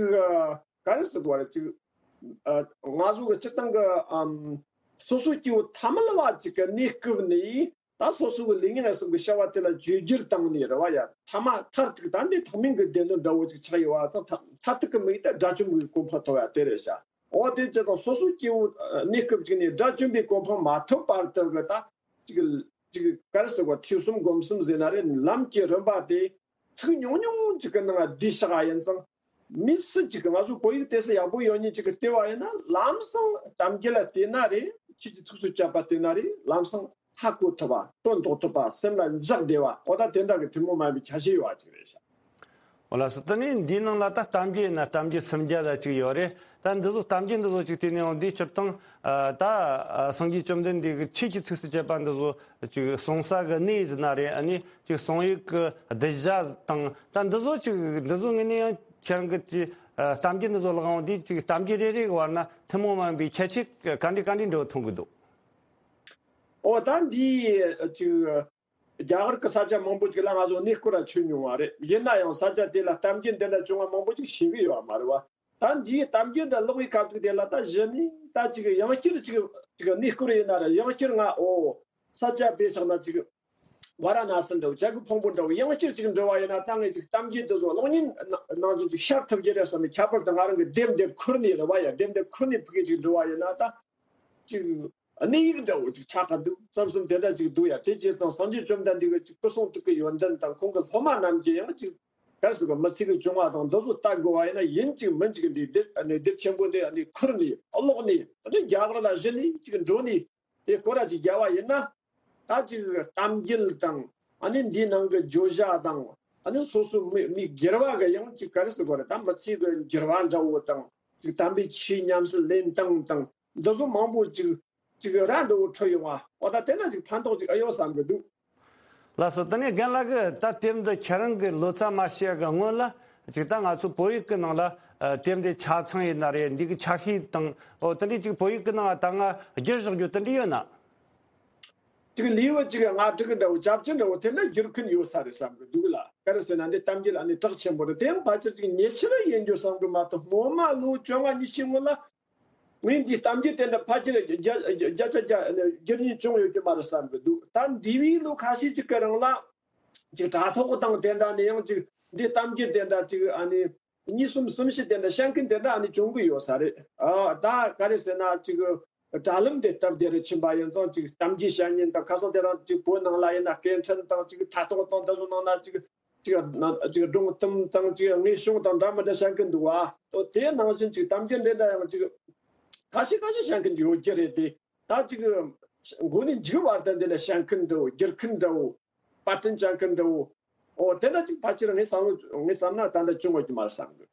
ག་རེ་ཟེར་དགོས་རེད། ཅིག་ཨ་ང་ཚོ་གི་སྤྱིར་བཏང་གི་ཨམ་སོ་སོ་སྐྱེ་བོ་ཐ་མལ་བ་ཅིག་གི་གནས་སྐབས་ནས་ད་སོ་སོ་གི་ལུས་ངག་ཡིད་གསུམ་གི་བྱ་བ་དེ་ལ་བཅོས་བསྒྱུར་བཏང་ནས་རེད་བ། ཡ་ཐ་མ་མཐར་ཐུག་ད་འདི་ཐེག་དམན་གྱི་སྡེ་སྣོད་འདྲ་བོ་ཅིག་ཆགས་ཡོད་པ་ཙང་མཐར་ཐུག་གི་དམིགས་ཡུལ་དེ་དགྲ་བཅོམ་པའི་གོ་འཕང་ཐོབ་ཡ་དེ་རེད་ཤག་འོ་དེ་ཅི་དང་སོ་སོ་སྐྱེ་བོ་གནས་སྐབས་ཅིག་ནས་དགྲ་བཅོམ་པའི་གོ་འཕང་མ་ཐོབ་བར་དུ་གི་ད་ཅིག་ཅིག་ག་རེ་ཟེར་བ་ཐོས་བསམ་སྒོམ་གསུམ་ཟེར་ན་རེད། ལམ་གྱི་རིམ་པ་དེ་ཚིག་ཉུང་ཉུང་ཅིག་གི་ནང་བསྡུས་བཞག་ཡིན་ཙང་། མི་སུ་ཅིག་གི་ང་ཚོ་བོད་ཡིག་དེ་སུ་ཡག་པོ་ཡོད་མཁན་ཅིག་གིས་བལྟས་པ་ཡིན་ན་ལམ་སང་གཏམ་རྒྱུད་ལ་བལྟས་ན་རེད། ཁྱེད་ཀྱི་ཚིགས་སུ་བཅད་པ་བལྟས་ན་རེད། ལམ་སང་ཧ་གོ་ཐུབ་པ། དོན་རྟོགས་ཐུབ་པ། སེམས་ལ་འཇགས་བདེ་བ། འོ་ད་དེ་འདྲ་གི་ཐུན་མོང་མ་ཡིན་པའི་ཁྱད་ཆོས་ཡོད་པ་ཅིག་རེད་ཤག་འོ་ལགས་སོ། དེ་ནས་འདིའི་ནང་ལ་ད་གཏམ་རྒྱུད་ཡིན་ན་གཏམ་རྒྱུད་སུམ་བརྒྱ་ལ་ཅིག་ཡོད་རེད། ད་འདི་ཚོ་གཏམ་རྒྱུད་འདི་ཚོ་ཅིག་བལྟས་ནས་འོང་དུས་སྤྱིར་བཏང་ཨ་ད་ཨ་སངས་རྒྱས་བཅོམ་ལྡན་འདས་ཀྱི་ཆོས་ཀྱི་ཚིགས་སུ་བཅད་པ་འདི་ཚོ་ཅིག་གསུང་ས་གི་གནས་ཟེར་ན་རེད། ཨ་ནི་ཅིག་གསུང་ཡུལ་གྱི་གདུལ་བྱ་དང་ད་འདི་ཚོ་ཅིག་འདི་ཚོ་ངོས་ནས་ཡང་ཁྱེད་རང་གི་ཅིག་ཨ་གཏམ་རྒྱུད་འདི་ཚོ་ལ་དབང་དུས་ཅིག་གཏམ་རྒྱུད་རེ་རེ་གི་བར་ན་ཐུན་མོང་མ་ཡིན་པའི་ཁྱད་ཆོས་ག་འདྲ་ག་འདྲ་འདྲ་བོ་མཐོང་གི་འདུག་འོ་ད་འདི་ཅིག་རྒྱ་གར་གྱི་ས་ཆ་མང་པོ་ཅིག་ལ་ང་ཚོ་གནས་སྐོར་ར་ཆོད་མྱོང་བ་རེད། ཡིན་ན་ཡང་ས་ཆ་དེ་ལ་གཏམ་རྒྱུད་འདི་འདྲ་བྱུང་བ་མང་པོ་ཅིག་ཤེས་གི་ཡོད་མ་རེད་བ། ད་འདིའི་གཏམ་རྒྱུད་འདི་ཀློག་པའི་སྐབས་དུས་དེ་ལ་ད་གཞི་ནས་ད་ཅིག་ཡང་བསྐྱར་ཅིག་ཅིག་གནས་སྐོར་ཡིན་ན་ར་ཡང་བསྐྱར་ང་འོ་ས་ཆ་དཔེ་བཞག་ན་ཅིག་ཝཱ་ར་ཎ་སི་འདྲ་བོ་བྱ་རྒོད་ཕུང་པོ་འདྲ་བོ་ཡང་བསྐྱར་ཅིག་འགྲོ་བ་ཡིན་ན། ད་ངས་ཅིག་གཏམ་རྒྱུད་འདི་ཚོ་གློག་བརྙན་ནང་བཞིན་ཅིག་ཤར་ཐུབ་ཀྱི་རེད་བསམ་ནས། ཁྱད་པར་དུ་ང་རང་གི་དེབ་འདི་ཁུར་ནས་རེད་བ་ཡ། དེབ་འདི་ཁུར་ནས་ཕ་གི་ཅིག་འགྲོ་བ་ཡིན་ན་ད་ཅིག་གནས་ཡིག་འདྲ་བོ་ཅིག་ཆགས་ཀ་འདུག་བསམ་བསམ་དེ་འདྲ་ཅིག་འདུག་ཡ། དེ་བྱས་ཙང་སངས་རྒྱས་བཅོམ་ལྡན་འདས་ཀྱི་ཅིག་སྐུ་གསུང་ཐུགས་ཀྱི་ཡོན་ཏན་དང་ཁོང་གི་སློབ་མ་རྣམས་ཀྱིས་ཡང་ཅིག་གལ་སྲིད་པ་མི་ཚེ་གི་བྱུང་བ་དང་འདི་ཚོ་ལྟ་དགོས་པ་ཡིན་ན། ཡིན་གཅིག་མིན་གཅིག་འདི་དེབ་ཨ་ནི་དེབ་ཆེན་པོ་འདི་ཨ་ནི་ཁུར་ནས་ཀློག་ནས་ཨ་ནི་རྒྱ་གར་ལ་གཞི་ནས་ཅིག་འགྲོ་ནས་དེ་སྐོར་ར་ཅིག་རྒྱབ་པ་ཡིན་ན། ད་ཅིག་གཏམ་རྒྱུད་དང་ཨ་ནི་འདིའི་ནང་གི་བརྗོད་བྱ་དང་ཨ་ནི་སོ་སོའི་མི་མི་སྒེར་བ་གི་ཡང་ཅིག་ག་རེ་ཟེར་དགོས་རེད། ད་མི་ཚེ་གི་འགྱུར་བ་འདྲ་བོ་དང་ཅིག་དམ་པའི་ཆོས་ཉམས་སུ་ལེན་སྟངས་དང་འདི་ཚོ་མང་པོ་ཅིག་ཅིག་ར་འདྲ་བོ་འཕྲོད་ཡོང་བ། འོ་ད་དེ་ན་ཅིག་ཕན་ཐོགས་ཅིག་ཨེ་ཡོད་བསམ་གི་འདུག་ལགས་སོ། དེ་ནས་རྒན་ལགས་ཀྱིས་ད་དེབ་འདི་ཁྱེད་རང་གི་ལོ་ཙཱ་མ་བྱས་གི་སྔོན་ལ་ཅིག་ད་ང་ཚོ་བོད་ཡིག་གི་ནང་ལ་ཨ་དེབ་འདི་ཆ་ཚང་ཡིན་ན་རེད། འདི་གི་ཆ་ཤས་དང་འོ་དེ་འདྲའི་ཅིག་བོད་ཡིག་གི་ནང་ད་ང་བསྒྱུར་བཞག་རྒྱུ་དེ་འདྲ་ཡོད་ན། ཅིག་ལེའུ་ཅིག་ལྔ་དྲུག་གི་འདྲ་བོ་ཅབ་ཅི་འདྲ་བོ་དེ་འདྲ་བསྒྱུར་མཁན་ཡོད་ས་རེད་བསམ་གི་འདུག་ལ། ག་རེ་ཟེར་ན་འདི་གཏམ་རྒྱུད་ཨ་ནི་གྲགས་ཆེན་པོ་རེད། དེ་ཡང་ཕལ་ཆེར་ཅིག་ཉེ་ཆར་ཡིན་རྒྱུ་བསམ་གི་མ་གཏོགས་སྔོན་མ་ལོ་བཅོ་ལྔ་ཉི་ཤུ་སྔོན་ལ། ངས་འདིའི་གཏམ་རྒྱུད་དེ་འདྲ་ཕལ་ཆེར་བརྒྱ་བརྒྱ་ཆ་བརྒྱ་བསྒྱུར་མཁན་བྱུང་ཡོད་ཀྱི་མ་རེད་བསམ་གི་འདུག་ད་འདས་པའི་ལོ་ཁ་ཤས་ཅིག་གི་རིང་ལ་ཅིག་དྲ་ཐོག་དང་དེ་འདྲ་ནས་ཡང་ཅིག་འདིའི་གཏམ་རྒྱུད་དེ་འདྲ་ཅིག་ཨ་ནི་གཉིས་གསུམ་གསུམ་བཞི་དེ་འདྲ་བཤད་མཁན་དེ་འདྲ་ཨ་ནི་བྱུང་གི་ཡོད་ས་རེད། ཨ་ད་ག་རེ་ཟེར་ན་ཅིག་དྲ་ལམ་དེ་སྟབས་བདེ་རུ་ཕྱིན་པ་ཡིན་ཙང་ཅིག་གཏམ་རྒྱུད་བཤད་མཁན་དང་། ཁ་སང་དེ་རིང་ཅིག་བོད་ནང་ལ་ཡིན་ན་སྐད་འཕྲིན་དང་ཅིག་དྲ་ཐོག་དང་འདི་ཚོ་ནང་ན་ཅིག་ཅིག་ན་ཅིག་སྒྲུང་གཏམ་དང་ཅིག་དངོས་བྱུང་དང་འདྲ་མི་འདྲ་བཤད་མཁན་འདུག་བ། ཨོ་དེ་ནང་བཞིན་ཅིག་གཏམ་རྒྱུད་འདི་འདྲ་ཡང་ཅིག་ཁ་ཤས་ཁ་ཤས་བཤད་མཁན་ཡོད་ཀྱི་རེད་དེ། ད་ཅིག་མགོ་ནས་མཇུག་བར་དུ་འདི་ལ་བཤད་མཁན་འདྲ་བོ། བསྒྱུར་མཁན་འདྲ་བོ། པར་སྐྲུན་བྱ་མཁན་འདྲ་བོ། ཨོ་དེ་འདྲ་ཅིག་ཕལ་ཆེར་ངས་བསམ་བློ་ངས་བསམ་ན་ད་ལྟ་བྱུང་ཡོད་ཀྱི་མ་རེད་བསམ་གི།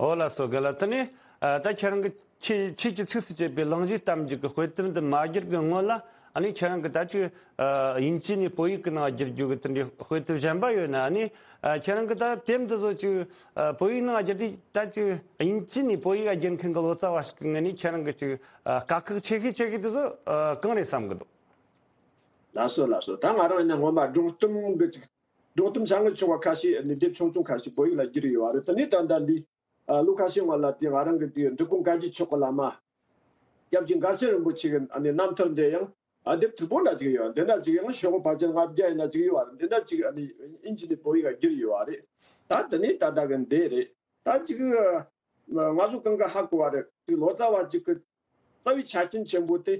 ཨོ་ལགས་སོ། རྒན་ལགས། དེ་ནས་ཨ་ད་ཁྱེད་རང་གི་ཆོས་ཆོས་ཀྱི་ཚིགས་སུ་བཅད་པའི་གླེང་གཞིའི་གཏམ་རྒྱུད་ཀྱི་དཔེ་དེབ་འདི་མ་བསྒྱུར་གི་སྔོན་ལ་ཨ་ནི་ཁྱེད་རང་གི་ད་ཅིག་ཨ་དབྱིན་ཇི་ནས་བོད་ཡིག་གི་ནང་བསྒྱུར་རྒྱུ་གི་དེ་འདྲའི་དཔེ་དེབ་གཞན་པ་ཡོད་ན། ཨ་ནི་ཨ་ཁྱེད་རང་གི་ད་དེབ་འདི་ཚོ་ཅིག་ཨ་བོད་ཡིག་ནང་བསྒྱུར་དུས་ད་ཅིག་དབྱིན་ཇི་ནས་བོད་ཡིག་བསྒྱུར་མཁན་གྱི་ལོ་ཙཱ་བ་ཞིག་གི་ངོས་ནས་ཁྱེད་རང་གི་ཅིག་ཨ་དཀའ་ཁག་ཆེ་ཤོས་ཆེ་ཤོས་དེ་ཚོ་ཨ་གང་རེད་བསམ་གི་འདུག་ལགས་སོ་ལགས་སོ། ད་ང་རང་ཡིན་ན་སྔོན་མ་སྒྲུང་གཏམ་གི་ཅིག་སྒྲུང་གཏམ་བྱ་ངན་ཆུང་བ་ཁ་ཤས་ནི་དེབ་ཆུང་ཆུང་ཁ་ཤས་བོད་ཡིག་ལ་བསྒྱུར་ཡོད་པ་རེད། དེ་ནས་ད་ལྟ་འདི་ཨ་ལོ་ཁ་ཤས་སྔོན་ལ་དེ་ང་རང་གི་དེ་འབྲི་གུང་བཀའ་བརྒྱུད་ཆོས་སྐུ་བླ་མ་སྐྱབས་རྗེ་མགར་ཆེན་རིན་པོ་ཆེ་གི་ཨ་ནི་རྣམ་ཐར་འདི་ཡང་ཨ་དེབ་མཐུག་པོ་འདྲ་ཅིག་ཡོད། འདི་འདྲ་ཅིག་ཡང་ཤོག་བུ་ཕལ་ཆེར་ལྔ་བརྒྱ་ཡིན་ན་ཅིག་ཡོད་པ་རེད། འདི་འདྲ་ཅིག་ཨ་ནི་དབྱིན་ཇི་ནས་བོད་ཡིག་ལ་བསྒྱུར་ཡོད་པ་རེད། ད་དེ་ནས་ད་ལྟ་གི་འདི་རེད། ད་ཅིག་ང་ཚོ་གང་ག་ཧ་གོ་བ་རེད། ཅིག་ལོ་ཙཱ་བ་ཅིག་གི་རྩ་བའི་ཆ་རྐྱེན་ཆེན་པོ་དེ།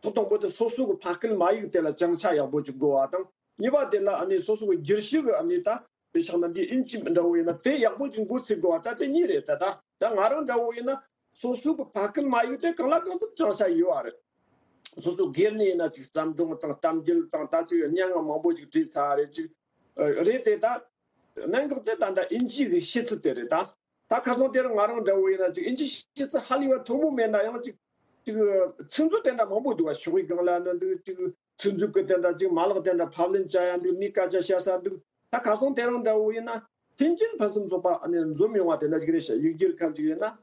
ཐོག་དང་པོ་དེ་སོ་སོ་གི་ཕ་སྐད་མ་ཡིག་དེ་ལ་བྱང་ཆ་ཡག་པོ་ཅིག་དགོས་པ་དང་། གཉིས་པ་དེ་ལ་ཨ་ནི་སོ་སོ་གི་བསྒྱུར་ཞིབ་གི་ཨ་ནི་ད་དཔེ་བཞག་ན་འདི་དབྱིན་ཇི་འདྲ་བོ་ཡིན་ན་དེ་ཡག་པོ་ཅིག་འགོ་ཚུགས་དགོས་པ། ད་དེ་གཉིས་རེད། ད་ད་ད་ང་རང་འདྲ་བོ་ཡིན་ན་སོ་སོ་གི་ཕ་སྐད་མ་ཡིག་དེ་གང་ལ་གང་འཚམ་བྱང་ཆ་ཡོད་པ་རེད། སོ་སོ་སྒེར་ནས་ཡིན་ན་ཅིག་བརྩམས་སྒྲུང་དང་གཏམ་རྒྱུད་དང་ད་ཅིག་སྙན་ངག་མང་པོ་ཅིག་བྲིས་ཚར་རེད། ཅིག་རེད་དེ་ད་གནད་འགག་དེ་ད་ད་དབྱིན་ཇི་གི་ཤེས་ཚུལ་དེ་རེད་ད། ད་ཁ་སང་དེར་ང་རང་འདྲ་བོ་ཡིན་ན་ཅིག་དབྱིན་ཇི་ཤེས་ཚུལ་ཧ་ལས་པ་མཐོ་པོ་མེད་ན་ཡང་ཅིག་ཅིག་ཚིག་མཛོད་དེ་འདྲ་མང་པོ་འདུག་བ། ཕྱོགས་ཡིག་སྒང་ལ་ནི་འདུག་ཅིག་ཚིག་མཛོད་ཀྱི་དེ་འདྲ་ཅིག་མ་ལག་དེ་འདྲ་ཕབ་ལེན་བྱ་ཡ་འདུག་མིའི་སྐད་ཆ་བཤད་ས་འདུག་ད་ཁ་སང་དེ་རང་འདྲ་བོ་ཡིན་ན་མཐུན་རྐྱེན་ཕུན་སུམ་ཚོགས་པ་ཨ་ནི་འཛོམས་ཡོང་བ་དེ་འདྲ་ཅིག་རེད་ཤག་ཡིག་སྒྱུར་མཁན་ཅིག་ཡིན་ན།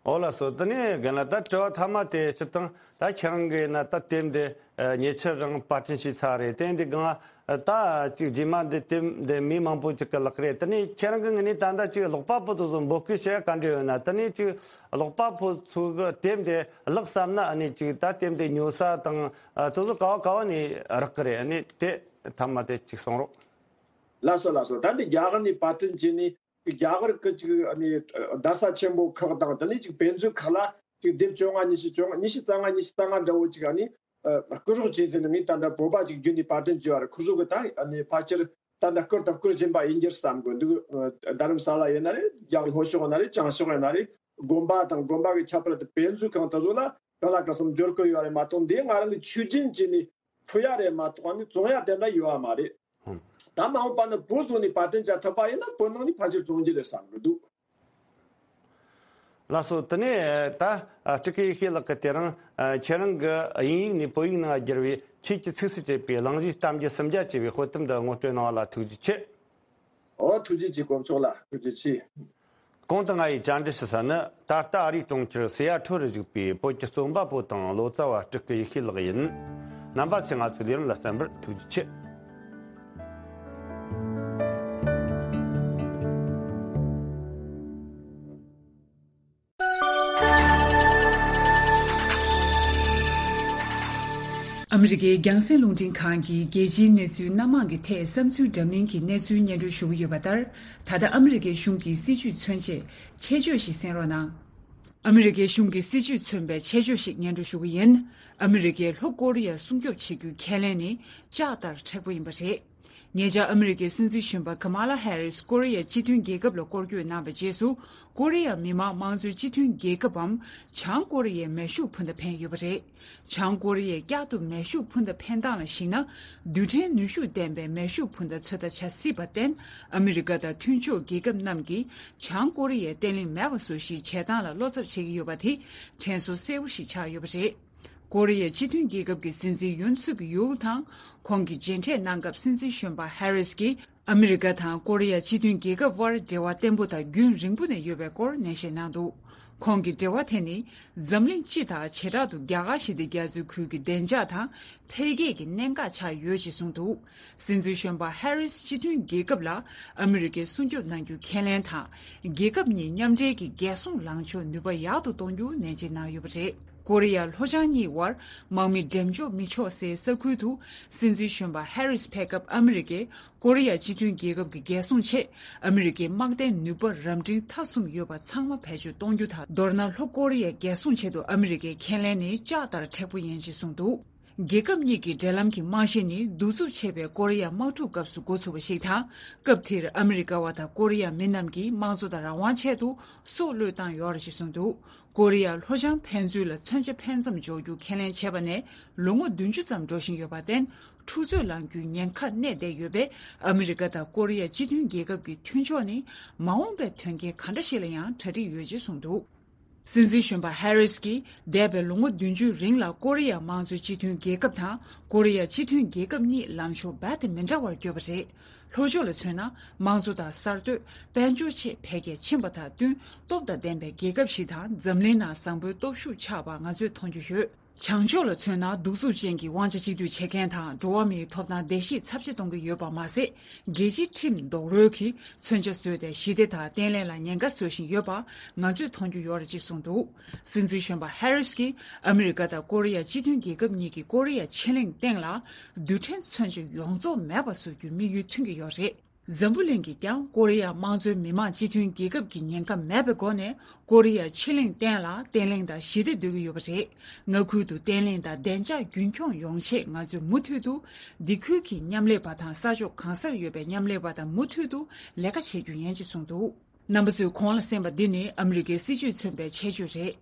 ཨོ་ལགས་སོ། དེ་ནས་རྒན་ལགས། ད་དྲི་བ་མཐའ་མ་དེ་སྤྱིར་བཏང་ད་ཁྱེད་རང་གིས་ན་ད་དེབ་འདི་ཨ་ཉེ་ཆར་རང་པར་སྐྲུན་བྱས་ཚར་རེད། དེ་འདི་སྒང་ད་ཅིག་རྗེས་མ་འདི་དེབ་འདི་མི་མང་པོ་ཅིག་གི་ལག་རེད། དེ་ནས་ཁྱེད་རང་གི་ངོས་ནས་ད་ལྟ་ཅིག་ཀློག་པ་པོ་དེ་ཚོ་འབོད་སྐུལ་བྱེད་ཡ་ག་འདྲ་ཡོད་ན། དེ་ནས་ཅིག་ཀློག་པ་པོ་ཚོ་གི་དེབ་འདི་ཀློག་བསམ་ན་ཨ་ནི་ཅིག་ད་དེབ་འདི་ཉོ་ས་དང་ཨ་དེ་ཚོ་ག་བ་ག་བ་ནས་རག་གི་རེད། ཨ་ནི་དེ་མཐའ་མ་དེ་ཅིག་གསུང་རོགས། ལགས་སོ་ལགས་སོ། ད་འདི་རྒྱ་གར་ནས་པར་སྐྲུན་བྱས་ནས། རྒྱ་གར་གྱི་ཅིག་ཨ་ནི་བརྡ་ས་ཆེན་པོ་ཁག་དང་དེ་ནས་ཅིག་དཔེ་མཛོད་ཁག་ལ་ཅིག་དེབ་བཅོ་ལྔ་ཉི་ཤུ་བཅོ་ལྔ་ཉི་ཤུ་རྩ་ལྔ་ཉི་ཤུ་རྩ་ལྔ་འདྲ་བོ་ཅིག་ཨ་ནི་ཨ་བསྐུར་རོགས་བྱས་ཟེར་ནས་ངས་ད་ལྟ་བོད་པ་ཅིག་བརྒྱུད་ནས་པར་སྐྲུན་བྱས་པ་རེད། ཁོ་ཚོ་གི་ད་ཨ་ནི་ཕལ་ཆེར་ད་ལྟ་བསྐུར་དང་བསྐུར་བཞིན་པ་ཡིན་རྒྱུ་རེད་བསམ་གི་འདུག་ཨ་རྡ་རམ་ས་ལ་ཡིན་ན་རེད། རྒྱ་ལྷོ་ཕྱོགས་ཡིན་ན་རེད། བྱང་ཕྱོགས་ཡིན་ན་རེད། དགོན་པ་དང་དགོན་པ་གི་ཁྱད་པར་དུ་དཔེ་མཛོད་ཁང་དེ་ཚོ་ལ་གང་ལ་གང་འཚམ་འབྱོར་གི་ཡོད་རེད་མ་གཏོགས། འདི་ང་རང་གི་ཆོས་རྒྱུན་བྱས་ནས་ཕུལ་ཡ་རེད་མ་གཏོགས་ཨ་ནི་བཙོང་ཡ་དེ་འདྲ་ཡོད་པ་མ་རེད། ད་མ་འོངས་པ་ན་བོད་བཟོ་ནས་པར་སྐྲུན་བྱ་ཐུབ་པ་ཡིན་ན་བོད་ནང་ནས་ཕལ་ཆེར་བཙོང་རྒྱུ་རེད་བསམ་གི་འདུག་ལགས་སོ། དེ་ནས་ད་སྤྲུལ་སྐུ་ཡེ་ཤེས་ལགས་ཀྱིས་དེ་རིང་ཁྱེད་རང་གི་དབྱིན་ཡིག་ནས་བོད་ཡིག་ནང་བསྒྱུར་བའི་ཆོས་ཀྱི་ཚིགས་སུ་བཅད་པའི་གླེང་གཞིའི་གཏམ་རྒྱུད་སུམ་བརྒྱ་ཅེས་པའི་དཔེ་དེབ་འདི་ངོ་སྤྲོད་གནང་བ་ལ་ཐུགས་རྗེ་ཆེ། ཨོ་ཐུགས་རྗེ་ཆེ། དཀོན་མཆོག་ལ་ཐུགས་རྗེ་ཆེ། གོང་དུ་ང་ཡིས་བཅར་འདྲི་ཞུ་ས་ནི་ད་ལྟ་ཨ་རིའི་གྲོང་ཁྱེར་སི་ཡ་ཐོལ་རུ་བཞུགས་པའི་བོད་ཀྱི་རྩོམ་པ་པོ་དང་ལོ་ཙཱ་བ་སྤྲུལ་སྐུ་ཡེ་ཤེས་ལགས་ཡིན། རྣམ་པ་ཚོས་ང་ཚོའི་ལས་རིམ་ལ་གསན་པར་ཐུགས་རྗེ་ཆེ། ཨ་མི་རི་ཀའི་རྒྱང་སྲིང་རླུང་འཕྲིན་ཁང་གིས་རྒྱལ་སྤྱིའི་གནས་ཚུལ་སྣ་མང་གི་ཐད་བསམ་ཚུལ་འདྲ་མིན་གྱི་གནས་ཚུལ་སྙན་སྒྲོན་ཞུ་གི་ཡོད་པ་ལྟར། ད་ལྟ་ཨ་མི་རི་ཀའི་གཞུང་གི་སྲིད་བྱུས་མཚོན་ཆེད་ཆེད་བརྗོད་ཞིག་གསན་རོགས་གནང་། ཨ་མི་རི་ཀའི་གཞུང་གི་སྲིད་བྱུས་མཚོན་པའི་ཆེད་བརྗོད་ཞིག་སྙན་སྒྲོན་ཞུ་གི་ཡིན། ཨ་མི་རི་ཀས་ལྷོ་ཀོ་རི་ཡ་སྲུང་སྐྱོབ་བྱེད་རྒྱུའི་ཁས་ལེན་ནི་ལྕགས་ལྟར་མཁྲེགས་པོ་ཡིན་པ་རེད། ཉེ་ཆར་ཨ་མི་རི་ཀའི་སྲིད་འཛིན་གཞོན་པ་ཀ་མ་ལ་ཧེ་རིས་ཀོ་རི་ཡ་སྤྱི་མཐུན་རྒྱལ་ཁབ་ལ་སྐོར་སྐྱོད་གནང་བའི་རྗེས་སུ། ཀོ་རི་ཡ་མི་དམངས་དམངས་གཙོའི་སྤྱི་མཐུན་རྒྱལ་ཁབ་བམ་བྱང་ཀོ་རི་ཡའི་མེ་ཤུགས་འཕུར་མདའ་འཕེན་ཡོད་པ་རེད། བྱང་ཀོ་རི་ཡས་བསྐྱར་དུ་མེ་ཤུགས་འཕུར་མདའ་འཕེན་སྟངས་ལ་གཞིགས་ན། རྡུལ་ཕྲན་ནུས་ཤུགས་ལྡན་པའི་མེ་ཤུགས་འཕུར་མདའ་ཚོད་ལྟ་བྱ་སྲིད་པར་བརྟེན། ཨ་མི་རི་ཀ་དང་མཐུན་ཕྱོགས་རྒྱལ་ཁབ་རྣམས་ཀྱིས་བྱང་ཀོ་རི་ཡས་བརྟན་ལྷིང་མེད་པ་བཟོ་གཞིའི་བྱེད་སྟངས་ལ་བློ་འཚབ་བྱེད་ཀྱི་ཡོད་པ་དེ་དྲན་གསོ་གསལ་པོ་ཞིག་ཆགས་ཡོད་པ་རེད། ཀོ་རི་ཡ་སྤྱི་མཐུན་རྒྱལ་ཁབ་ཀྱི་སྲིད་འཛིན་ཡུན་སུག་ཡུལ་དང་ཁོང་གིས་མཇལ་འཕྲད་གནང་སྐབས། སྲིད་འཛིན་གཞོན་པ་ཧེ་རིས་ཀྱིས་ཨ་མི་རི་ཀ་དང་ཀོ་རི་ཡ་སྤྱི་མཐུན་རྒྱལ་ཁབ་དབར་འབྲེལ་བ་བརྟན་པོ་དང་རྒྱུན་རིང་པོ་ནས་ཡོད་པའི་སྐོར་ནན་བཤད་གནང་འདུག་ཁོང་གིས་འབྲེལ་བ་དེ་ནི་འཛམ་གླིང་སྤྱི་དང་བྱེ་བྲག་ཏུ་རྒྱ་གར་ཞི་བདེ་རྒྱ་མཚོའི་ཁུལ་གྱི་བདེ་འཇགས་དང་འཕེལ་རྒྱས་ཀྱི་གནད་འགག་ཆགས་ཡོད་ཅེས་གསུངས་འདུག་སྲིད་འཛིན་གཞོན་པ་ཧེ་རིས་སྤྱི་མཐུན་རྒྱལ་ཁབ་ལ་ཨ་མི་རི་ཀས་སྲུང་སྐྱོབ་གནང་རྒྱུ་ཁས་ལེན་དང་། རྒྱལ་ཁབ་གཉིས་མཉམ་འབྲེལ་གྱི་རྒྱལ་སྲུང་ལངས་ཕྱོགས་ནུས་པ་ཡག་ཏུ་གཏོང་རྒྱུ་ནན་བརྗོད་གནང་ཡོད་པ་རེད། ཀོ་རི་ཡ་ལྷོ་བྱང་གཉིས་དབར་དམག་མི་འགྲེམས་འཇོག་མི་ཆོག་སའི་ས་ཁུལ་དུ་སྲིད་འཛིན་གཞོན་པ་ཧེ་རིས་ཕེབས་སྐབས། ཨ་མི་རི་ཀས་ཀོ་རི་ཡ་སྤྱི་མཐུན་རྒྱལ་ཁབ་ཀྱི་རྒྱལ་སྲུང་ཆེད་ཨ་མི་རི་ཀའི་དམག་སྡེའི་ནུས་པ་རབ་འབྲིང་མཐའ་གསུམ་ཡོད་པ་ཚང་མ་བེད་སྤྱོད་གཏོང་རྒྱུ་དང་། མདོར་ན་ལྷོ་ཀོ་རི་ཡའི་རྒྱལ་སྲུང་ཆེད་དུ་ཨ་མི་རི་ཀའི་ཁས་ལེན་ནི་ལྕགས་ལྟར་མཁྲེགས་པོ་ཡིན་ཅེས་གསུངས་འདུག་རྒྱལ་ཁབ་གཉིས་ཀྱི་འབྲེལ་ལམ་གྱི་རྨང་གཞི་ནི་གདུག་རྩུབ་ཆེ་བའི་ཀོ་རི་ཡ་དམག་འཁྲུག་སྐབས་སུ་འགོ་ཚུགས་པ་ཞིག་དང་། སྐབས་དེར་ཨ་མི་རི་ཀ་བ་དང་ཀོ་རི་ཡ་མི་རྣམས་ཀྱིས་དམངས་གཙོ་དང་རང་དབང་ཆེད་དུ་སྲོག་བློས་བཏང་ཡོད་རེད་ཅེས་གསུངས་འདུག་ཀོ་རི་ཡ་ལྷོ་བྱང་ཕན་ཚུན་ལ་མཚོན་ཆ་འཕེན་མཚམས་འཇོག་རྒྱུ་ཁས་ལེན་བྱས་པ་ནས་ལོ་ངོ་བདུན་ཅུ་ཙམ་འགྲོ་བཞིན་ཡོད་པར་བརྟེན། འཁྲུག་རྩོད་ལངས་རྒྱུའི་ཉེན་ཁ་གནས་བསྡད་ཡོད་པས། ཨ་མི་རི་ཀ་དང་ཀོ་རི་ཡ་སྤྱི་མཐུན་རྒྱལ་ཁབ་ཀྱི་མཐུན་ཕྱོགས་ནི་མ་འོངས་པའི་དོན་རྐྱེན་ག་འདྲ་ཞིག་ལ་ཡང་གྲ་སྒྲིག་ཡོད་ཅེས་གསུངས་འདུག་སྲིད་འཛིན་གཞོན་པ་ཧེ་རིས་ཀྱིས་འདས་པའི་ལོ་ངོ་བདུན་ཅུའི་རིང་ལ་ཀོ་རི་ཡ་དམངས་གཙོའི་སྤྱི་མཐུན་རྒྱལ་ཁབ་དང་ཀོ་རི་ཡ་སྤྱི་མཐུན་རྒྱལ་ཁབ་གཉིས་ལམ་ཕྱོགས་རྦད་དེ་མི་འདྲ་བར་གྱུར་པ་རེད། ལྷོ་ཕྱོགས་ལ་མཚོན་ན་དམངས་གཙོ་དང་གསར་གཏོད། དཔལ་འབྱོར་ཆེད་འཕེལ་རྒྱས་ཕྱིན་པ་དང་བསྟུན། སྟོབས་དང་ལྡན་པའི་རྒྱལ་ཁབ་ཞིག་དང་འཛམ་གླིང་ནང་བཟང་པོའི་སྟོབས་ཤུགས་ཆགས་པ་ང་ཚོས་མཐོང་རྒྱུ་ཡོད། བྱང་ཕྱོགས་ལ་མཚོན་ན་གདུག་རྩུབ་ཅན་གྱི་དབང་ཆ་གཅིག་སྡུད་བྱེད་མཁན་དང་འགྲོ་བ་མིའི་ཐོབ་ཐང་བརྡལ་བཤིག་ཚབས་ཆེ་གཏོང་གི་ཡོད་པ་མ་ཟད། རྒྱལ་སྤྱིའི་ཁྲིམས་རྡོག་རོལ་གྱིས་མཚོན་ཆ་བཟོས་ཏེ་ཞི་བདེ་དང་བརྟན་ལྷིང་ལ་ཉེན་ཁ་བཟོ་བཞིན་ཡོད་པ་ང་ཚོས་མཐོང་རྒྱུ་ཡོད་རེད་ཅེས་གསུངས་འདུག་སྲིད་འཛིན་གཞོན་པ་ཧེ་རིས་ཀྱིས་ཨ་མི་རི་ཀ་དང་ཀོ་རི་ཡ་སྤྱི་མཐུན་རྒྱལ་ཁབ་གཉིས་ཀྱིས་ཀོ་རི་ཡ་ཕྱེད་གླིང་སྟེང་ལ་རྡུལ་ཕྲན་མཚོན་ཆ་ཡོངས་རྫོགས་མེད་པ་བཟོ་རྒྱུའི་དམིགས་ཡུལ་མཐུན་གྱི་ཡོད་རེད། འཛམ་བུ་གླིང་གིས་ཀྱང་ཀོ་རི་ཡ་དམངས་གཙོའི་མི་དམངས་སྤྱི་མཐུན་རྒྱལ་ཁབ་ཀྱི་ཉེན་ཁ་མེད་པའི་སྒོ་ནས་ཀོ་རི་ཡ་ཕྱེད་གླིང་སྟེང་ལ་བརྟན་ལྷིང་དང་ཞི་བདེ་འདོད་ཀྱི་ཡོད་པ་རེད། མངའ་ཁུལ་དུ་བརྟན་ལྷིང་དང་བདེ་འཇགས་རྒྱུན་འཁྱོངས་ཡོང་ཆེད་ང་ཚོས་མུ་མཐུད་དུ་འདི་ཁུལ་གྱི་མཉམ་ལས་པ་དང་ས་ཕྱོགས་གང་སར་ཡོད་པའི་མཉམ་ལས་པ་དང་མུ་མཐུད་དུ་ལས་ཀ་བྱེད་རྒྱུ་ཡིན་ཅེས་གསུངས་འདུག་རྣམ་པ་ཚོས་གོང་ལ་གསན་པ་འདི་ནི་ཨ་མི་རི་ཀའི་སྲིད་བྱུས་མཚོན་པའི་ཆེད་བརྗོད་རེད།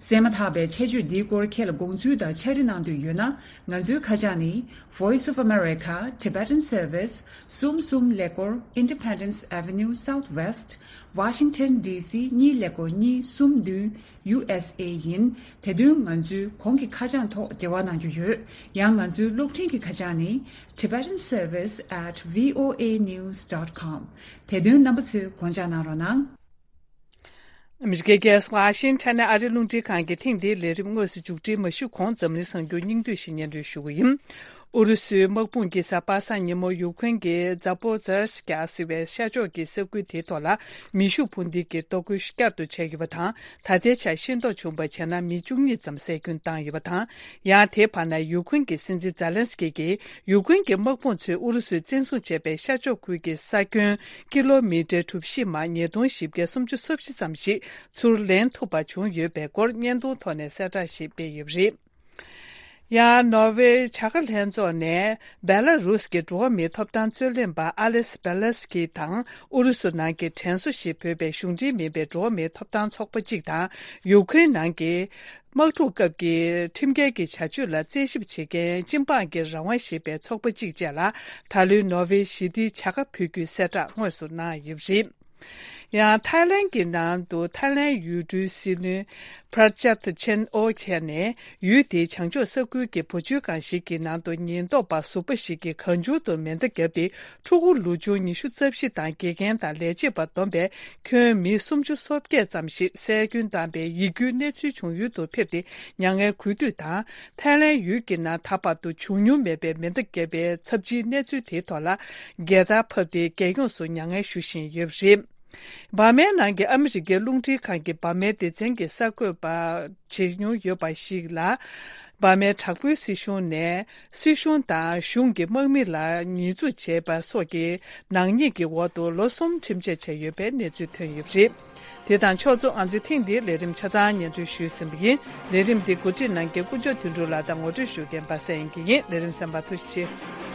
གསན་མ་ཐག་པའི་ཆེད་བརྗོད་འདིའི་སྐོར་ཁྱེད་ལ་དགོངས་ཚུལ་དང་ཕྱག་བྲིས་གནང་འདོད་ཡོད་ན། ང་ཚོའི་ཁ་བྱང་ནི། Voice of America Tibetan Service གསུམ་གསུམ་ཀླད་ཀོར་Independence Avenue Southwest Washington D C གཉིས་ཀླད་ཀོར་གཉིས་གསུམ་བདུན། U S A ཡིན། དེ་དོན་ང་ཚོའི་གོང་གི་ཁ་བྱང་ཐོག་འབྲེལ་བ་གནང་རྒྱུ་ཡོད། ཡང་ང་ཚོའི་གློག་འཕྲིན་གྱི་ཁ་བྱང་ནི། Tibetan Service at V O A news dot com དེ་དོན་རྣམ་པ་ཚོས་དགོངས་འཇགས་གནང་རོགས་གནང་། ཨ་མི་རི་ཀའི་རྒྱལ་ས་ཝ་ཤིང་ཊོན་ནས་ཨ་རིའི་རླུང་འཕྲིན་ཁང་གི་ཐེངས་འདིའི་ལས་རིམ་དངོས་སུ་མཇུག་སྒྲིལ་མ་ཞུས་གོང་འཛམ་གླིང་གསར་འགྱུར་སྙིང་བསྡུས་ཤིག་སྙན་སྒྲོན་ཞུ་གི་ཡིན། ཨུ་རུ་སུའི་དམག་དཔུང་གིས་གཟའ་པ་སངས་ཉིན་མོ་ཡུ་ཁུན་གྱི་ཛ་པོ་ཛར་སྐྱ་ཟེར་བའི་ཤར་ཕྱོགས་ཀྱི་ས་ཁུལ་དེའི་ཐོག་ལ་མེ་ཤུགས་འཕུར་མདེལ་གྱི་གཏོར་རྒོལ་བསྐྱར་དུ་བྱས་ཡོད་པ་དང་། ད་ལྟའི་ཆར་ཤེས་རྟོགས་བྱུང་བར་བྱས་ན་མི་བཅུ་གཉིས་ཙམ་བསད་སྐྱོན་བཏང་ཡོད་པ་དང་། ཡང་དེའི་བར་ན་ཡུ་ཁུན་གྱི་སྲིད་འཛིན་ཛ་ལན་སི་ཀི་གིས་ཡུ་ཁུན་གྱི་དམག་དཔུང་ཚོས་ཨུ་རུ་སུས་བཙན་བཟུང་བྱས་པའི་ཤར་ཕྱོགས་ཁུལ་གྱི་ས་ཁྱོན་ཀི་ལོ་མི་ཊར་གྲུ་བཞི་མ་ཉིས་སྟོང་བཞི་བརྒྱ་སུམ་ཅུ་སོ་བཞི་ཙམ་ཞིག་ཚུར་ལེན་ཐུབ་པ་བྱུང་ཡོད་པའི་སྐོར་བརྙན་ཐུང་ཐོག་ནས་གསལ་བསྒྲགས་ཤིག་སྤེལ་ཡོད་པ་རེད། ཡང་ནོར་ཝེ་བྱ་དགའ་ལྷན་ཚོགས་ནས་བེ་ལ་རུས་ཀྱི་འགྲོ་བ་མིའི་ཐོབ་ཐང་རྩོད་ལེན་པ་ཨ་ལེས་བེ་ལ་སི་ཀི་དང་ཨུ་རུ་སུ་ནང་གི་དྲན་གསོ་ཞེས་འབོད་པའི་གཞུང་འབྲེལ་མིན་པའི་འགྲོ་བ་མིའི་ཐོབ་ཐང་ཚོགས་པ་གཅིག་དང་། ཡུ་ཁུན་ནང་གི་དམག་འཁྲུག་སྐབས་ཀྱི་ཁྲིམས་འགལ་གྱི་བྱ་སྤྱོད་ལ་རྩད་ཞིབ་བྱེད་མཁན་སྤྱི་འབངས་ཀྱི་རང་དབང་ཞེས་པའི་ཚོགས་པ་གཅིག་བཅས་ལ་ད་ལོའི་ནོར་ཝེ་ཞི་བདེའི་བྱ་དགའ་ཕུལ་རྒྱུའི་གསལ་བསྒྲགས་དངོས་སུ་གནང་ཡོད་པ་རེད། ཡང་ཐའི་ལན་གྱི་ནང་དུ་ཐའི་ལན་ཡུལ་གྲུའི་སྲིད་བློན་པྲ་ཅབ་ཆན་ཨོ་ཁྱེར་ནས། ཡུལ་དེའི་བྱང་ཕྱོགས་ས་ཁུལ་གྱི་བུ་བཅོལ་ཁང་ཞིག་གི་ནང་དུ་ཉེན་རྟོག་པ་ཟུར་པ་ཞིག་གིས་གང་བྱུང་དུ་མེ་མདའ་བརྒྱབ་སྟེ། ཕྲུ་གུ་ལོ་ཆུང་ཉི་ཤུ་རྩ་བཞི་དང་དགེ་རྒན་དང་ལས་བྱེད་པ་བསྡོམས་པའི་ཁྱོན་མི་སུམ་ཅུ་སོ་བརྒྱད་ཙམ་ཞིག་བསད་སྐྱོན་བཏང་པའི་ཡིད་སྐྱོའི་གནས་ཚུལ་བྱུང་ཡུལ་དུ་ཕེབས་ཏེ་མྱ་ངན་གུས་འདུད་དང་། ཐའི་ལན་ཡུལ་གྱི་ནང་ད་བར་དུ་བྱུང་མྱོང་མེད་པའི་མེ་མདའ་བརྒྱབ་པའི་ཚབས་ཆེའི་གནས་ཚུལ་དེའི་ཐོག་ལ་རྒྱལ་དར་ཕབ་སྟེ་རྒྱལ་ཡོངས་སུ་མྱ་ངན་ཞུ་བཞིན་ཡོད་པ་རེད། འབར་མའི་ནང་གི་ཨ་མི་རི་ཀའི་རླུང་འཕྲིན་ཁང་གིས་འབར་མའི་སྡེ་ཚན་གྱི་གསར་འགོད་པ་བྱེད་མྱོང་ཡོད་པ་ཞིག་ལ། འབར་མའི་དྲག་པོའི་སྲིད་གཞུང་ནས་སྲིད་གཞུང་དང་གཞུང་གི་དམག་མི་ལ་ཉེས་འཛུགས་བྱས་པ་སོགས་ཀྱི་ནག་ཉེས་ཀྱི་འོག་ཏུ་ལོ་གསུམ་ཁྲིམས་ཆད་བཅད་ཡོད་པའི་གནས་ཚུལ་ཐོན་ཡོད་པ་རེད། དེ་དང་ཕྱོགས་མཚུངས། ང་ཚོས་ཐེངས་འདིའི་ལས་རིམ་ཆ་ཚང་སྙན་སྒྲོན་ཞུས་ཟིན་པ་ཡིན། ལས་རིམ་འདི་གོ་སྒྲིག་གནང་མཁན་དཀོན་མཆོག་དོན་གྲུབ་ལགས་དང་ངོ་སྤྲོད་ཞུ་མཁན་པ་སངས་དབྱངས་སྐྱིད་ཡིན། ལས་རིམ་གསན་པར་ཐུགས་རྗེ་ཆེ།